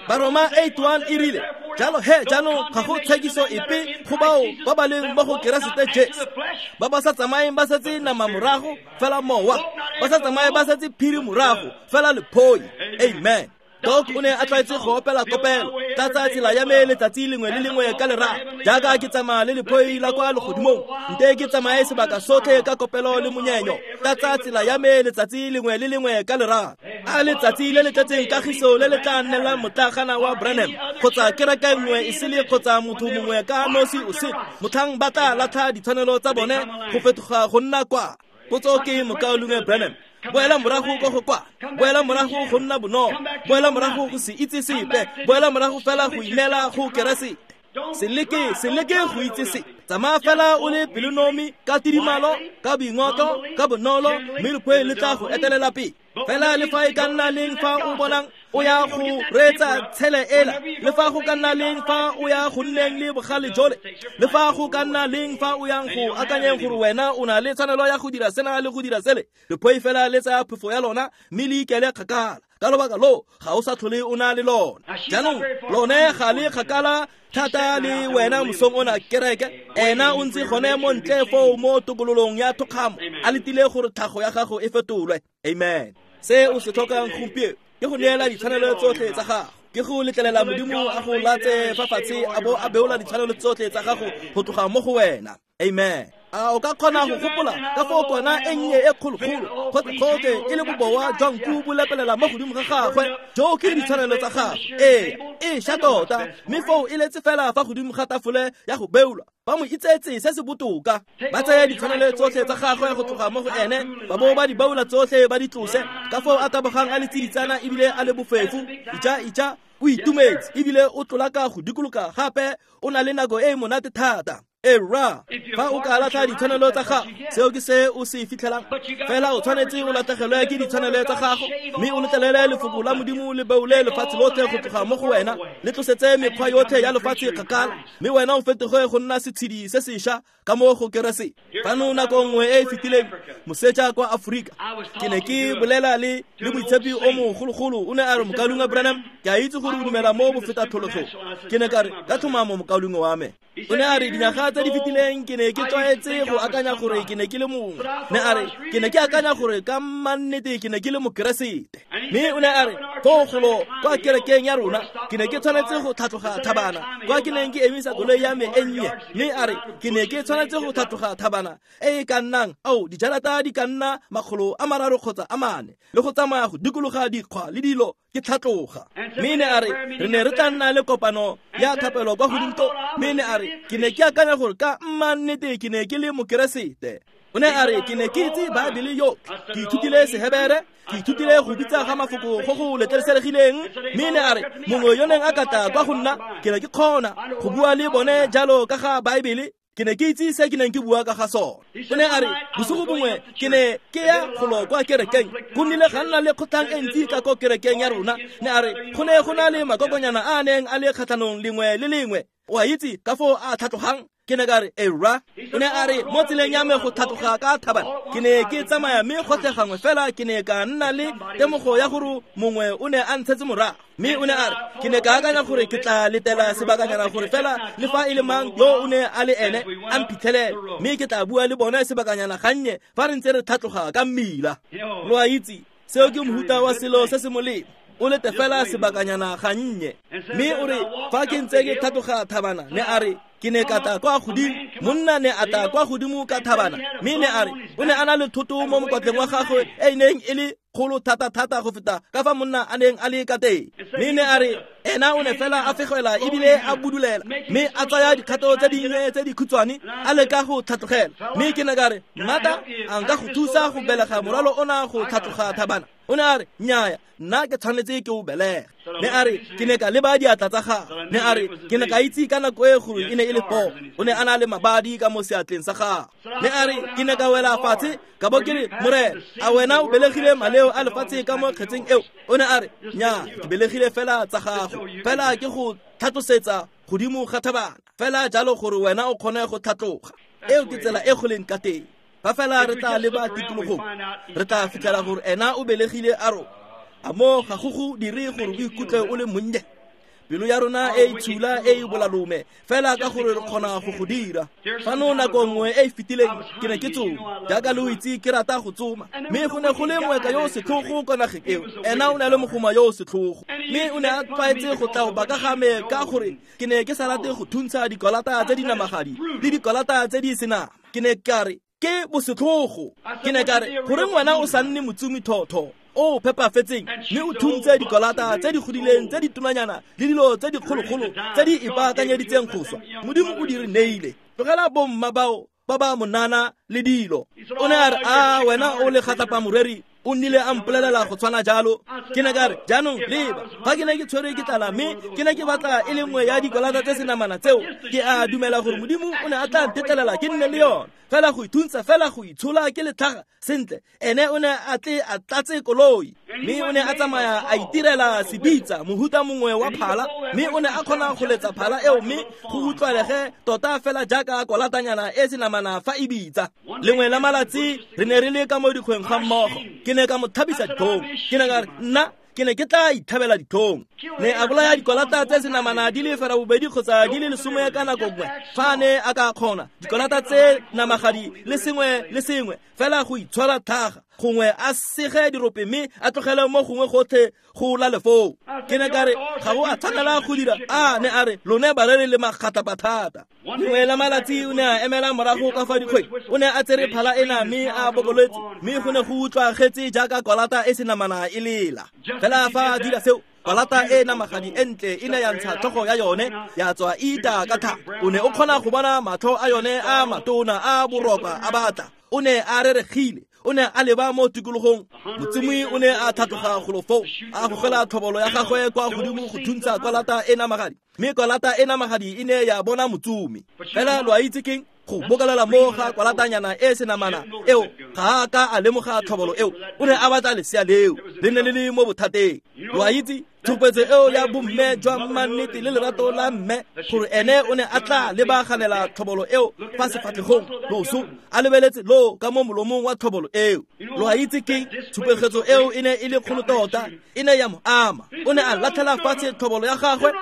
Baroma 8:1 e rile, jalo he jaanong ga go tshekiso epe go bao ba ba leng mo go Keresete Jesu, ba ba sa tsamayeng ba setse nama morago fela mowa, ba sa tsamaye ba setse phiri morago fela lephoi. Amen. Doc o ne a tlwaetse go opela kopelo, tlatsa tsela ya me letsatsi lengwe le lengwe ka lerato, jaaka ke tsamaya le lephoi la kwa legodimong, nte ke tsamaye sebaka sotlhe ka kopelo le monyenyo, tlatsa tsela ya me letsatsi lengwe le lengwe ka lerato. A letsatsi le le tletseng kagiso le le tla nnelang motlagana wa Branham, kgotsa kereke nngwe e sele kgotsa motho mongwe ka nosi o sele, motlhang ba tla latlha ditshwanelo tsa bone go fetoga go nna kwa. Potso ke mokaulengwe Branham, boela morago ko go kwa, boela morago go nna bonolo, boela morago go se itse sepe, boela morago fela go ineela go Keresete. Se leke go itse sepe, tsamaya fela o le pelonomi ka tidimalo, ka boingotlo, ka bonolo, mme lephoi le tla go etelela pele. Fela le fa e ka nna leng fa o bonang o ya go reetsa tshele ela, le fa go ka nna leng fa o ya go nneng le bogale jole, le fa go ka nna leng fa o yang go akanyeng gore wena o na le tshwanelo ya go dira sena le go dira sele, lephoi fela le tsaya phefo ya lona mme le ikele kgakala. Ka lobaka loo ga o sa tlhole o na le lona. Jaanong lone ga le kgakala thata le wena mosong ona kereke, ena o ntse gone mo ntle foo mo tokololong ya thokgamo, a letile gore tlhago ya gago e fetolwe. Amen. Se o se tlhokang gompieno ke go neela ditshwanelo tsotlhe tsa gago, ke go letlelela Modimo a go latse fa fatshe a bo a beola ditshwanelo tsotlhe tsa gago go tloga mo go wena. Amen. A o ka kgona go gopola ka foo kwana e nnye e kgologolo gotlhe e le bobowa jwa nku bo lepelela mo godimo ga gagwe, joo ke ditshwanelo tsa gagwe. Ee, e ša tota, mme foo e letse fela fa godimo ga tafole ya go beolwa. Ba mo itsetse se se botoka, ba tsaya ditshwanelo tsotlhe tsa gagwe go tloga mo go ene, ba bo ba di beola tsotlhe ba di tlose. Ka foo a tabogang a le tsiditsana ebile a le bofefo, ija ija o itumetse ebile o tlolaka go dikologa gape, o na le nako e e monate thata. E rra, fa o ka latlha ditshwanelo tsa gago, seo ke se o se fitlhelang. Fela o tshwanetse o latlhegelwe ke ditshwanelo tsa gago, mme o letlelele lefoko la Modimo le beole lefatshe lotlhe go tloga mo go wena, le tlosetse mekgwa yotlhe ya lefatshe kgakala, mme wena o fetoge go nna setshedi se sešwa ka mo go Keresete. Fano nako nngwe e e fetileng, moseja kwa Aforika, ke ne ke bolela le moitshepi o mogologolo, o ne a re, Mokaulengwe Branham, ke a itse gore o dumela mo bofetathologong. Ke ne ka re, ka tlhomamo mokaulengwe wa me. O ne a re, dinyaga tse di fetileng ke ne ke tlwaetse go akanya gore ke ne ke le mongwe. Ne a re, ke ne ke akanya gore ka mannete ke ne ke le Mokeresete. Mme o ne a re, foo golo kwa kerekeng ya rona ke ne ke tshwanetse go tlhatloga thabana kwa ke neng ke emisa koloi ya me e nnye. Mme a re, ke ne ke tshwanetse go tlhatloga thabana e e ka nnang dijarata di ka nna 300 kgotsa 400, le go tsamaya go dikologa dikgwa le dilo ke tlhatloga. Mme ne a re, re ne re tla nna le kopano ya thapelo kwa godimo to. Mme ne a re, ke ne ke akanya gore ka mannete ke ne ke le Mokeresete. O ne a re, ke ne ke itse Baebele yotlhe, ke ithutile Sehebere, ke ithutile go bitsa ga mafoko go go letleleselegileng. Mme ne a re, mongwe yo neng a ka tla kwa go nna, ke ne ke kgona go bua le bone jalo ka ga Baebele. Ke ne ke itse se ke neng ke bua ka ga sone. O ne a re, bosigo bongwe ke ne ke ya golo kwa kerekeng, go nnile ga nna le kgotlhang e ntsi ka ko kerekeng ya rona. Ne a re, go ne go na le makokonyana a a neng a le kgatlhanong lengwe le lengwe. O a itse ka foo a tlhatlogang? Ke ne ka re, e rra. O ne a re, mo tseleng ya me go tlhatloga ka thabana, ke ne ke tsamaya mme gotlhe gangwe fela ke ne ka nna le temogo ya gore mongwe o ne a ntshetse morago. Mme o ne a re, ke ne ka akanya gore ke tla letela sebakanyana gore fela le fa e le mang yo o ne a le ene a mphitlhelele, mme ke tla bua le bone sebakanyana gannye fa re ntse re tlhatloga ka mmila. Lo a itse, seo ke mohuta wa selo se se molemo. O lete fela sebakanyana gannye. Mme o re, fa ke ntse ke tlhatloga thabana, ne a re, ke ne ka tla kwa godimo, monna ne a tla kwa godimo ka thabana, mme ne a re, o ne a na le thoto mo mokwatleng wa gagwe e neng e le kgolo thata-thata go feta ka fa monna a neng a le ka teng. Mme ne a re, ena o ne fela a fegela ebile a budulela, mme a tsaya dikgato tse dingwe tse dikhutshwane a leka go tlhatlogela. Mme ke ne ka re, mmata, a nka go thusa go belega morwalo ona go tlhatloga thabana? O ne a re, nnyaya, nna ke tshwanetse ke o belege. Ne a re, ke ne ka leba diatla tsa gagwe. Ne a re, ke ne ka itse ka nako e gore e ne e le poo. O ne a na le mabadi ka mo seatleng sa gagwe. Ne a re, ke ne ka wela fatshe ka bo ke re, Morena, a wena o belegile maleo a lefatshe ka mo kgetseng eo? O ne a re, nnyaa, ke belegile fela tsa gago, fela ke go tlhatlosetsa godimo ga thabana, fela jalo gore wena o kgone go tlhatloga. Eo ke tsela e go leng ka teng. Fa fela re tla leba tikologong, re tla fitlhela gore ena o belegile a rona. A mo ga go go dire gore o ikutlwe o le monnye? Pelo ya rona e itshula e e bolalome, fela ka gore re kgona go go dira. Fano nako nngwe e e fetileng ke ne ke tsoma, jaaka lo itse ke rata go tsoma, mme go ne go le moeka yo o setlhogo kwa nageng eo. Ena o ne a le mogoma yo o setlhogo, mme o ne a tlwaetse go tla go baka ga me ka gore ke ne ke sa rate go thuntsha dikolata tse di namagadi le dikolata tse di senama. Ke ne ka re, ke bosetlhogo. Ke ne ka re, goreng wena o sa nne motsumi thotho o phepafetseng mme o thuntse dikolata tse di godileng tse di tonanyana le dilo tse dikgologolo tse di ipaakanyeditseng go swa? Modimo o di re neile. Tlogela bomma bao ba ba monana le dilo. O ne a re, a wena o le gatlapa moreri, o nnile a mpolelela go tshwana jalo. Ke ne ka re, jaanong leba, fa ke ne ke tshwerwe ke tlala mme ke ne ke batla e le nngwe ya dikolata tse senamana tseo, ke a dumela gore Modimo o ne a tla ntetlelela ke nne le yone. Fela go ithuntsha, fela go itshola ke letlhaga sentle. Ene o ne a tle a tlatse koloi, mme o ne a tsamaya a itirela sebitsa, mohuta mongwe wa phala, mme o ne a kgona go letsa phala eo mme go utlwalege tota fela jaaka kolatanyana e senamana fa e bitsa. Lengwe la malatsi re ne re le ka mo dikgweng ga mmogo, ke ne ka mo thabisa ditlhong. Ke ne ka re, nna ke ne ke tla ithabela ditlhong. Ne a bolaya dikolata tse senamana di le 80 kgotsa di le 10 ka nako nngwe, fa ne a ka kgona dikolata tse namagadi le sengwe le sengwe, fela go itshwara tlhaga, gongwe a sege dirope mme a tlogele mo gongwe gotlhe go la lefoo. Ke ne ka re, ga o a tshwanela go dira. A ne a re, lone bareri le magatlapa thata. Lengwe la malatsi o ne a emela morago ka fa dikgweng, o ne a tsere phala ena mme a bokoletse, mme go ne go utlwagetse jaaka kolata e senamana e lela. Fela fa a dira seo, kolata e namagadi e ntle e ne ya ntsha tlhogo ya yone, ya tswa e ita ka thata. O ne o kgona go bona matlho a yone a matona a boroka a batla. O ne a reregile, O ne a leba mo tikologong. Motsomi o ne a tlhatloga golo foo, a gogela tlhobolo ya gagwe kwa godimo go thuntsha kwalata e namagadi. Mme kwalata e namagadi e ne ya bona motsomi. Fela lo a itse keng? Go bokalela mo ga kwalatanyana e senamana eo, ga a ka a lemoga tlhobolo eo. O ne a batla lesea leo, le ne le le mo bothateng. Lo a itse tshupetso eo ya bomme jwa mannete le lerato la mme, gore ene o ne a tla lebaganela tlhobolo eo fa sefatlhegong loso, a lebeletse lo ka mo molomong wa tlhobolo eo. Lo a itse keng? Tshupegetso eo e ne e le kgolo tota, e ne ya mo ama. O ne a latlhela fatshe tlhobolo ya gagwe,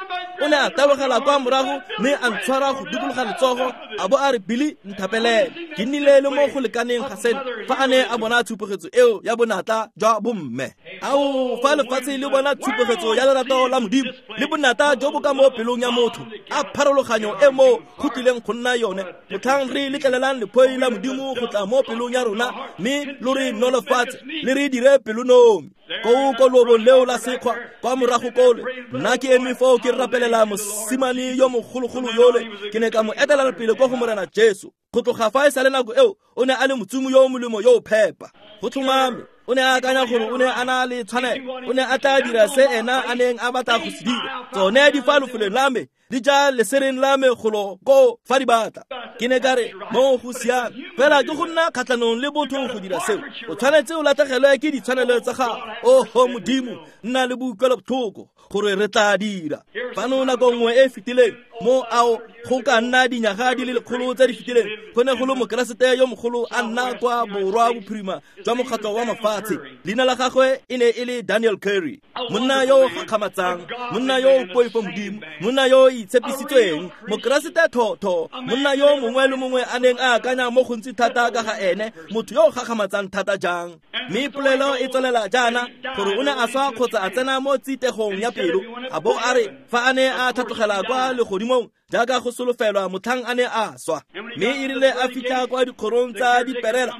o ne a tabogela kwa morago mme a ntshwara go dikologa letsogo, a bo a re, Billy, nthapelele, ke nnile le mo go lekaneng ga seno. Fa a ne a bona tshupegetso eo ya bonatla jwa bomme, ao, fa lefatshe le bona tshupegetso ya lerato la Modimo le bonatla jo bo ka mo pelong ya motho, a pharologanyo e mo go tlileng go nna yone motlhang re letlelelang lephoi la Modimo go tla mo pelong ya rona, mme lo re nolofatse le re dire pelonomi. Koo ko loobong leo la sekgwa kwa morago kole, nna ke eme foo ke rapelela mosimane yo mogologolo yole. Ke ne ka mo etelela pele ko go Morena Jesu. Go tloga fa e sa le nako eo, o ne a le motsomi yo molemo yo o phepa. Go tlhomame o ne a akanya gore o ne a na le tshwanelo, o ne a tla dira se ena a neng a batla go se dira. Tsone di fa lefelong la me, di ja lesereng la me golo ko fa di batla. Ke ne ka re, mo go siame, fela ke go nna kgatlhanong le botho go dira seo. O tshwanetse o latlhegelwe ke ditshwanelo tsa gago. Oho Modimo, nna le boutlwelobotlhoko gore re tla dira. Fano nako nngwe e fetileng, mo ao go ka nna dinyaga di le lekgolo tse di fetileng, go ne go le mokeresete yo mogolo a nna kwa borwa bophirima jwa mokgatlho wa mafatshe. Leina la gagwe e ne e le Daniel Curry, monna yo o gakgamatsang, monna yo o poifo Modimo, monna yo o itshepisitsweng, mokeresete thotho, monna yo mongwe le mongwe a neng a akanya mo gontsi thata ka ga ene, motho yo o gakgamatsang thata jang. Mme polelo e tswelela jaana gore o ne a swa kgotsa a tsena mo tsitegong ya pelo, a bo a re fa a ne a tlhatlogela kwa legodimong jaaka go solofelwa motlhang a ne a swa. Mme e rile a fitlha kwa dikgorong tsa diperela,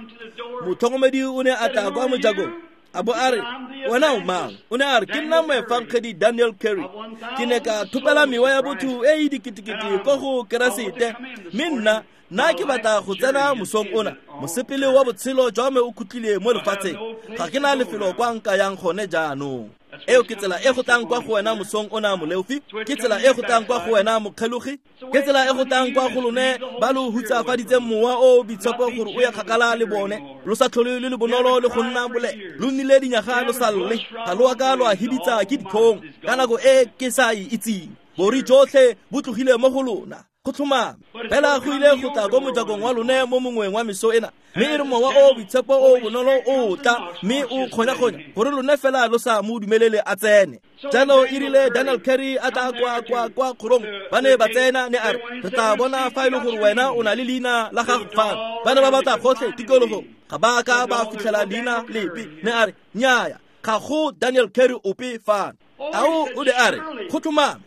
motlhokomedi o ne a tla kwa mojakong, a bo a re, wena o mang? O ne a re, ke nna moefangedi Daniel Curry. Ke ne ka thopela mewa ya botho e e diketekete ko go Keresete, mme nna ke batla go tsena mosong ona. Mosepele wa botshelo jwa me o khutlile mo lefatsheng, ga ke na lefelo kwa nka yang gone jaanong. Eo ke tsela e go tlang kwa go wena mosong ona moleofi, ke tsela e go tlang kwa go wena mokgelogi, ke tsela e go tlang kwa go lone ba lo hutsafaditseng mowa o boitshepo gore o ye kgakala le bone. Lo sa tlhole le le bonolo le go nna bole, lo nnile dinyaga lo sa lle, ga lo a ka lo a hibitsa ke ditlhong ka nako e ke sa e itseng. Bori jotlhe bo tlogile mo go lona. Go tlhomame fela go ile go tla ko mojakong wa lone mo mongweng wa meso ena, mme e re mowa o boitshepo o bonolo o tla mme o kgonya-kgonya gore lone fela lo sa mo dumelele a tsene. Jalo e rile Daniel Curry a tla kwa kgorong, ba ne ba tsena, ne a re, re tla bona fa e le gore wena o na le leina la gago fano. Ba ne ba batla gotlhe tikologong, ga ba ka ba fitlhela leina lepe. Ne a re, nnyaya, ga go Daniel Curry ope fano. Ao, o ne a re, go tlhomame.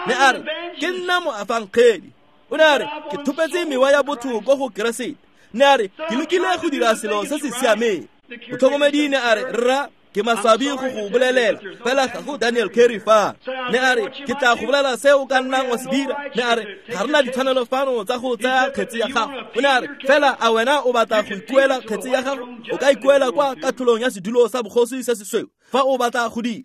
Ne a re, ke nna moafangedi. O ne a re, ke thopetse mewa ya botho ko go Keresete. Ne a re, ke lekile go dira selo se se siameng. Motlhokomedi ne a re, rra, ke maswabi go go bolelela, fela ga go Daniel Curry fano. Ne a re, ke tla go bolela se o ka nnang wa se dira. Ne a re, ga re na ditshwanelo fano tsa go tsaya kgetse ya gago. O ne a re, fela a wena o batla go ikuela kgetse ya gago? O ka ikuela kwa katlholong ya sedulo sa bogosi se sesweu fa o batla go dira.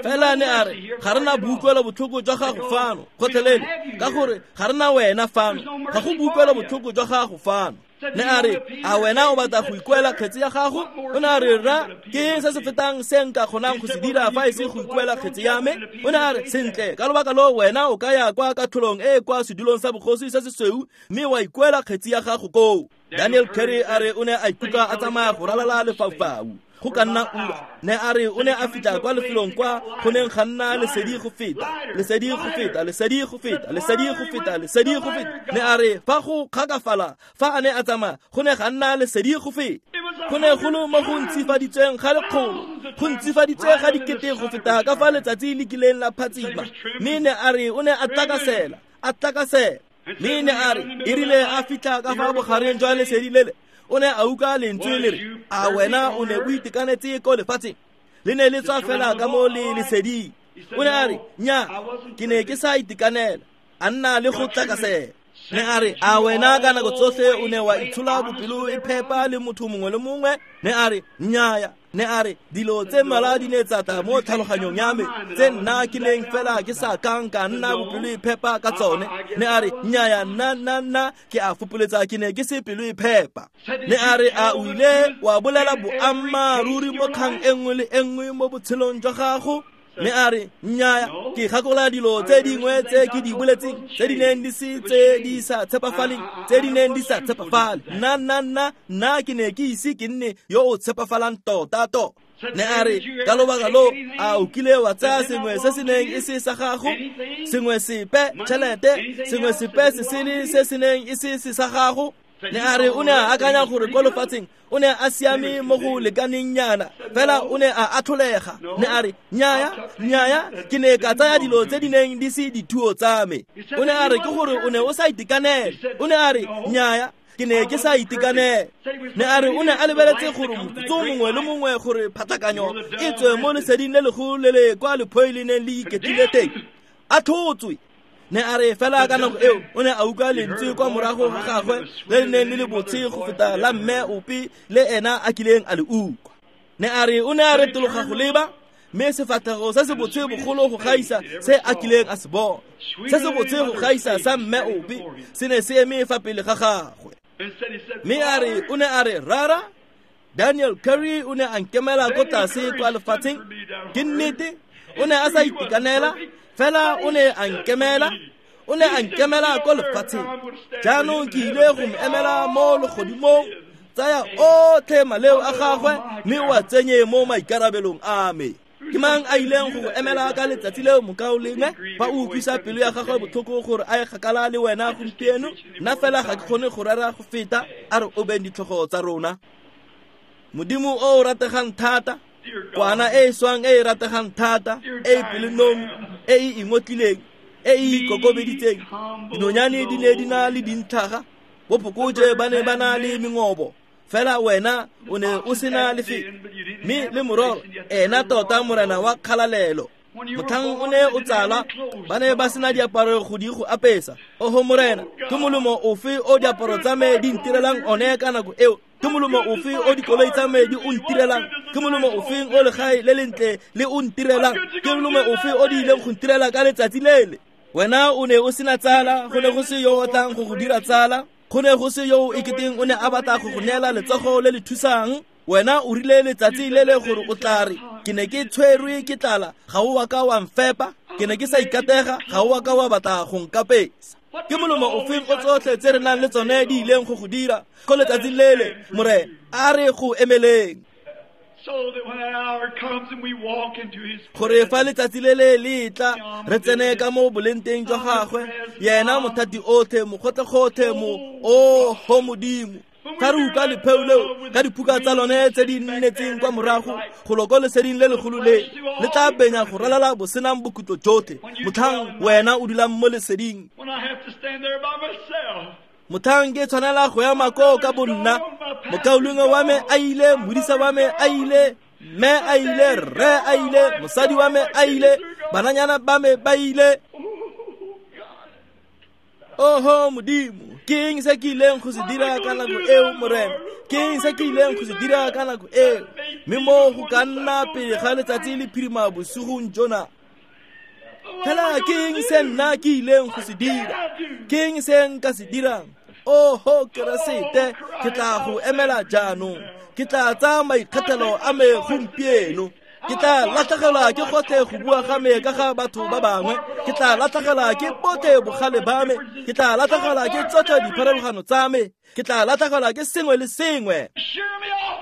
Fela ne a re, ga re na boutlwelo botlhoko jwa gago fano gotlhelele, ka gore ga re na wena fano, ga go boutlwelo botlhoko jwa gago fano. Ne a re, a wena o batla go ikuela kgetse ya gago? O ne a re, rra, ke se se fetang se nka kgonang go se dira fa e se go ikuela kgetse ya me. O ne a re, sentle, ka lobaka lo wena o ka ya kwa katlholong e kwa sedulong sa bogosi se sesweu mme wa ikuela kgetse ya gago koo. Daniel Curry a re o ne a ikutlwa a tsamaya go ralala lefaufau go ka nna ura. Ne a re o ne a fitlha kwa lefelong kwa go neng ga nna lesedi go feta, lesedi go feta, lesedi go feta, lesedi go feta, lesedi go feta. Ne a re fa go kgakafala fa a ne a tsamaya go ne ga nna lesedi go feta. Go ne go le mo go ntsifaditsweng ga lekgolo, go ntsifaditswe ga dikete go feta ka fa letsatsi le kileng la phatsima. Mme ne a re o ne a tlakasela, a tlakasela. Mme ne a re e rile a fitlha ka fa bogareng jwa lesedi lele, o ne a utlwa lentswe le re, a wena o ne o itekanetse ko lefatsheng? Le ne le tswa fela ka mo le leseding. O ne a re, nya, ke ne ke sa itekanela. A nna le go tlakasela. Ne a re, a wena ka nako tsotlhe o ne wa itshola bopelo e phepa le motho mongwe le mongwe? Ne a re, nnyaya. Ne a re, dilo tse mmalwa di ne tsa tla mo tlhaloganyong ya me tse nna ke neng fela ke sa kang ka nna bopelo e phepa ka tsone. Ne a re, nnyaya, nna ke a fopoletsa ke ne ke se pelo e phepa. Ne a re, a o ile wa bolela boammaaruri mo kgang e nngwe le e nngwe mo botshelong jwa gago? Ne a re, nnyaya, ke gakola dilo tse dingwe tse ke di boletseng tse di neng di se tse di sa tshepafaleng, tse di neng di sa tshepafale. Nna ke ne ke ise ke nne yo o tshepafalang tota-tota. Ne a re, ka lobaka lo, a o kile wa tsaya sengwe se se neng e se sa gago, sengwe sepe tšhelete, sengwe sepe se sele se se neng e se se sa gago? Ne a re, o ne a akanya gore ko lefatsheng o ne a siame mo go lekaneng nyana, fela o ne a atlholega. Ne a re, nnyaya, ke ne ka tsaya dilo tse di neng di se dithuo tsa me. O ne a re, ke gore o ne o sa itekanela. O ne a re, nnyaya, ke ne ke sa itekanela. Ne a re, o ne a lebeletse gore motsotso mongwe le mongwe gore phatlakanyo e tswe mo leseding le legolo le le kwa lephoi le neng le iketlile teng, a tlhotswe. Ne a re, fela ka nako eo o ne a utlwa lentswe kwa morago ga gagwe le le neng le le botshe go feta la mme ope le ena a kileng a le utlwa. Ne a re, o ne a retologa go leba, mme sefatlhego se se botshe bogolo go gaisa se a kileng a se bona, se se botshe go gaisa sa mme ope, se ne se eme fa pele ga gagwe. Mme a re, o ne a re, rara, Daniel Curry o ne a nkemela ko tlase kwa lefatsheng. Ke nnete, o ne a sa itekanela, fela o ne a nkemela, o ne a nkemela ko lefatsheng. Jaanong ke ile go mo emela mo legodimong, tsaya otlhe maleo a gagwe mme o a tsenye mo maikarabelong a me. Ke mang a ileng go go emela ka letsatsi leo, mokaulengwe, fa o utlwisa pelo ya gagwe botlhoko gore a ye kgakala le wena gompieno? Nna fela ga ke kgone go rera go feta. A re obeng ditlhogo tsa rona. Modimo o o rategang thata, kwana e e swang e e rategang thata, e e pelonomi, e e ingotlileng, e e ikokobeditseng. Dinonyane di ne di na le dintlhaga, bophokoje ba ne ba na le mengobo, fela wena o ne o sena lefelo. Mme le mororo ena tota morena wa kgalalelo, motlhang o ne o tsala, ba ne ba sena diaparo go di go apesa. Oho morena, ke molemo ofe o diaparo tsa me di ntirelang one ka nako eo? Ke molemo ofe o dikoloi tsa me di o ntirelang? Ke molemo ofeng o legae le lentle le o ntirelang? Ke molemo ofe o di ileng go ntirela ka letsatsi lele? Wena o ne o sena tsala, go ne go se yo o tlang go go dira tsala, go ne go se yo o eketeng o ne a batla go go neela letsogo le le thusang. Wena o rile letsatsi le le gore o tla re, ke ne ke tshwerwe ke tlala, ga o wa ka wa mfepa, ke ne ke sa ikatega, ga o wa ka wa batla go nkapesa. Ke molemo ofeng o tsotlhe tse re nang le tsone di ileng go go dira ko letsatsing lele, morena? A re go emeleng, gore fa letsatsi le le le tla, re tsene ka mo bolenteng jwa gagwe, yena mothati otlhe, mogotlhe-gotlhe, mo oho Modimo. Fa re utlwa lepheo leo ka diphuka tsa lone tse di nnetseng kwa morago, go lo ko leseding le legolo le le tla benya go ralala bosenang bokhutlo jotlhe, motlhang wena o dulang mo leseding. Motlhang ke tshwanela go ema koo ka bonna, mokaulengwe wa me a ile, modisa wa me a ile, mme a ile, rre a ile, mosadi wa me a ile, bananyana ba me ba ile. Oho Modimo, ke eng se ke ileng go se dira ka nako eo, morena? Ke eng se ke ileng go se dira ka nako eo? Mme mo go ka nna pele ga letsatsi le phirima bosigong jona, fela ke eng se nna ke ileng go se dira? Ke eng se nka se dirang? Oho Keresete, ke tla go emela jaanong. Ke tla tsaya maikgethelo a me gompieno. Ke tla latlhegelwa ke gotlhe go bua ga me ka ga batho ba bangwe. Ke tla latlhegelwa ke botlhe bogale ba me. Ke tla latlhegelwa ke tsotlhe dipharologano tsa me. Ke tla latlhegelwa ke sengwe le sengwe.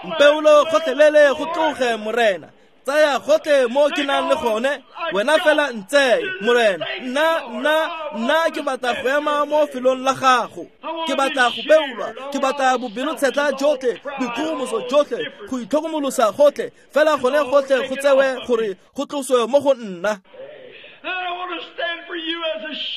Mpeolo gotlhelele go tloge, morena. Tsaya gotlhe mo ke nang le gone, wena fela ntseye, morena. Nna ke batla go ema mo felong la gago. Ke batla go beolwa, ke batla bobelotshetlha jotlhe, boikgogomoso jotlhe, go itlhokomolosa gotlhe, fela gone gotlhe go tsewe gore go tloswe mo go nna.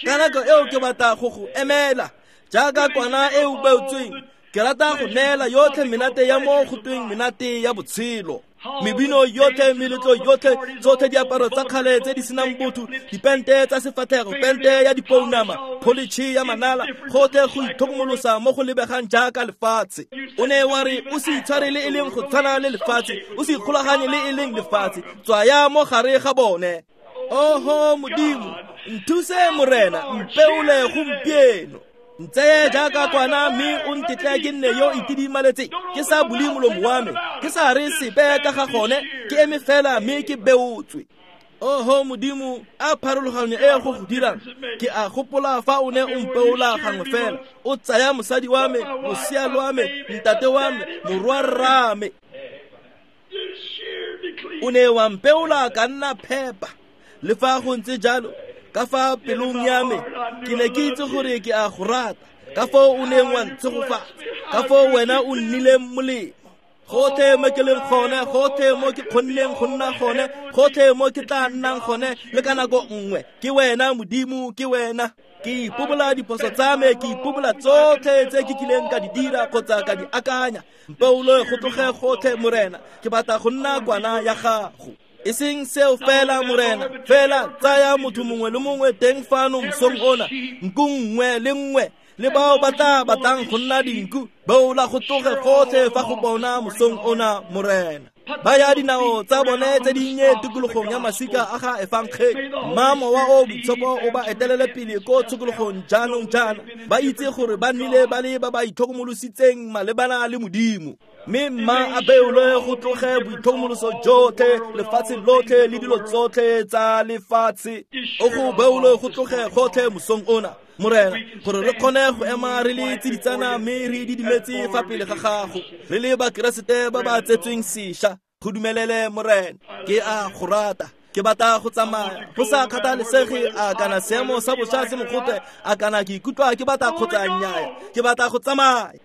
Ka nako eo ke batla go go emela jaaka kwana e o beotsweng. Ke rata go neela yotlhe menate ya mo go tweng menate ya botshelo. Mebino yotlhe, meletlo yotlhe, tsotlhe diaparo tsa kgale tse di senang botho, dipente tsa sefatlhego, pente ya dipounama, pholitšhe ya manala, gotlhe go itlhokomolosa mo go lebegang jaaka lefatshe. O ne wa re o se itshware le e leng go tshwana le lefatshe, o se ikgolaganye le e leng lefatshe, tswaya mo gare ga bone. Oho Modimo, nthuse Morena, mpeole gompieno. Ntseye jaaka kwana mme o ntetle ke nne yo itidimaletseng, ke sa bule molomo wa me, ke sa re sepe ka ga gone, ke eme fela mme ke beotswe. Oho Modimo, a pharologanyo e go go dirang. Ke a gopola fa o ne o mpeola gangwe fela, o tsaya mosadi wa me, losea lwa me, ntate wa me, morwarra me. O ne wa mpeola ka nna phepa. Le fa go ntse jalo, ka fa pelong ya me ke ne ke itse gore ke a go rata, ka foo o neng wa ntshegofatsa, ka foo wena o nnileng molemo. Gotlhe mo ke leng gone, gotlhe mo ke kgonneng go nna gone, gotlhe mo ke tla nnang gone le ka nako nngwe, ke wena Modimo, ke wena. Ke ipobola diphoso tsa me, ke ipobola tsotlhe tse ke kileng ka di dira kgotsa ka di akanya. Mpeole go tloge gotlhe Morena, ke batla go nna kwana ya gago. E seng seo fela Morena, fela tsaya motho mongwe le mongwe teng fano mosong ona, nku nngwe le nngwe, le bao ba tla batlang go nna dinku, beola go tloge gotlhe fa go bona mosong ona Morena. Ba ya dinao tsa bone tse dinnye tikologong ya masika a ga efangele, mma mowa o boitshepo o ba etelele pele ko tshokologong jaanong jaana, ba itse gore ba nnile ba le ba ba itlhokomolositseng malebana le Modimo. Mme mma a beolwe go tloge boitlhokomoloso jotlhe, lefatshe lotlhe le dilo tsotlhe tsa lefatshe. O go beolwe go tloge gotlhe mosong ona Morena, gore re kgone go ema re le tsiditsana mme re didimetse fa pele ga gago, re le bakeresete ba ba tsetsweng sešwa. Go dumelele Morena, ke a go rata. Ke batla go tsamaya go sa kgathalesege a kana seemo sa bošwa se mogote, a kana ke ikutlwa ke batla kgotsa nnyaa, ke batla go tsamaya.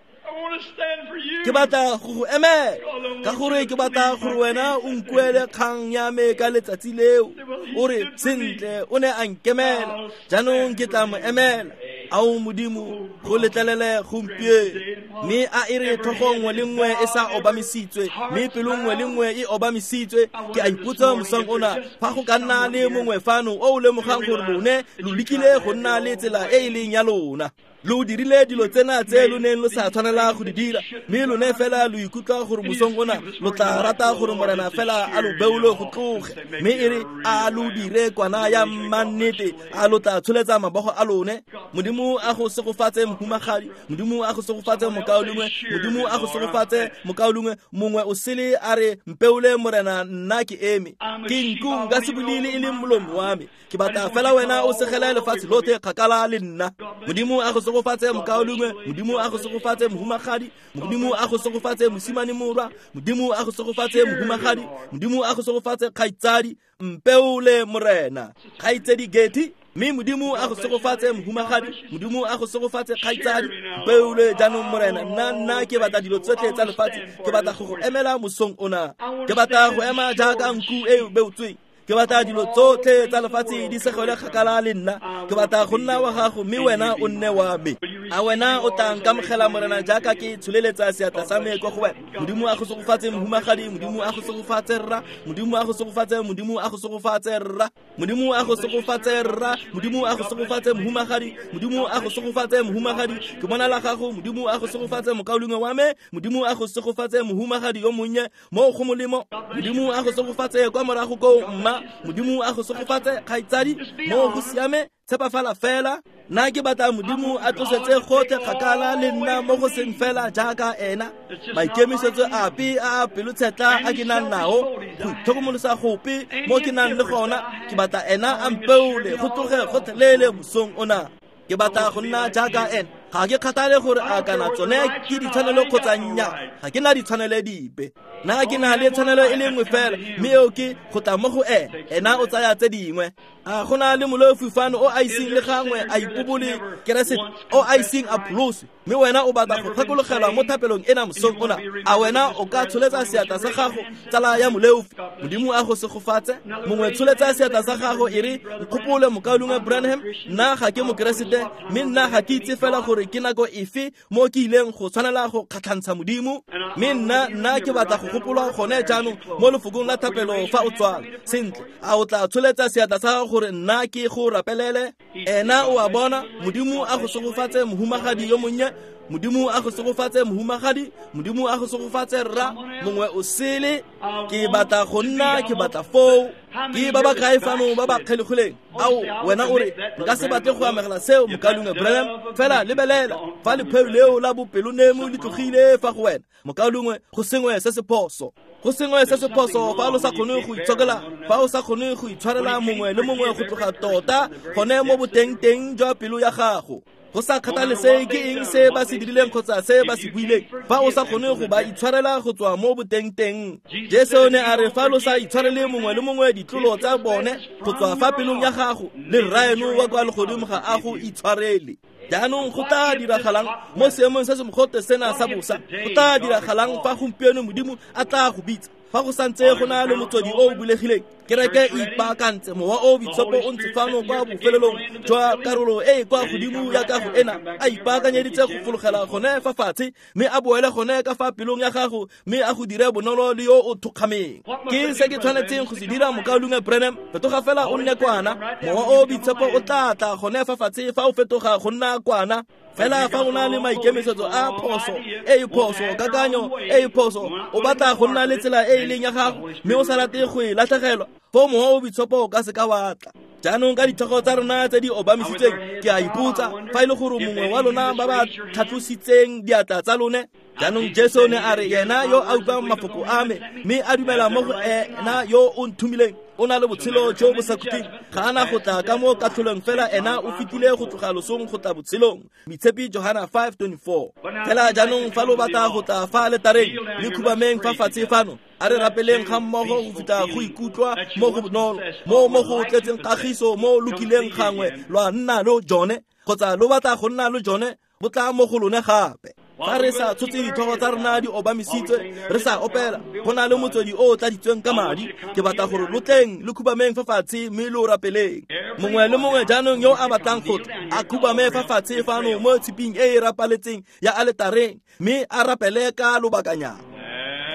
Ke batla go go emela, ka gore ke batla gore wena o nkuele kgang ya me ka letsatsi leo. O re sentle, o ne a nkemela, jaanong ke tla mo emela. Ao Modimo, go letlelele gompieno. Mme a e re tlhogo nngwe le nngwe e sa obamisitswe, mme pelo nngwe le nngwe e obamisitswe. Ke a ipotsa mosong ona, fa go ka nna le mongwe fano o o lemogang gore lone lo lekile go nna le tsela e e leng ya lona, lo dirile dilo tsena tse lo neng lo sa tshwanela go di dira, mme lone fela lo ikutlwa gore mosong ona lo tla rata gore Morena fela a lo beole go tloge, mme e re a lo dire kwana ya mannete, a lo tla tsholetsa mabogo a lone. Modimo a go segofatse mohumagadi, Modimo a go segofatse mokaulengwe, Modimo a go segofatse mokaulengwe. Mongwe o sele a re mpeole Morena, nna ke eme, ke nku nka se bulele e leng molomo wa me, ke batla fela wena o segele lefatshe lotlhe kgakala le nna. Modimo a go segofatse mokaulengwe, Modimo a go segofatse mohumagadi, Modimo a go segofatse mosimane morwa, Modimo a go segofatse mohumagadi, Modimo a go segofatse kgaitsadi. Mpeole Morena. Kgaitsedi Getty, mme Modimo a go segofatse mohumagadi, Modimo a go segofatse kgaitsadi. Mpeole jaanong Morena, nna ke batla dilo tsotlhe tsa lefatshe, ke batla go go emela mosong ona, ke batla go ema jaaka nku e beotsweng. Ke batla dilo tsotlhe tsa lefatshe di segele kgakala le nna, ke batla go nna wa gago mme wena o nne wa me. A wena o tla nkamogela Morena jaaka ke tsholeletsa seatla sa me kwa go wena? Modimo a go segofatse mohumagadi, Modimo a go segofatse rra, Modimo a go segofatse, Modimo a go segofatse rra, Modimo a go segofatse rra, Modimo a go segofatse mohumagadi, Modimo a go segofatse mohumagadi. Ke bona la gago, Modimo a go segofatse mokaulengwe wa me, Modimo a go segofatse mohumagadi yo monnye mo go molemo, Modimo a go segofatse kwa morago koo mma, Modimo a go segofatse kgaitsadi, mo go siame, tshepafala fela. Nna ke batla Modimo a tlosetse gotlhe kgakala le nna mo go seng fela jaaka ena. Maikemisetso ape a a pelotshetla a ke nang nao, go itlhokomolosa gope mo ke nang le gona, ke batla ena a mpeole go tloge gotlhelele mosong ona. Ke batla go nna jaaka ena. Ga ke kgathale gore a kana tsone ke ditshwanelo kgotsa nnyaa, ga ke na ditshwanelo dipe. Nna ke na le tshwanelo e le nngwe fela, mme eo ke go tla mo go ena. Ena o tsaya tse dingwe. A go na le moleofi fano o a iseng le gangwe a ipobole Keresete, o a iseng a pholoswe, mme wena o batla go gakologelwa mo thapelong ena mosong ona? A wena o ka tsholetsa seatla sa gago, tsala ya moleofi? Modimo a go segofatse. Mongwe tsholetsa seatla sa gago e re, nkgopole mokaulengwe Branham, nna ga ke mokeresete, mme nna ga ke itse fela gore gore ke nako efe mo ke ileng go tshwanela go kgatlhantsha Modimo. Mme nna ke batla go gopolwa gone jaanong mo lefokong la thapelo fa o tswala. Sentle, a o tla tsholetsa seatla sa gago gore nna ke go rapelele? Ena o a bona, Modimo a go segofatse mohumagadi yo monnye, Modimo a go segofatse mohumagadi, Modimo a go segofatse rra, mongwe o sele. Ke batla go nna, ke batla foo. Ke ba ba kae fano ba ba kgelegileng? Ao, wena o re, nka se batle go amogela seo, mokaulengwe Branham. Fela lebelela, fa lepheo leo la bopelonemo le tlogile fa go wena, mokaulengwe, go sengwe se se phoso. Go sengwe se se phoso fa lo sa kgone go itshokela, fa o sa kgone go itshwarela mongwe le mongwe go tloga tota gone mo boteng-teng jwa pelo ya gago. Go sa kgathalesege ke eng se ba se dirileng kgotsa se ba se buileng, fa o sa kgone go ba itshwarela go tswa mo boteng-teng. Jesu ne a re fa lo sa itshwarele mongwe le mongwe ditlolo tsa bone go tswa fa pelong ya gago, le Rraeno wa kwa legodimo ga a go itshwarele. Jaanong go tla diragalang mo seemong se se mogote sena sa bosa? Go tla diragalang fa gompieno Modimo a tla go bitsa? Fa go santse go na le motswedi o o bulegileng, kereke e ipaakantse, mowa o boitshepo o ntse fano kwa bofelelong jwa karolo e e kwa godimo ya kago ena, a ipaakanyeditse go fologela gone fa fatshe, mme a boele gone ka fa pelong ya gago, mme a go dire bonolo le yo o thokgameng. Ke se ke tshwanetseng go se dira, mokaulengwe Branham? Fetoga fela o nne kwana. Mowa o boitshepo o tla tla gone fa fatshe fa o fetoga go nna kwana. Fela fa o na le maikemisetso a phoso, e e phoso, kakanyo e e phoso, o batla go nna le tsela e e leng ya gago, mme o sa rate go e latlhegelwa, foo mowa o boitshepo o ka se ka wa tla. Jaanong ka ditlhogo tsa rona tse di obamisitsweng, ke a ipotsa fa e le gore mongwe wa lona ba ba tlhatlositseng diatla tsa lone. Jaanong Jesu ne a re, yena yo a utlwang mafoko a me mme a dumela mo go ena yo o nthomileng, o na le botshelo jo bo sa khutleng, ga ana go tla ka mo katlholong, fela ena o fetile go tloga losong go tla botshelong. Moitshepi Johana 5:24. Fela jaanong fa lo batla go tla fa aletareng, le khubameng fa fatshe fano, a re rapeleng ga mmogo go fitlha go ikutlwa mo go bonolo, mo go tletseng kagiso mo lokileng gangwe lwa nna lo jone, kgotsa lo batla go nna lo jone, bo tla mo go lone gape. Fa re sa tshotse ditlhogo tsa rona di obamisitswe, re sa opela, go na le motswedi o o tladitsweng ka madi. Ke batla gore lo tleng le khubameng fa fatshe mme lo rapeleng. Mongwe le mongwe jaanong yo a batlang go tla, a khubame fa fatshe fano mo tshiping e e rapaletseng ya aletareng, mme a rapele ka lobakanyana.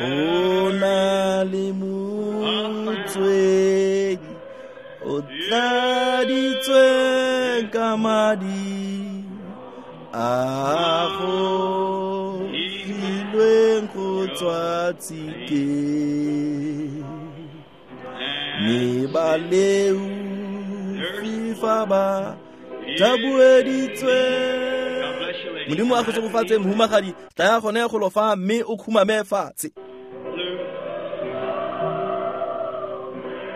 Go na le motswedi o tladitsweng ka madi a go filweng go tswa tshikeng, mme baleofi fa ba thabueditswe. Modimo a go segofatse, mohumagadi, tlaya gone go lo fa mme o khumame fatshe.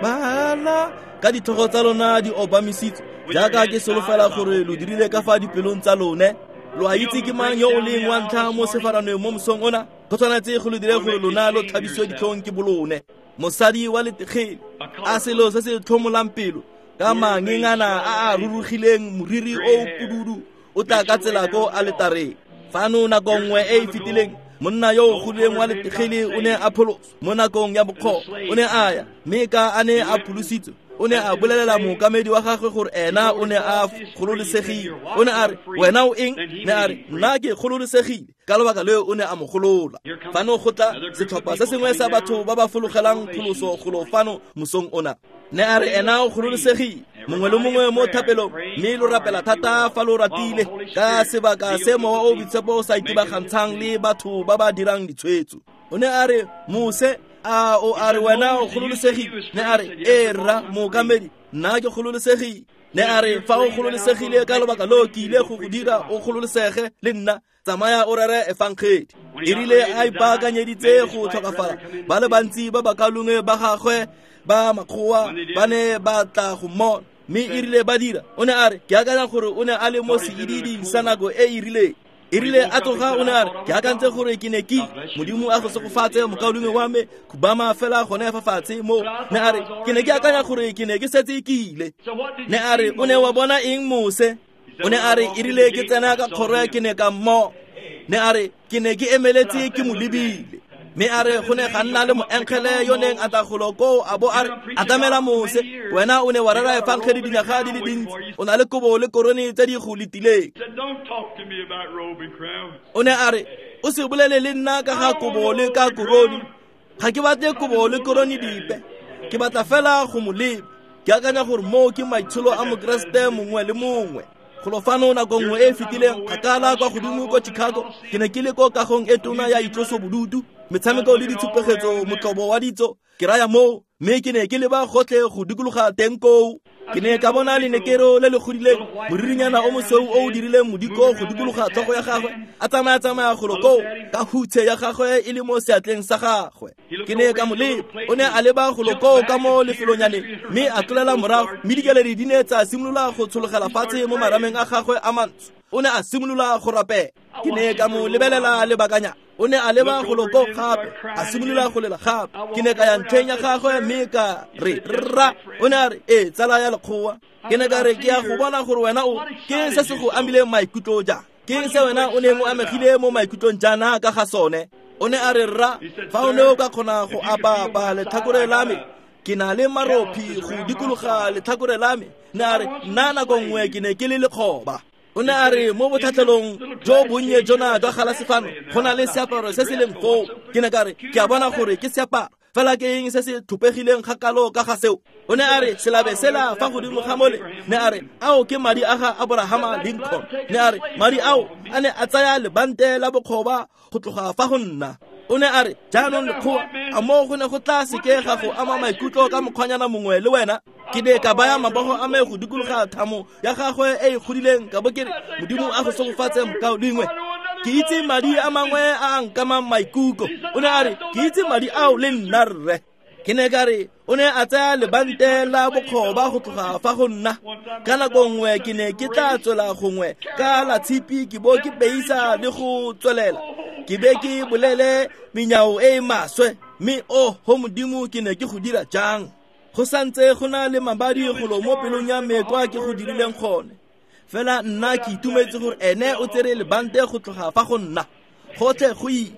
Bala ka ditlhogo tsa lona di obamisitswe, jaaka ke solofela gore lo dirile ka fa dipelong tsa lone. Lo a itse ke mang yo o leng wa ntlha mo sefaraneng mo mosong ona? Go tshwanetse go lo dire gore lona lo tlhabisiwe ditlhong ke bolone. Mosadi wa letegele, a selo se se tlhomolang pelo, ka mangengana a a rurugileng, moriri o pududu, o tla ka tsela ko aletareng. Fano nako nngwe e e fetileng, monna yo o godileng wa letegele o ne a pholoswa mo nakong ya bokgoba. O ne a ya, mme ka a ne a pholositswe, o ne a bolelela mookamedi wa gagwe gore ena o ne a gololesegile. O ne a re, wena o eng? Ne a re, nna ke gololesegile. Ka lobaka leo o ne a mo golola. Fano go tla setlhopha se sengwe sa batho ba ba fologelang pholoso golo fano mosong ona. Ne a re ena o gololesegile. Mongwe le mongwe mo thapelong, mme lo rapela thata fa lo ratile, ka sebaka se mowa o boitshepo o sa itebagantshang le batho ba ba dirang ditshwetso. O ne a re, Mose, a o a re wena o gololesegile? Ne a re, ee rra mookamedi, nna ke gololesegile. Ne a re, fa o gololesegile ka lobaka lo ke ile go go dira o gololesege le nna, tsamaya o rere efangedi. E rile a ipaakanyeditse go tlhokafala, ba le bantsi ba bakalongwe ba gagwe ba makgowa ba ne ba tla go mmona, mme e rile ba dira, o ne a re, ke akanya gore o ne a le mo seididing sa nako e e rileng. E rile a tloga, o ne a re, ke akantse gore ke ne ke Modimo a go segofatse mokaulengwe wa me, khubama fela gone fa fatshe mo. Ne a re, ke ne ke akanya gore ke ne ke setse ke ile. Ne a re, o ne wa bona eng Mose? O ne a re, e rile ke tsena ka kgoro ke ne ka mmo. Ne a re, ke ne ke emeletse ke mo lebile. Mme a re go ne ga nna le moengele yo neng a tla golo koo a bo a re atamela Mose, wena o ne wa rera efangedi dinyaga di le dintsi, o na le kobo le korone tse di go letileng. O ne a re o se bolele le nna ka ga kobo le ka korone, ga ke batle kobo le korone dipe, ke batla fela go mo leba. Ke akanya gore moo ke maitsholo a Mokeresete mongwe le mongwe. Golo fano nako nngwe e e fetileng kgakala kwa godimo ko Chicago, ke ne ke le ko kagong e tona ya itlosobodutu, metshameko le ditshupegetso, motlobo wa ditso, ke raya moo, mme ke ne ke leba gotlhe go dikologa teng koo. Ke ne ka bona lenekero le le godileng, moririnyana o mosweu o o dirileng modiko go dikologa tlhogo ya gagwe, a tsamaya-tsamaya golo koo ka hutshe ya gagwe e le mo seatleng sa gagwe. Ke ne ka mo leba, o ne a leba golo koo ka mo lefelonyaneng, mme a tlolela morago, mme dikeledi di ne tsa simolola go tshologela fatshe mo marameng a gagwe a mantsho. O ne a simolola go rapela. Ke ne ka mo lebelela lebakanyana. O ne a leba golo koo gape, a simolola go lela gape. Ke ne ka ya ntlheng ya gagwe mme ka re rra. O ne a re ee, tsala ya lekgowa. Ke ne ka re ke ya go bona gore wena o ke se se go amileng maikutlo jang, ke se wena o neng o amegile mo maikutlong jaana ka ga sone. O ne a re rra, fa o ne o ka kgona go apaapa letlhakore la me, ke na le marophi go dikologa letlhakore la me. Ne a re nna nako nngwe ke ne ke le lekgoba. O ne a re mo botlhatlhelong jo bonnye jona jwa galase fano go na le seaparo se se leng foo. Ke ne ka re ke a bona gore ke seaparo, fela ke eng se se tlhopegileng ga kalo ka ga seo? O ne a re selabe sela fa godimo ga mole. Ne a re ao ke madi a ga Abrahama Lincoln. Ne a re madi ao a ne a tsaya lebante la bokgoba go tloga fa go nna. O ne a re jaanong lekgowa, a moo go ne go tla seke ga go ama maikutlo ka mokgwanyana mongwe le wena? Ke ne ka baya mabogo a me go dikologa thamo ya gagwe e e godileng, ka bo ke re Modimo a go segofatse mokaulengwe. Ke itse madi a mangwe a a nkamang maikutlo. O ne a re ke itse madi ao le nna rre. Ke ne ka re o ne a tsaya lebante la bokgoba go tloga fa go nna. Ka nako nngwe ke ne ke tla tswela gongwe ka la tshipi ke bo ke beisa le go tswelela, ke be ke bolele menyao e e maswe, mme o ho Modimo ke ne ke go dira jang? Go santse go na le mabadi golo mo pelong ya me kwa ke go dirileng gone. Fela nna ke itumetse gore ene o tsere lebante go tloga fa go nna. Gotlhe go ile.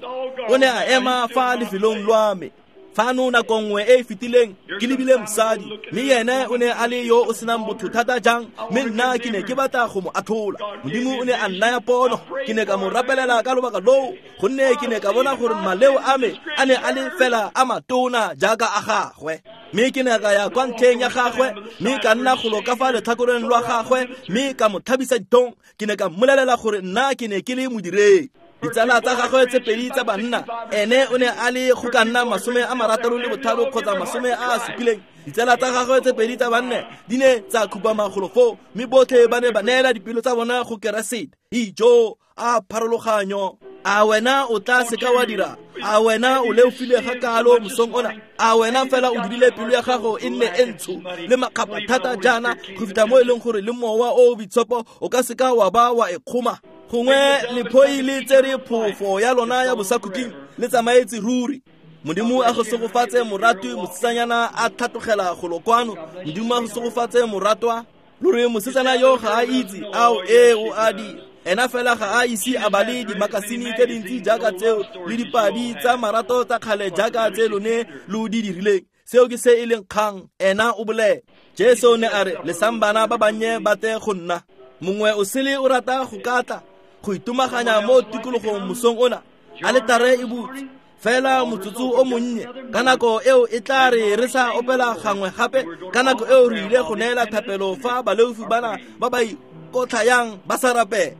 O ne a ema fa lefelong lwa me. Fano nako nngwe e e fetileng ke lebile mosadi, mme ene o ne a le yo o senang botho thata jang, mme nna ke ne ke batla go mo athola. Modimo o ne a nnaya pono, ke ne ka mo rapelela ka lobaka loo, gonne ke ne ka bona gore maleo a me a ne a le fela a matona jaaka a gagwe. Mme ke ne ka ya kwa ntlheng ya gagwe, mme ka nna golo ka fa letlhakoreng lwa gagwe, mme ka mo tlhabisa ditong. Ke ne ka mmolelela gore nna ke ne ke le modiredi. Ditsala tsa gagwe tse pedi tsa banna, ene o ne a le go ka nna 65 kgotsa 70. Ditsala tsa gagwe tse pedi tsa banna di ne tsa khupama golo foo, mme botlhe ba ne ba neela dipelo tsa bona go Keresete. Ijo a pharologanyo! A wena o tla seka wa dira? A wena o leofile ga kalo mosong ona? A wena fela o dirile pelo ya gago e nne e ntsho le makgapha thata jaana go fitlha mo e leng gore le mowa o o boitshepo o ka seka wa ba wa e kgoma? Gongwe lephoi le tsere phofo ya lona ya bosakhutleng le tsamaetse ruri. Modimo a go segofatse moratwi, mosetsanyana a tlhatlogela golo kwano. Modimo a go segofatse moratwa. Lore mosetsana yo ga a itse ao e o a dira. Ena fela ga a ise a bale dimakasine tse dintsi jaaka tseo le dipadi tsa marato tsa kgale jaaka tse lone lo di dirileng. Seo ke se e leng kgang, ena o bolela. Jesu ne a re lesang bana ba bannye ba tle go nna. Mongwe o sele o rata go ka tla go itomaganya mo tikologong mosong ona. Aletare e butse fela motsotso o monnye. Ka nako eo e tla re re sa opela gangwe gape, ka nako eo re ile go neela thapelo fa baleofi bana ba ba ikotlhayang ba sa rapela.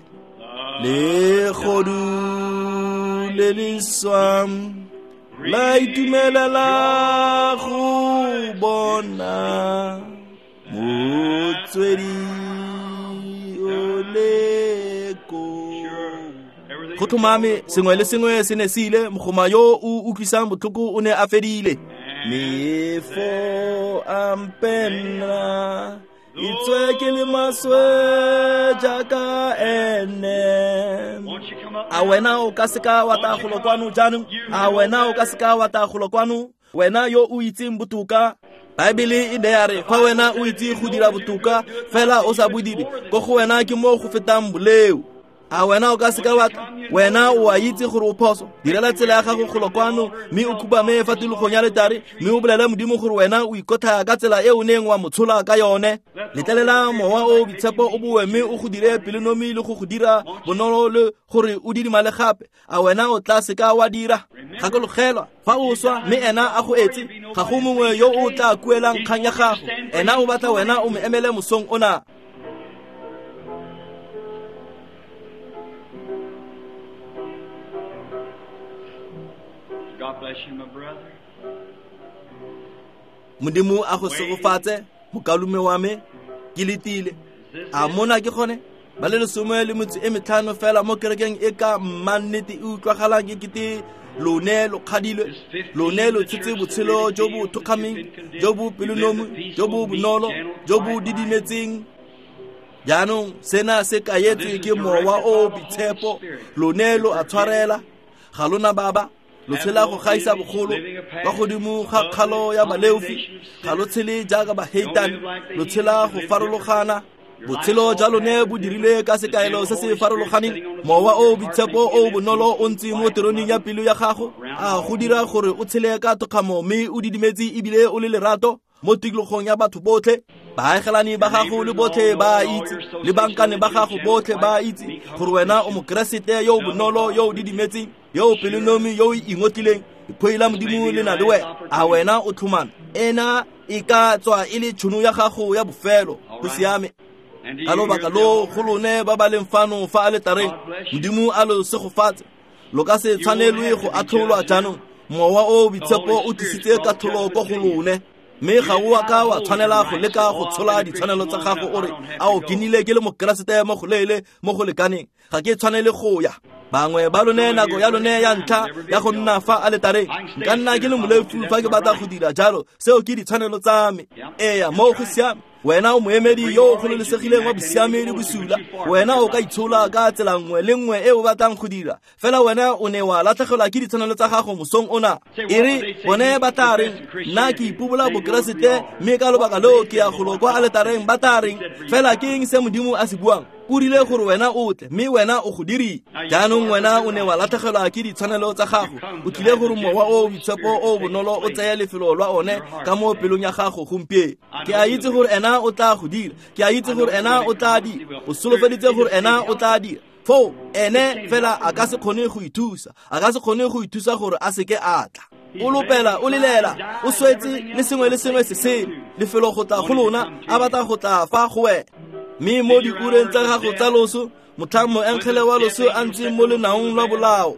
Legodu le le swang la itumelela go bona motswedi o le ko. Go tlhomame sengwe le sengwe se ne se ile, mogoma yo o utlwisang botlhoko o ne a fedile. Mefo a mpenna itswe ke le maswe jaaka ene. A wena o ka seka wa tla golo kwano jaanong? A wena o ka seka wa tla golo kwano? Wena yo o itseng botoka, Baebele e ne ya re fa wena o itse go dira botoka fela o sa bo dire, ko go wena ke mo go fetang boleo. A wena o ka seka wa tla? Wena o a itse gore o phoso. Direla tsela ya gago golo kwano, mme o khubame fa tikologong ya letare, mme o bolele Modimo gore wena o ikotlhaya ka tsela e o neng wa mo tshola ka yone. Letlelela Mowa o Boitshepo o boe mme o go dire pelonomi le go go dira bonolo le gore o didimale gape. A wena o tla seka wa dira? Gakologelwa, fa o swa mme ena a go etse, ga go mongwe yo o tla kuelang kgang ya gago. Ena o batla wena o mo emele mosong ona. God bless you, my brother. Modimo a go segofatse, mokalume wa me, ke letile. A mona ke gone? Ba le 15 fela mo kerekeng e ka mmannete e utlwagalang e kete lone lo kgadilwe, lone lo tshetse botshelo jo bo thokgameng, jo bo pelonomi, jo bo bonolo, jo bo didimetseng. Jaanong sena se kaetswe ke Mowa o o Boitshepo, lone lo a tshwarela, ga lona baba. Lo tshela go gaisa bogolo kwa godimo ga kgalo ya baleofi, ga lo tshele jaaka baheitane, lo tshela go farologana. Botshelo jwa lone bo dirilwe ka sekaelo se se farologaneng. Mowa o Boitshepo o bonolo o ntse mo teroneng ya pelo ya gago, a go dira gore o tshele ka thokgamo mme o didimetse ebile o le lerato mo tikologong ya batho botlhe. Baagelani ba gago le botlhe ba itse, le bankane ba gago botlhe ba itse gore wena o Mokeresete yo o bonolo, yo o didimetseng, yo o pelonomi, yo o ingotlileng. Lephoi la Modimo le na le wena. A wena o tlhomame? Ena e ka tswa e le tšhono ya gago ya bofelo. Go siame. Ka lobaka lo go lone ba ba leng fano fa aletareng, Modimo a lo segofatse. Lo ka se tshwanelwe go atlholwa jaanong. Mowa o Boitshepo o tlisitse katlholo ko go lone, mme ga o a ka wa tshwanela go leka go tshola ditshwanelo tsa gago o re, ao ke nnile ke le Mokeresete mo go leele mo go lekaneng, ga ke tshwanele go ya. Bangwe ba lone nako ya lone ya ntlha ya go nna fa aletareng, nka nna ke le moleofi fa ke batla go dira jalo, seo ke ditshwanelo tsa me. Eya, mo go siame. Wena o moemedi yo o gololesegileng wa bosiame le bosula. Wena o ka itshola ka tsela nngwe le nngwe e o batlang go dira, fela wena o ne wa latlhegelwa ke ditshwanelo tsa gago mosong ona. E re bone ba tla reng, nna ke ipobola Bokeresete mme ka lobaka leo ke ya golo kwa aletareng, ba tla reng? Fela ke eng se Modimo a se buang? O rile gore wena o tle, mme wena o go dirile. Jaanong wena o ne wa latlhegelwa ke ditshwanelo tsa gago. O tlile gore Mowa o Boitshepo o bonolo o tseye lefelo lwa one ka mo pelong ya gago gompieno. Ke a itse gore ena o tla go dira. Ke a itse gore ena o tla dira. O solofeditse gore ena o tla dira. Foo ene fela a ka se kgone go ithusa. A ka se kgone go ithusa gore a seke a tla. O lopela, o lelela, o swetse le sengwe le sengwe se sele. Lefelo go tla go lona, a batla go tla fa go wena. Mme mo diureng tsa gago tsa loso, motlhang moengele wa loso a ntse mo lenaong lwa bolao,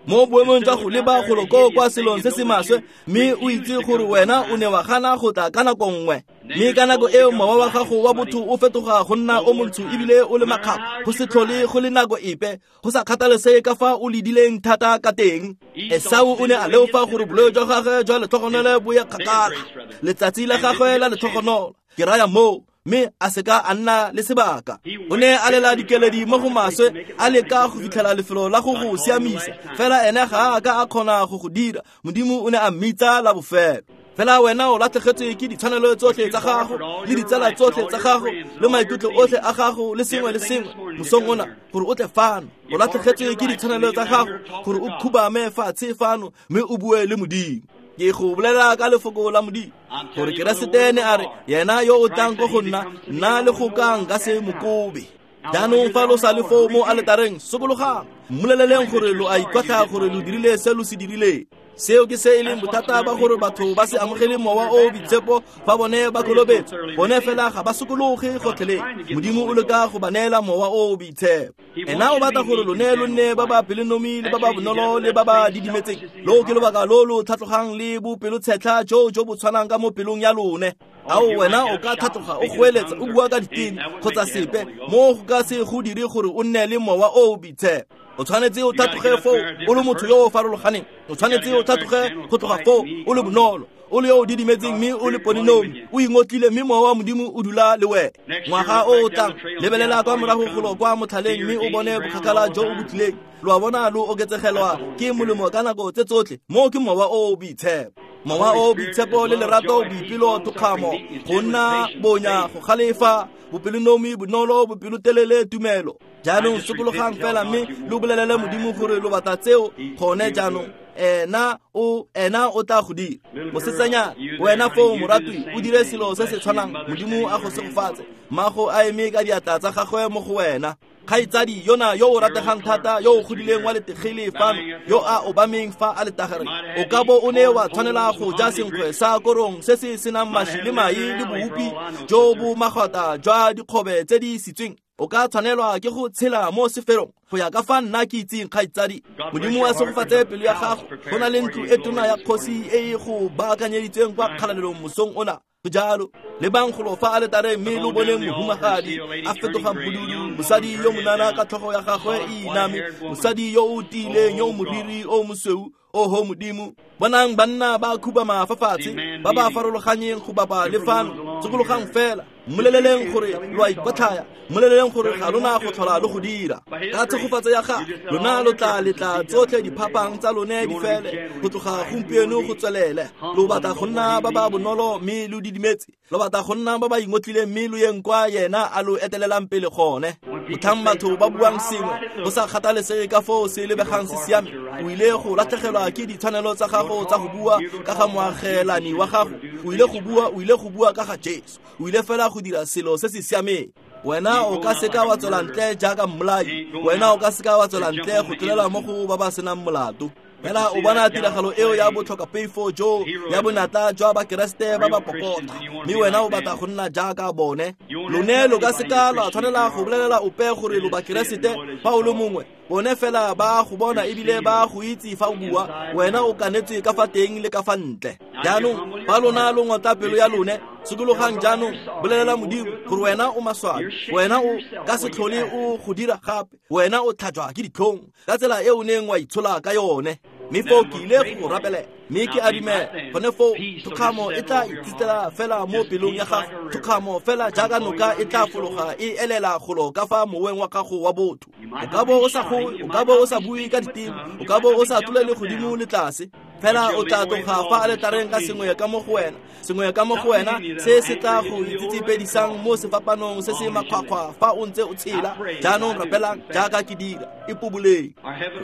mo boemong jwa go leba golo koo kwa selong se se maswe, mme o itse gore wena o ne wa gana go tla ka nako nngwe. Mme ka nako eo mowa wa gago wa botho o fetoga go nna o montsho ebile o le makgapha, go se tlhole go le nako epe, go sa kgathalesege ka fa o ledileng thata ka teng. Esau o ne a leofa gore boleo jwa gagwe jwa letlhogonolo bo ye kgakala, letsatsi la gagwe la letlhogonolo, ke raya moo, mme a seka a nna le sebaka. O ne a lela dikeledi mo go maswe, a leka go fitlhela lefelo la go go siamisa, fela ene ga a ka a kgona go go dira. Modimo o ne a mmitsa la bofelo. Fela wena o latlhegetswe ke ditshwanelo tsotlhe tsa gago, le ditsala tsotlhe tsa gago, le maikutlo otlhe a gago, le sengwe le sengwe mosong ona gore o tle fano. O latlhegetswe ke ditshwanelo tsa gago gore o khubame fatshe fano mme o bue le Modimo. Ke go bolela ka lefoko la Modimo gore Keresete ne a re, yena yo o tlang ko go nna, nna le go ka nka se mo kobe. Jaanong fa lo sa le foo mo aletareng, sokologang, mmoleleleng gore lo a ikotlha gore lo dirile se lo se dirileng. Seo ke se e leng bothata ba gore batho ba se amogele Mowa o Boitshepo fa bone ba kolobetswa. Bone fela ga ba sokologe gotlhelele. Modimo o leka go ba neela Mowa o Boitshepo. Ena o batla gore lone lo nne ba ba pelonomi le ba ba bonolo le ba ba didimetseng. Loo ke lobaka lo lo tlhatlogang le bopelotshetlha jo jo bo tshwanang ka mo pelong ya lone. Ao wena o ka tlhatloga o goeletsa o bua ka diteme kgotsa sepe, mo go ka se go dire gore o nne le Mowa o Boitshepo. O tshwanetse o tlhatloge foo o le motho yo o farologaneng. O tshwanetse o tlhatloge go tloga foo o le bonolo, o le yo o didimetseng mme o le pelonomi, o ingotlile mme Mowa wa Modimo o dula le wena. Ngwaga o o tlang, lebelela kwa morago golo kwa motlhaleng mme o bone bokgakala jo o bo tlileng. Lo a bona lo oketsegelwa ke molemo ka nako tse tsotlhe. Moo ke Mowa o o Boitshepo. Mowa o o Boitshepo le lerato, boipelo, thokgamo, go nna bonya, go galefa, bopelonomi, bonolo, bopelotelele, tumelo. Jaanong sokologang fela mme lo bolelele Modimo gore lo batla tseo gone jaanong. Ena o tla go dira. Mosetsanyana, wena foo moratwi, o dire selo se se tshwanang. Modimo a go segofatse. Mmago a eme ka diatla tsa gagwe mo go wena. Kgaitsadi yona yo o rategang thata, yo o godileng wa letegele fano, yo a obameng fa a letagare, o ka bo o ne wa tshwanela go ja senkgwe sa korong se se senang maši le mae le boupi jo bo magwata jwa dikgobe tse di sitsweng. O ka tshwanelwa ke go tshela mo seferong go ya ka fa nna ke itseng, kgaitsadi. Modimo a segofatse pelo ya gago. Go na le ntlo e tona ya kgosi e e go baakanyeditsweng kwa kgalalelong mosong ona. Go jalo, lebang golo fa aletareng mme lo boneng mohumagadi a fetoga mpududu, mosadi yo monana ka tlhogo ya gagwe e iname, mosadi yo o tiileng yo moriri o mosweu. Oho Modimo, bonang banna ba khubama fa fatshe, ba ba farologanyeng go bapa le fano. Tsokologang fela, mmoleleleng gore lo a ikotlhaya, mmoleleleng gore ga lona go tlhola lo go dira. Ka tshegofatso ya gagwe, lona lo tla letla tsotlhe diphapang tsa lone di fele go tloga gompieno go tswelele. Lo batla go nna ba ba bonolo mme lo didimetse, lo batla go nna ba ba ingotlileng mme lo yeng kwa yena a lo etelelang pele gone. Motlhang batho ba buang sengwe go sa kgathalesege ka foo se lebegang se siame, o ile go latlhegelwa ke ditshwanelo tsa gago tsa go bua ka ga moagelani wa gago. O ile go bua ka ga Jesu. O ile fela go dira selo se se siameng. Wena o ka seka wa tswela ntle jaaka mmolai. Wena o ka seka wa tswela ntle go tlolela mo go ba ba senang molato. Fela o bona tiragalo eo ya botlhokapeifo jo ya bonatla jwa Bakeresete ba ba popota, mme wena o batla go nna jaaka bone. Lone lo ka seka lwa tshwanela go bolelela ope gore lo Bakeresete fa o le mongwe. Bone fela ba go bona ebile ba go itse fa o bua. Wena o kanetswe ka fa teng le ka fa ntle. Jaanong fa lona lo ngotla pelo ya lone, sokologang jaanong, bolelela Modimo gore wena o maswabi, wena o ka se tlhole o go dira gape, wena o tlhajwa ke ditlhong ka tsela e o neng wa itshola ka yone. Mme foo ke ile go rapelela, mme ke a dumela gone foo thokgamo e tla itsitela fela mo pelong ya gago, thokgamo fela jaaka noka e tla fologa e elela golo ka fa moweng wa gago wa botho. O ka bo o sa goe, o ka bo o sa bue ka diteme, o ka bo o sa tlolele godimo le tlase, fela o tla tloga fa aletareng ka sengwe ka mo go wena, sengwe ka mo go wena se se tla go itsitsipedisang mo sefapanong se se makgwakgwa fa o ntse o tshela. Jaanong rapelang jaaka ke dira, ipoboleng.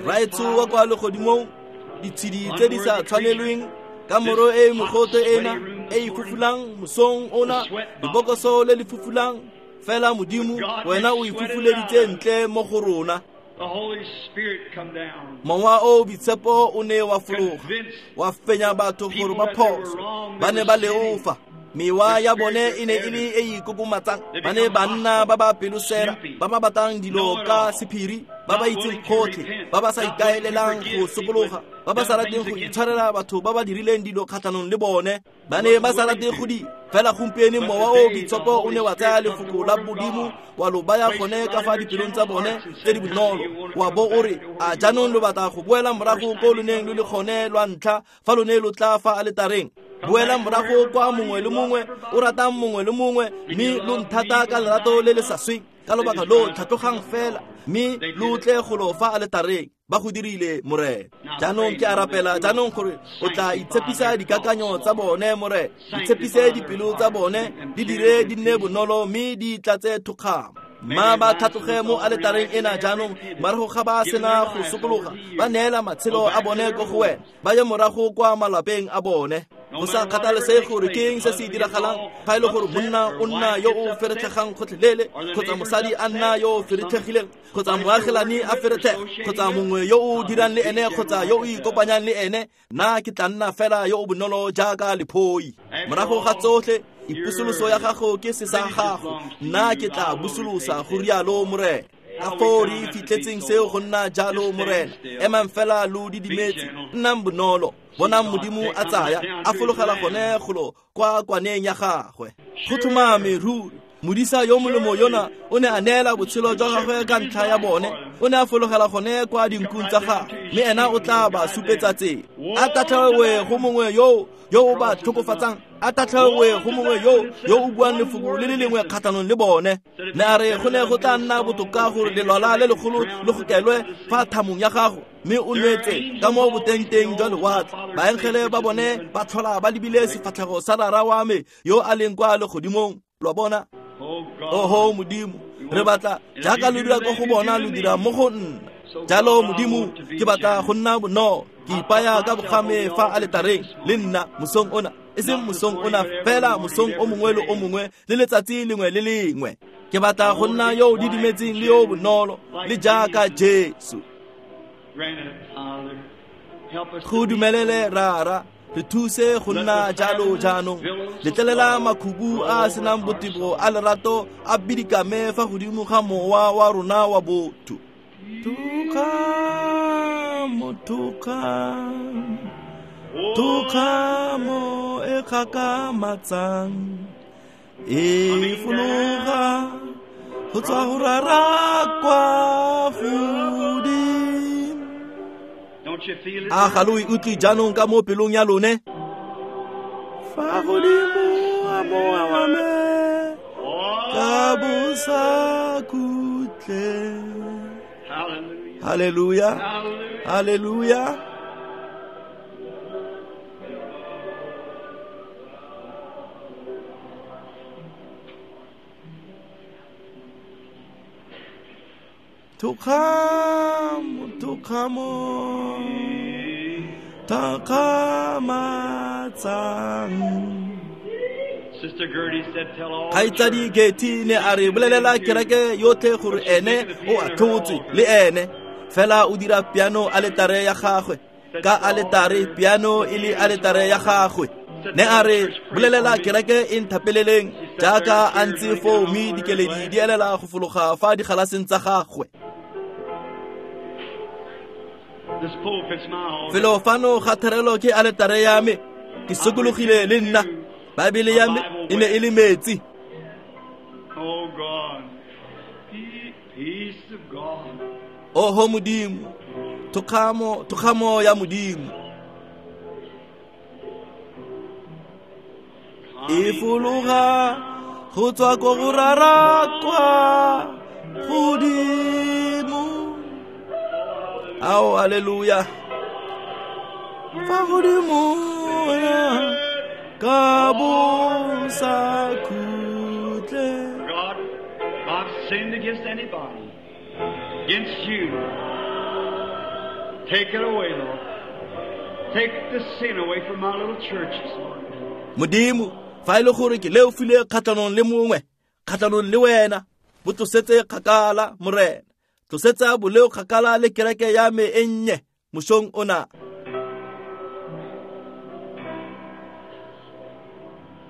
Rraetsho wa kwa legodimong, ditshedi tse di sa tshwanelweng ka moro e mogote ena e e fufulang mosong ona, lebokoso le le fufulang fela Modimo, wena o ifufuleditse ntle mo go rona. Mowa o boitshepo o ne wa fologa, wa fenya batho gore ba phoso, ba ne ba leofa. Mewa ya bone e ne e le e ikokomatsang, ba ne ba nna ba ba pelosera, ba ba batlang dilo ka sephiri, ba ba itseng gotlhe, ba ba sa ikaelelang go sokologa, ba ba sa rateng go itshwarela batho ba ba dirileng dilo kgatlhanong le bone. Ba ne ba sa rate go di fela. Gompieno mowa o boitshepo o ne wa tsaya lefoko la Modimo wa lo baya gone ka fa dipelong tsa bone tse di bonolo, wa bo o re, a jaanong lo batla go boela morago ko lo neng lo le gone lwa ntlha fa lo ne lo tla fa aletareng. Boela morago kwa mongwe le mongwe o ratang mongwe le mongwe, mme lo nthata ka lerato le le sa sweng. Ka lobaka lo tlhatlogang fela mme lo tle golo fa aletareng. Ba go dirile, Morena. Jaanong ke a rapela jaanong gore o tla itshepisa dikakanyo tsa bone, Morena. Itshepise dipelo tsa bone, di dire di nne bonolo mme di tlatse thokgamo. Mma ba tlhatloge mo aletareng ena jaanong, morago ga ba sena go sokologa, ba neela matshelo a bone ko go wena, ba ye morago kwa malapeng a bone. Go sa kgathalesege gore ke eng se se diragalang, fa e le gore monna o nna yo o feretlhegang gotlhelele, kgotsa mosadi a nna yo o feretlhegileng, kgotsa moagelani a feretlhega, kgotsa mongwe yo o dirang le ene, kgotsa yo o ikopanyang le ene, nna ke tla nna fela yo o bonolo jaaka lephoi. Morago ga tsotlhe, ipusoloso ya gago ke se sa gago, nna ke tla busolosa, go rialo Morena. Ka foo re fitlhetseng seo go nna jalo, Morena. Emang fela lo didimetse, nnang bonolo. Bonang Modimo a tsaya, a fologela gone golo kwa kwaneng ya gagwe. Go tlhomame ruri, modisa yo molemo yona o ne a neela botshelo jwa gagwe ka ntlha ya bone. O ne a fologela gone kwa dinkung tsa gagwe, mme ena o tla ba supetsa tsela. A tatlhewe go mongwe yo o ba tlhokofatsang, a tatlhewe go mongwe yo o buang lefoko le le lengwe kgatlhanong le bone. Ne a re go ne go tla nna botoka gore lelwala le legolo le gokelwe fa thamong ya gago, mme o nwetse ka mo botengteng jwa lewatle. Baengele ba bone ba tlhola ba lebile sefatlhego sa Rara wa me yo a leng kwa legodimong. Lo bona? Oho Modimo, Re batla jaaka lo dira ko go bona lo dira mo go nna. Jalo Modimo ke batla go nna bonolo, ke ipaya ka bogame fa aletareng le nna mosong ona, e seng mosong ona fela, mosong o mongwe le o mongwe le letsatsi lengwe le lengwe. Ke batla go nna yo o didimetseng le yo bonolo le jaaka Jesu. Go dumelele Rara, re thuse go nna jalo jaanong. Letlelela makhubu a a senang botebo a lerato a bidikame fa godimo ga mowa wa rona wa botho. Thokgamo, thokgamo, thokgamo e gakgamatsang e fologa go tswa go Rara kwa godimo. A ga lo e utlwe jaanong ka mo pelong ya lone? Fa godimo a mowa wa me ka bosakhutleng. Hallelujah. Hallelujah. Thokgamo, thokgamo, thakgamatsang. Kgaitsadi Getty ne a re bolelela kereke yotlhe gore ene o atlhotswe le ene, fela o dira piano aletare ya gagwe, ka aletare piano e le aletare ya gagwe. Ne a re bolelela kereke e nthapeleleng jaaka a ntse foo, mme dikeledi di elela go fologa fa digalaseng tsa gagwe. Felo fano ga therelo ke aletare ya me, ke sokologile le nna. Baebele ya me e ne e le metsi. Oho Modimo, thokgamo, thokgamo ya Modimo e fologa go tswa ko go Rara kwa godimo. Ao, haleluya. Fa godimo ka bosakhutle. God, I've sinned against anybody, against you. Take it away, Lord. Take the sin away from my little church this morning. Modimo, fa e le gore ke leofile kgatlhanong le mongwe, kgatlhanong le wena, bo tlosetse kgakala, Morena. Tlosetsa boleo kgakala le kereke ya me e nnye mosong ona.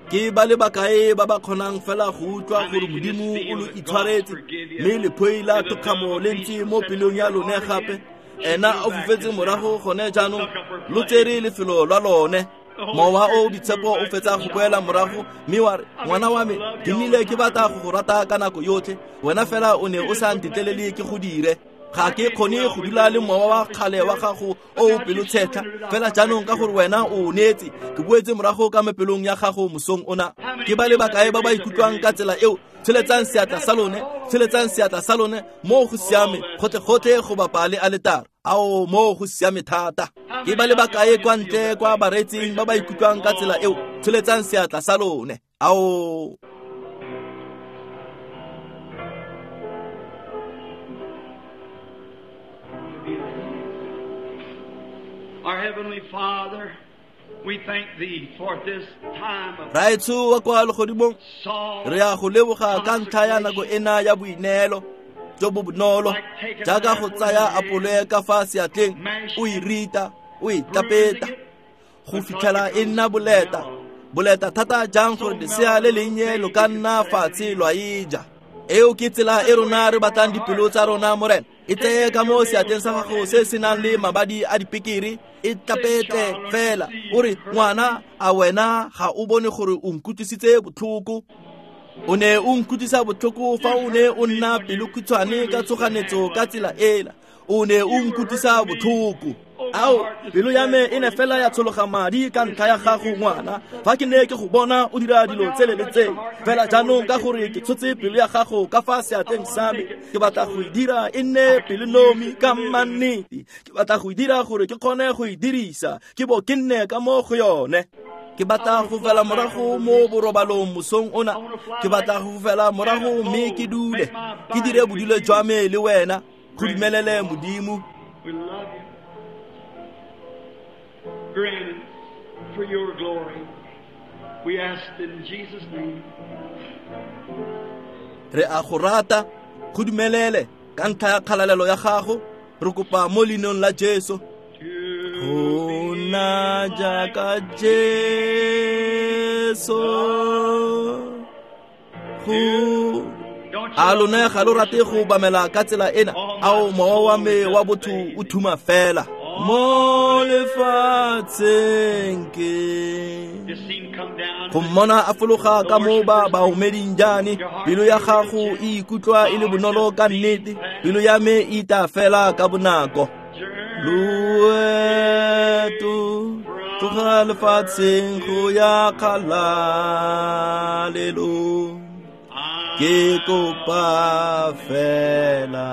Ke ba le bakae ba ba kgonang fela go utlwa gore Modimo o lo itshwaretse, mme lephoi la thokgamo le ntse mo pelong ya lone gape. Ena o fofetse morago gone jaanong, lo tsere lefelo lwa lone. Mowa o boitshepo o fetsa go boela morago, mme wa re, ngwana wa me, ke nnile ke batla go go rata ka nako yotlhe, wena fela o ne o sa ntetlelele ke go dire. Ga ke kgone go dula le mowa wa kgale wa gago o o pelotshetlha, fela jaanong ka gore wena o neetse, ke boetse morago ka mepelong ya gago mosong ona. Ke ba le bakae ba ba ikutlwang ka tsela eo? Tsholetsang seatla sa lone, tsholetsang seatla sa lone, mo go siame gotlhe-gotlhe go bapa le aletare. Ao, mo go siame thata. Ke ba le bakae kwa ntle kwa bareetsing ba ba ikutlwang ka tsela eo? Tsholetsang seatla sa lone. Ao. Our Heavenly Father, we thank Thee for this time of Raetsho wa kwa legodimong, re a go leboga ka ntlha ya nako ena ya boineelo jo bo bonolo, jaaka go tsaya apole ka fa seatleng, o e rita, o e tlapeta go fitlhela e nna boleta. Boleta thata jang gore lesea le lennye lo ka nna fatshe lwa e ja. Eo ke tsela e rona re batlang dipelo tsa rona, Morena. E tseye ka mo seatleng sa gago se se nang le mabadi a dipekere, e tlapetle fela. O re, ngwana, a wena ga o bone gore o nkutlwisitse botlhoko? O ne o nkutlwisa botlhoko fa o ne o nna pelokhutshwane ka tshoganetso ka tsela ela. O ne o nkutlwisa botlhoko. Ao, pelo ya me e ne fela ya tshologa madi ka ntlha ya gago, ngwana, fa ke ne ke go bona o dira dilo tsele le tsele. Fela jaanong ka gore ke tshotse pelo ya gago ka fa seatleng sa me, ke batla go e dira e nne pelonomi ka mannete. Ke batla go e dira gore ke kgone go e dirisa, ke bo ke nne ka mo go yone. Ke batla go fela morago mo borobalong mosong ona. Ke batla go fela morago mme ke dule. Ke dire bodule jwa me le wena. Go dumelele Modimo. We love you. Grant it for your glory. We ask in Jesus' name. Re a go rata. Go dumelele ka ntlha ya kgalalelo ya gago. Re kopa mo leineng la Jesu. Go nna jaaka Jesu. Go a lone ga lo rate go obamela ka tsela ena. Ao mowa wa me wa botho o thuma fela mo lefatsheng ke. Go mmona a fologa ka mo ba baomeding jane. Pelo ya gago e ikutlwa e le bonolo ka nnete. Pelo ya me e ita fela ka bonako. Loeto tloga lefatsheng go ya kgalalelong. Ke kopa fela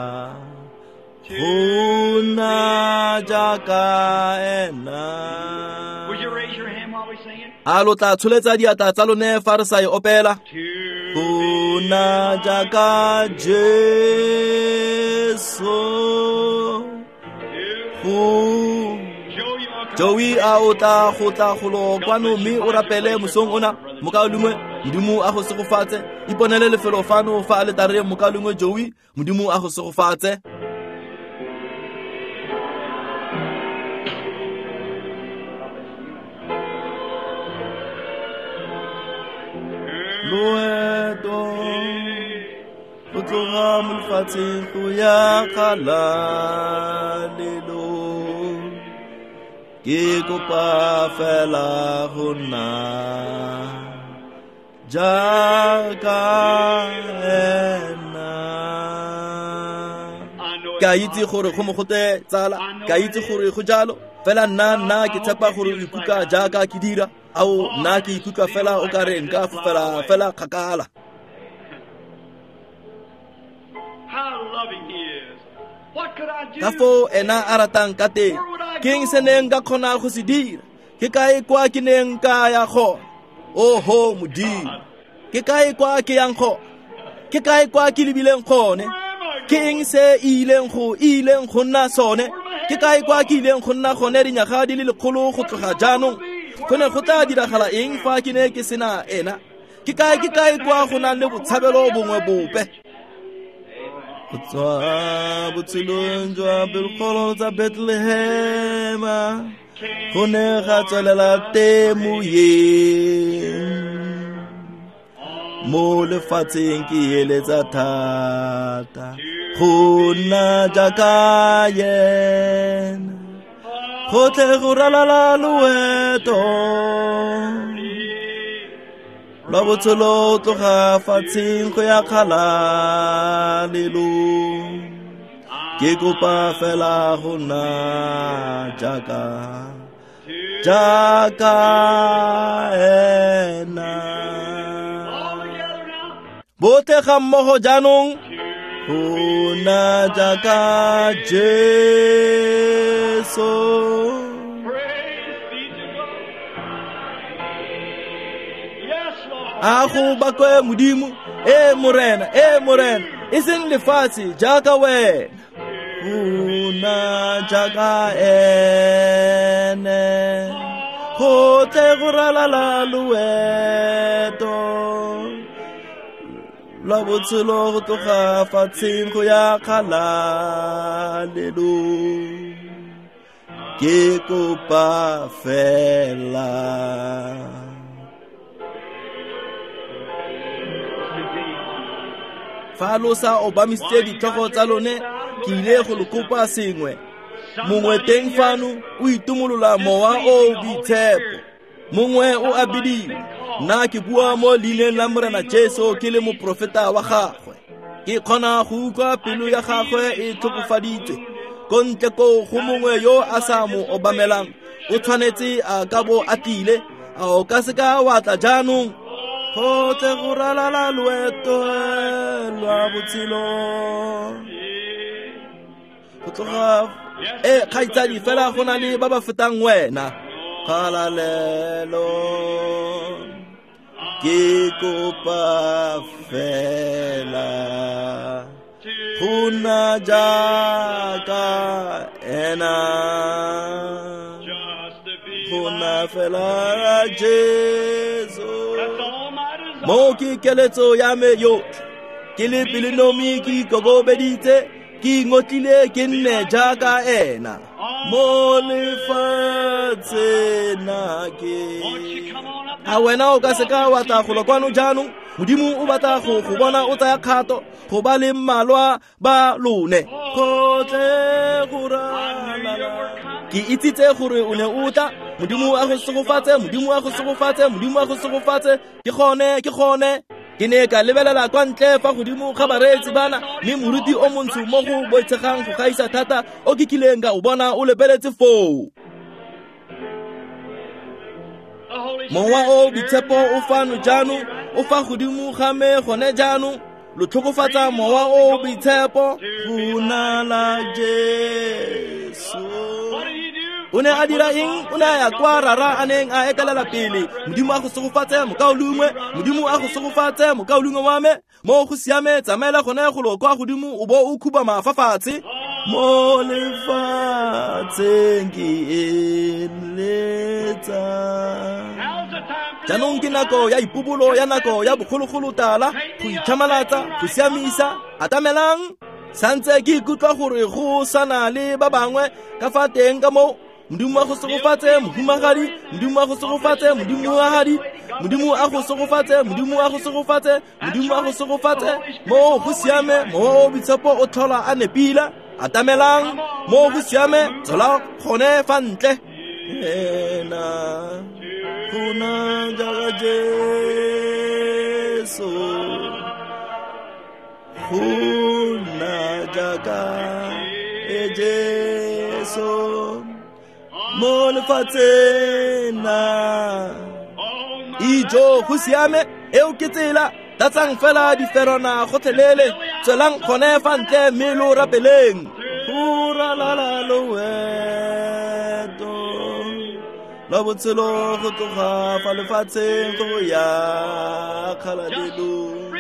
go nna jaaka ena. Would you raise your hand while we sing it? A lo tla tsholetsa diatla tsa lone fa re sa e opela. Go nna jaaka Jesu. Go Joey a o tla go tla golo kwano mme o rapele mosong ona. Mokaulengwe Modimo a go segofatse. Iponele lefelo fano fa aletareng mokaulengwe Joey. Modimo a go segofatse. Loeto go tloga mo lefatsheng go ya kgalalelong. Ke kopa fela go nna jaaka ena. Ke a itse gore go mogote tsala, ke a itse gore go jalo. Fela nna ke tshepa gore o ikutlwa jaaka ke dira. Ao nna ke ikutlwa fela o ka re nka fofela fela kgakala. How loving he is. What could I do? Ka foo ena a ratang ka teng. Ke eng se neng ka kgona go se dira? Ke kae kwa ke neng ka ya gona? Oho Modimo. Ke kae kwa ke yang gona? Ke kae kwa ke lebileng gone? Ke eng se e ileng go nna sone? Ke kae kwa ke ileng go nna gone dinyaga di le lekgolo go tloga jaanong? Go ne go tla diragala eng fa ke ne ke sena ena? Ke kae kwa go nang le botshabelo bongwe bope? Go tswa botshelong jwa pelokgolo tsa Bethlehema go ne ga tswelela temoyeng. Mo lefatsheng ke eletsa thata go nna jaaka yena. Gotlhe go ralala loeto lwa botshelo tloga fatsheng go ya kgalalelong. Ke kopa fela go nna jaaka ena. Botlhe ga mmogo jaanong. Go nna jaaka Jesu. Praise be to God. Yes, Lord. A go bakwe Modimo. E Morena, e seng lefatshe jaaka wena. Go nna jaaka ene. Gotlhe go ralala loeto lwa botshelo go tloga fatsheng go ya kgalalelong. Ke kopa fela. Fa lo sa obamisitse ditlhogo tsa lone, ke ile go lo kopa sengwe. Mongwe teng fano o itumolola mowa o o boitshepo. Mongwe o a bidiwa. Nna ke bua mo leineng la Morena Jesu ke le moprofeta wa gagwe. Ke kgona go utlwa pelo ya gagwe e tlhokofaditswe. Ko ntle koo go mongwe yo a sa mo obamelang o tshwanetse a ka bo a tlile. A o ka seka wa tla jaanong? Gotlhe go ralala loeto lwa botshelo go tloga kgaitsadi fela go na le ba ba fetang wena. Kgalalelo ke kopa fela go nna jaaka ena, go nna fela Jesu. Mo ke keletso ya me yotlhe, ke le pelonomi, ke ikokobeditse, ke ingotlile, ke nne jaaka ena mo lefatsheng ke. A wena o ka seka wa tla golo kwano jaanong? Modimo o batla go go bona o tsaya kgato go ba le mmalwa ba lone. Gotlhe go ralala. Ke itsitse gore o ne o tla. Modimo a go segofatse, Modimo a go segofatse, Modimo a go segofatse. Ke gone, ke gone. Ke ne ka lebelela kwa ntle fa godimo ga bareetsi bana, mme moruti o montsho mo go boitshegang go gaisa thata o ke kileng ka o bona o lebeletse foo. Mowa o boitshepo o fano jaanong, o fa godimo ga me gone jaanong. Lo tlhokofatsa mowa o boitshepo go na la Jesu. O ne a dira eng? O ne a ya kwa rara a neng a etelela pele. Modimo a go segofatse mokaulengwe, Modimo a go segofatse mokaulengwe wa me. Mo go siame, tsamaela gone golo kwa godimo o bo o khubama fa fatshe. Mo lefatsheng ke eletsa. Jaanong ke nako ya ipobolo ya nako ya bogologolo tala, go itlhamalatsa, go siamisa. Atamelang. Santse ke ikutlwa gore go sana le ba bangwe ka fa teng ka moo. Modimo a go segofatse mohumagadi, Modimo a go segofatse modimoagadi, Modimo a go segofatse, Modimo a go segofatse, Modimo a go segofatse. Mo go siame, mowa o boitshepo o tlhola a nepila. Atamelang. Mo go siame, tswela gone fa ntle. Ena go na jaaka Jesu, go nna jaaka e Jesu mo lefatsheng na. Ijo go siame, eo ke tsela. Tlatsang fela diferwana gotlhelele, tswelang gone fa ntle mme lo rapeleng. Go ralala loeto lwa botshelo go tloga fa lefatsheng go ya kgalalelong.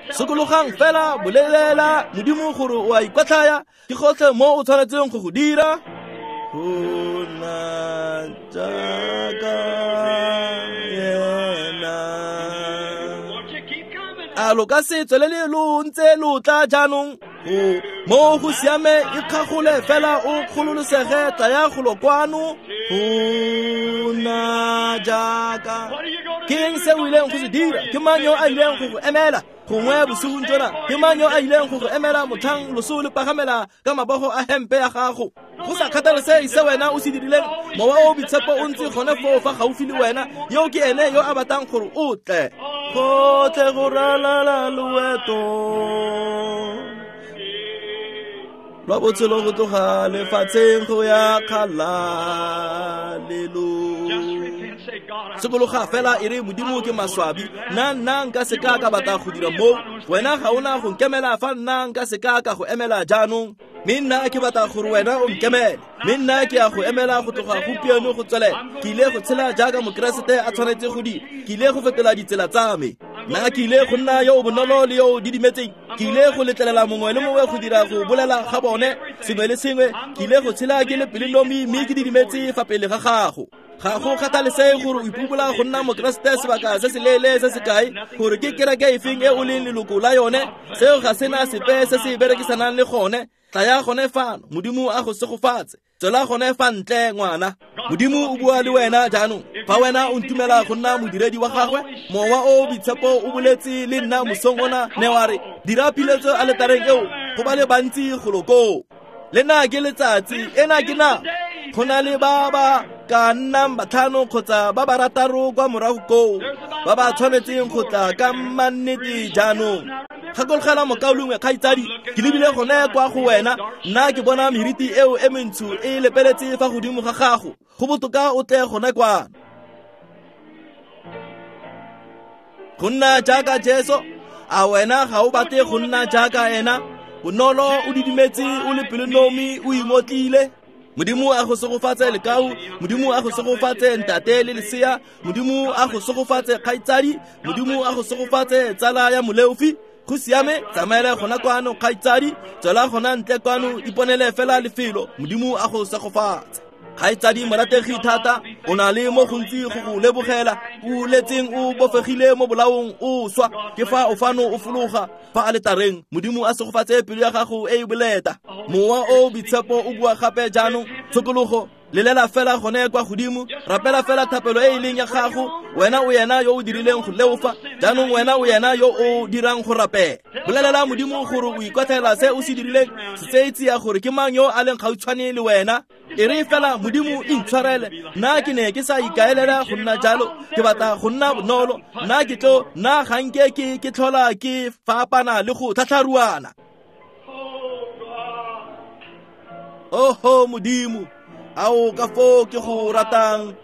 Sokologang fela, bolelela Modimo gore o a ikwatlhaya. Ke gotlhe mo o tshwanetseng go go dira. Go nna jaaka ena. A lo ka se tswelele lo ntse lo tla jaanong? Mo go siame, ikgagole fela o kgololosege, tlaya golo kwano. Go nna jaaka. Ke eng se o ileng go se dira? Ke mang yo a ileng go go emela? Gongwe bosigong jona, ke mang yo a ileng go go emela motlhang loso le pagamela ka mabogo a hempe ya gago? Go sa kgathalesege se wena o se dirileng, mowa o boitshepo o ntse gone foo fa gaufi le wena. Yo ke ene yo a batlang gore o tle. Gotlhe go ralala loeto lwa botshelo go tloga lefatsheng go ya kgalalelong. Sokologa fela e re, Modimo ke maswabi, nna nka seka ka batla go dira moo. Wena ga ona go nkemela fa nna nka seka ka go emela jaanong. Mme nna ke batla gore wena o nkemele, mme nna ke ya go emela go tloga gompieno go tswelela. Ke ile go tshela jaaka mokeresete a tshwanetse go dira. Ke ile go fetola ditsela tsa me. Nna ke ile go nna yo o bonolo le yo o didimetseng. Ke ile go letlelela mongwe le mongwe go dira go bolela ga bone sengwe le sengwe. Ke ile go tshela ke le pelonomi mme ke didimetse fa pele ga gago. Ga go kgathalesege gore o ipobola go nna mokeresete sebaka se se leele se se kae, gore ke kereke efeng e o leng leloko la yone, seo ga sena sepe se se berekisanang le gone. Tlaya gone fano, Modimo a go segofatse. Tswela gone fa ntle, ngwana. Modimo o bua le wena jaanong. Fa wena o ntumela go nna modiredi wa gagwe, mowa o boitshepo o boletse le nna mosong ona, ne wa re, dira piletso aletareng eo go ba le bantsi golo koo. Le nna ke letsatsi, ena ke nako. Go na le ba ba ka nnang batlhano kgotsa ba ba rataro kwa morago koo ba ba tshwanetseng go tla ka mannete jaanong. Gakologela mokaulengwe kgaitsadi, ke lebile gone kwa go wena. Nna ke bona meriti eo e mentsho e lepeletse fa godimo ga gago. Go botoka o tle gone kwano. Go nna jaaka Jesu, a wena ga o batle go nna jaaka ena? Bonolo, o didimetse, o le pelonomi, o ingotlile. Modimo a go segofatse lekau, Modimo a go segofatse ntate le lesea, Modimo a go segofatse kgaitsadi, Modimo a go segofatse tsala ya moleofi. Go siame, tsamaela gona kwano kgaitsadi, tswela gona ntle kwano, iponele fela lefelo. Modimo a go segofatse. Kgaitsadi morategi thata, o na le mo gontsi go go lebogela, o letseng o bofegile mo bolaong o swa, ke fa o fano o fologa fa aletareng. Modimo a segofatse pelo ya gago e e boleta. Mowa o boitshepo o bua gape jaanong, tshokologo, lelela fela gone kwa godimo, rapela fela thapelo e e leng ya gago. Wena o yena yo o dirileng go leofa, jaanong wena o yena yo o dirang go rapela. Bolelela Modimo gore o ikwatlhaela se o se dirileng, se tseye tsia gore ke mang yo a leng gautshwane le wena. E re fela, Modimo intshwarele, nna ke ne ke sa ikaelela go nna jalo, ke batla go nna bonolo, nna ke tlo, nna ga nke ke tlhola ke fapana le go tlhatlharuana. Oho Modimo, ao ka foo ke go ratang.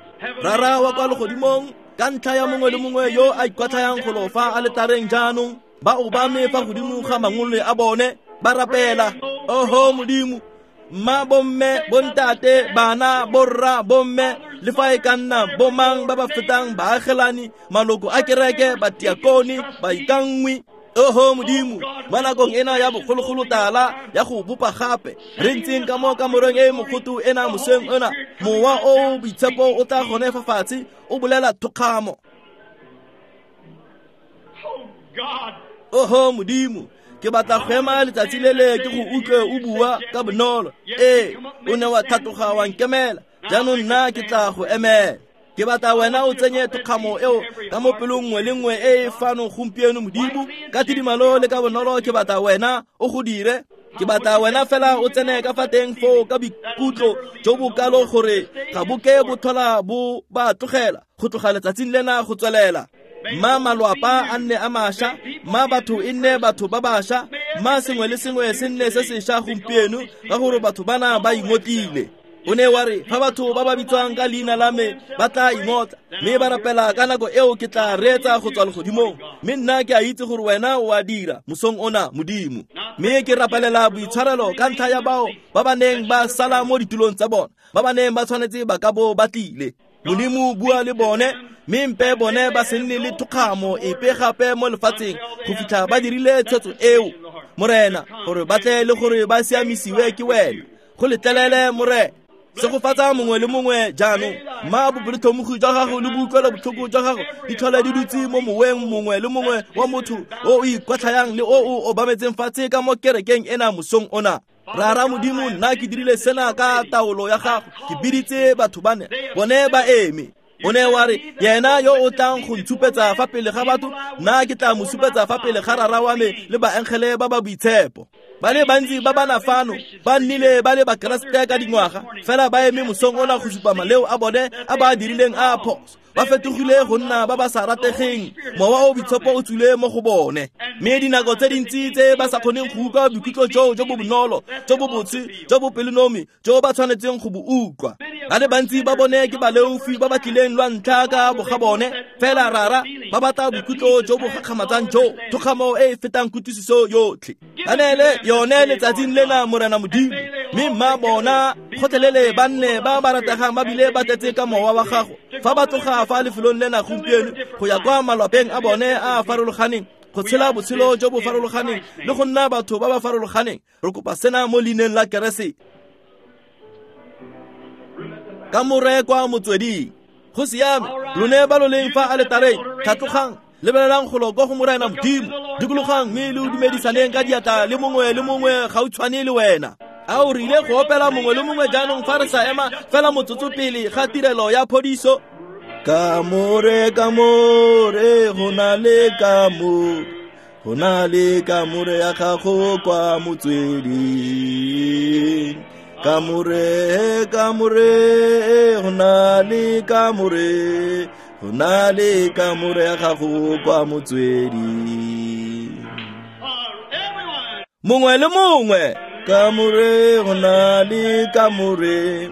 Rara wa kwa legodimong, ka ntlha ya mongwe le mongwe yo a ikwatlhayang go lofa aletareng jaanong, ba obame fa godimo ga mangole a bone, ba rapela. Oho Modimo, mma bomme, bontate, bana, borra, bomme, le fa e ka nna bomang ba ba fetang baagelani, maloko a kereke, batiakone, baikanngwi. Oho Modimo, mo nakong ena ya bogologolo tala ya go bopa gape, re ntseng ka mo kamoreng e mogoto ena moseng ona, mowa o boitshepo o tla gone fa fatshe o bolela thokgamo. Oho Modimo, ke batla go ema letsatsi le le ke go utlwe o bua ka bonolo. Ee, o ne wa tlhatloga wa nkemela, jaanong nna ke tla go emela. Ke batla wena o tsenye thokgamo eo ka mo pelong nngwe le nngwe e e fano gompieno Modimo, ka tidimalo le ka bonolo ke batla wena o go dire. Ke batla wena fela o tsene ka fa teng foo ka boikutlo jo bo kalo gore ga bo ke bo tlhola bo ba tlogela go tloga letsatsing lena go tswelela. Mma malwapa a nne a mašwa, mma batho e nne batho ba bašwa, mma sengwe le sengwe se nne se sešwa gompieno, ka gore batho bana ba ingotlile. O ne wa re fa batho ba ba bitswang ka leina la me ba tla ingotla mme ba rapela ka nako eo, ke tla reetsa go tswa legodimong. Mme nna ke a itse gore wena o a dira mosong ona Modimo. Mme ke rapelela boitshwarelo ka ntlha ya bao ba ba neng ba sala mo ditulong tsa bona, ba ba neng ba tshwanetse ba ka bo ba tlile. Modimo bua le bone, mme mpe bone ba se nne le thokgamo epe gape mo lefatsheng go fitlha ba dirile tshwetso eo, Morena, gore ba tle le gore ba siamisiwe ke wena. Go letlelele Morena. Segofatsa mongwe le mongwe jaanong. Mma bopelotlhomogi jwa gago le boutlwelo botlhoko jwa gago di tlhole di dutse mo moweng mongwe le mongwe wa motho o o ikwatlhayang le o o obametseng fatshe ka mo kerekeng ena mosong ona. Rara Modimo, nna ke dirile sena ka taolo ya gago, ke biditse batho bane, bone ba eme. O ne wa re, yena yo o tlang go ntshupetsa fa pele ga batho, nna ke tla mo supetsa fa pele ga rara wa me le baengele ba ba boitshepo. Ba le bantsi ba bana fano ba nnile ba le bakeresete ka dingwaga, fela ba eme mosong ona go supa maleo a bone a ba a dirileng a phoso. Ba fetogile go nna ba ba sa rategeng, mowa o boitshepo o tswile mo go bone. Mme dinako tse dintsi tse ba sa kgoneng go utlwa boikutlo joo jo bo bonolo, jo bo botse, jo bo pelonomi, jo ba tshwanetseng go bo utlwa. Ba le bantsi ba bone ke baleofi ba ba tlileng lwa ntlha ka boga bone, fela rara ba batla boikutlo jo bo gakgamatsang jo, thokgamo e e fetang kutlwisiso yotlhe. Ba neele yone letsatsing lena Morena Modimo, mme mma bona gotlhelele ba nne ba ba rategang ba bile ba tletse ka mowa wa gago fa ba tloga fa lefelong lena gompieno go ya kwa malwapeng a bone a a farologaneng, go tshela botshelo jo bo farologaneng le go nna batho ba ba farologaneng. Re kopa sena mo leineng la Keresete. Kamore kwa motsweding. Go siame, lone ba lo leng fa aletareng, tlhatlogang, lebelelang golo kwa go Morena Modimo, dikologang mme le dumedisaneng ka diatla le mongwe le mongwe gautshwane le wena. A o rile go opela mongwe le mongwe jaanong fa re sa ema fela motsotso pele ga tirelo ya phodiso? Kamore, kamore, go na le kamore, go na le kamore ya gago kwa motsweding. Kamore, kamore, go na le kamore, go na le kamore ya gago kwa motsweding. Mongwe le mongwe, kamore, go na le kamore,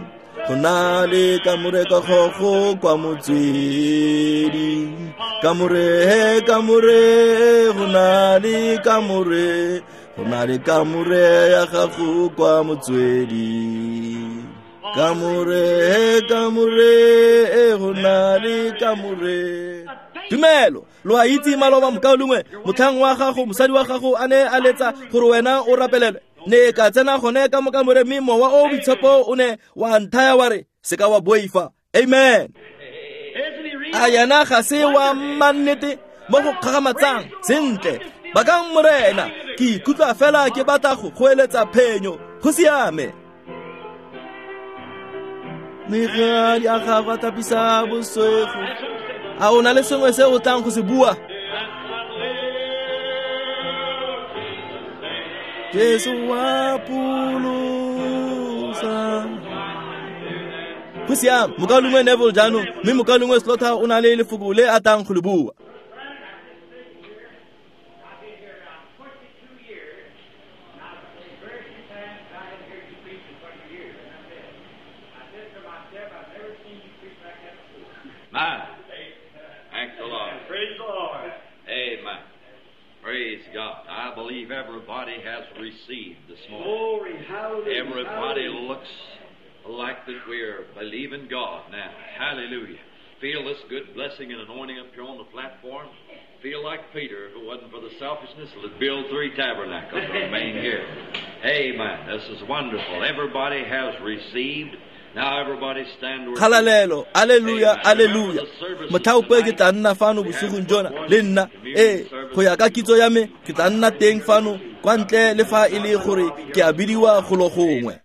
go na le kamore ka gogo kwa motsweding. Kamore, kamore, go na le kamore, go na le kamore ya gago kwa motsweding. Kamore, kamore, go na le kamore. Tumelo, lo a itse maloba mokaulengwe, motlhang wa gago, mosadi wa gago a ne a letsa gore wena o rapelelwe. Ne ka tsena gone ka mo kamore mme mowa o boitshepo o ne wa nthaya wa re se ka wa boifa. Amen. A yena ga se wa mannete mo go kgakgamatsang sentle. Bakang Morena, ke ikutlwa fela ke batla go goeletsa phenyo. Go siame. Megadi a gago a tlhapisa boswego. A o na le sengwe se o tlang go se bua? Jesu wa pholosa. Go siame, mokaulengwe Neville jaanong, mme mokaulengwe Slaughter o na le lefoko le a tlang go le bua. My. Thank the Lord. Praise the Lord. Amen. Praise God. I believe everybody has received this morning. Glory, hallelujah. Everybody hallelujah. looks like that we're believing God now. Hallelujah. Feel this good blessing and anointing up here on the platform. Feel like Peter, if it wasn't for the selfishness, would build 3 tabernacles and remain here. Amen. This is wonderful. Everybody has received. Now everybody stand to your feet. Kgalalelo, alleluia, alleluia. Motlhaope ke tla nna fano bosigong jona le nna. Ee, go ya ka kitso ya me ke tla nna teng fano kwa ntle le fa e le gore ke a bidiwa golo gongwe.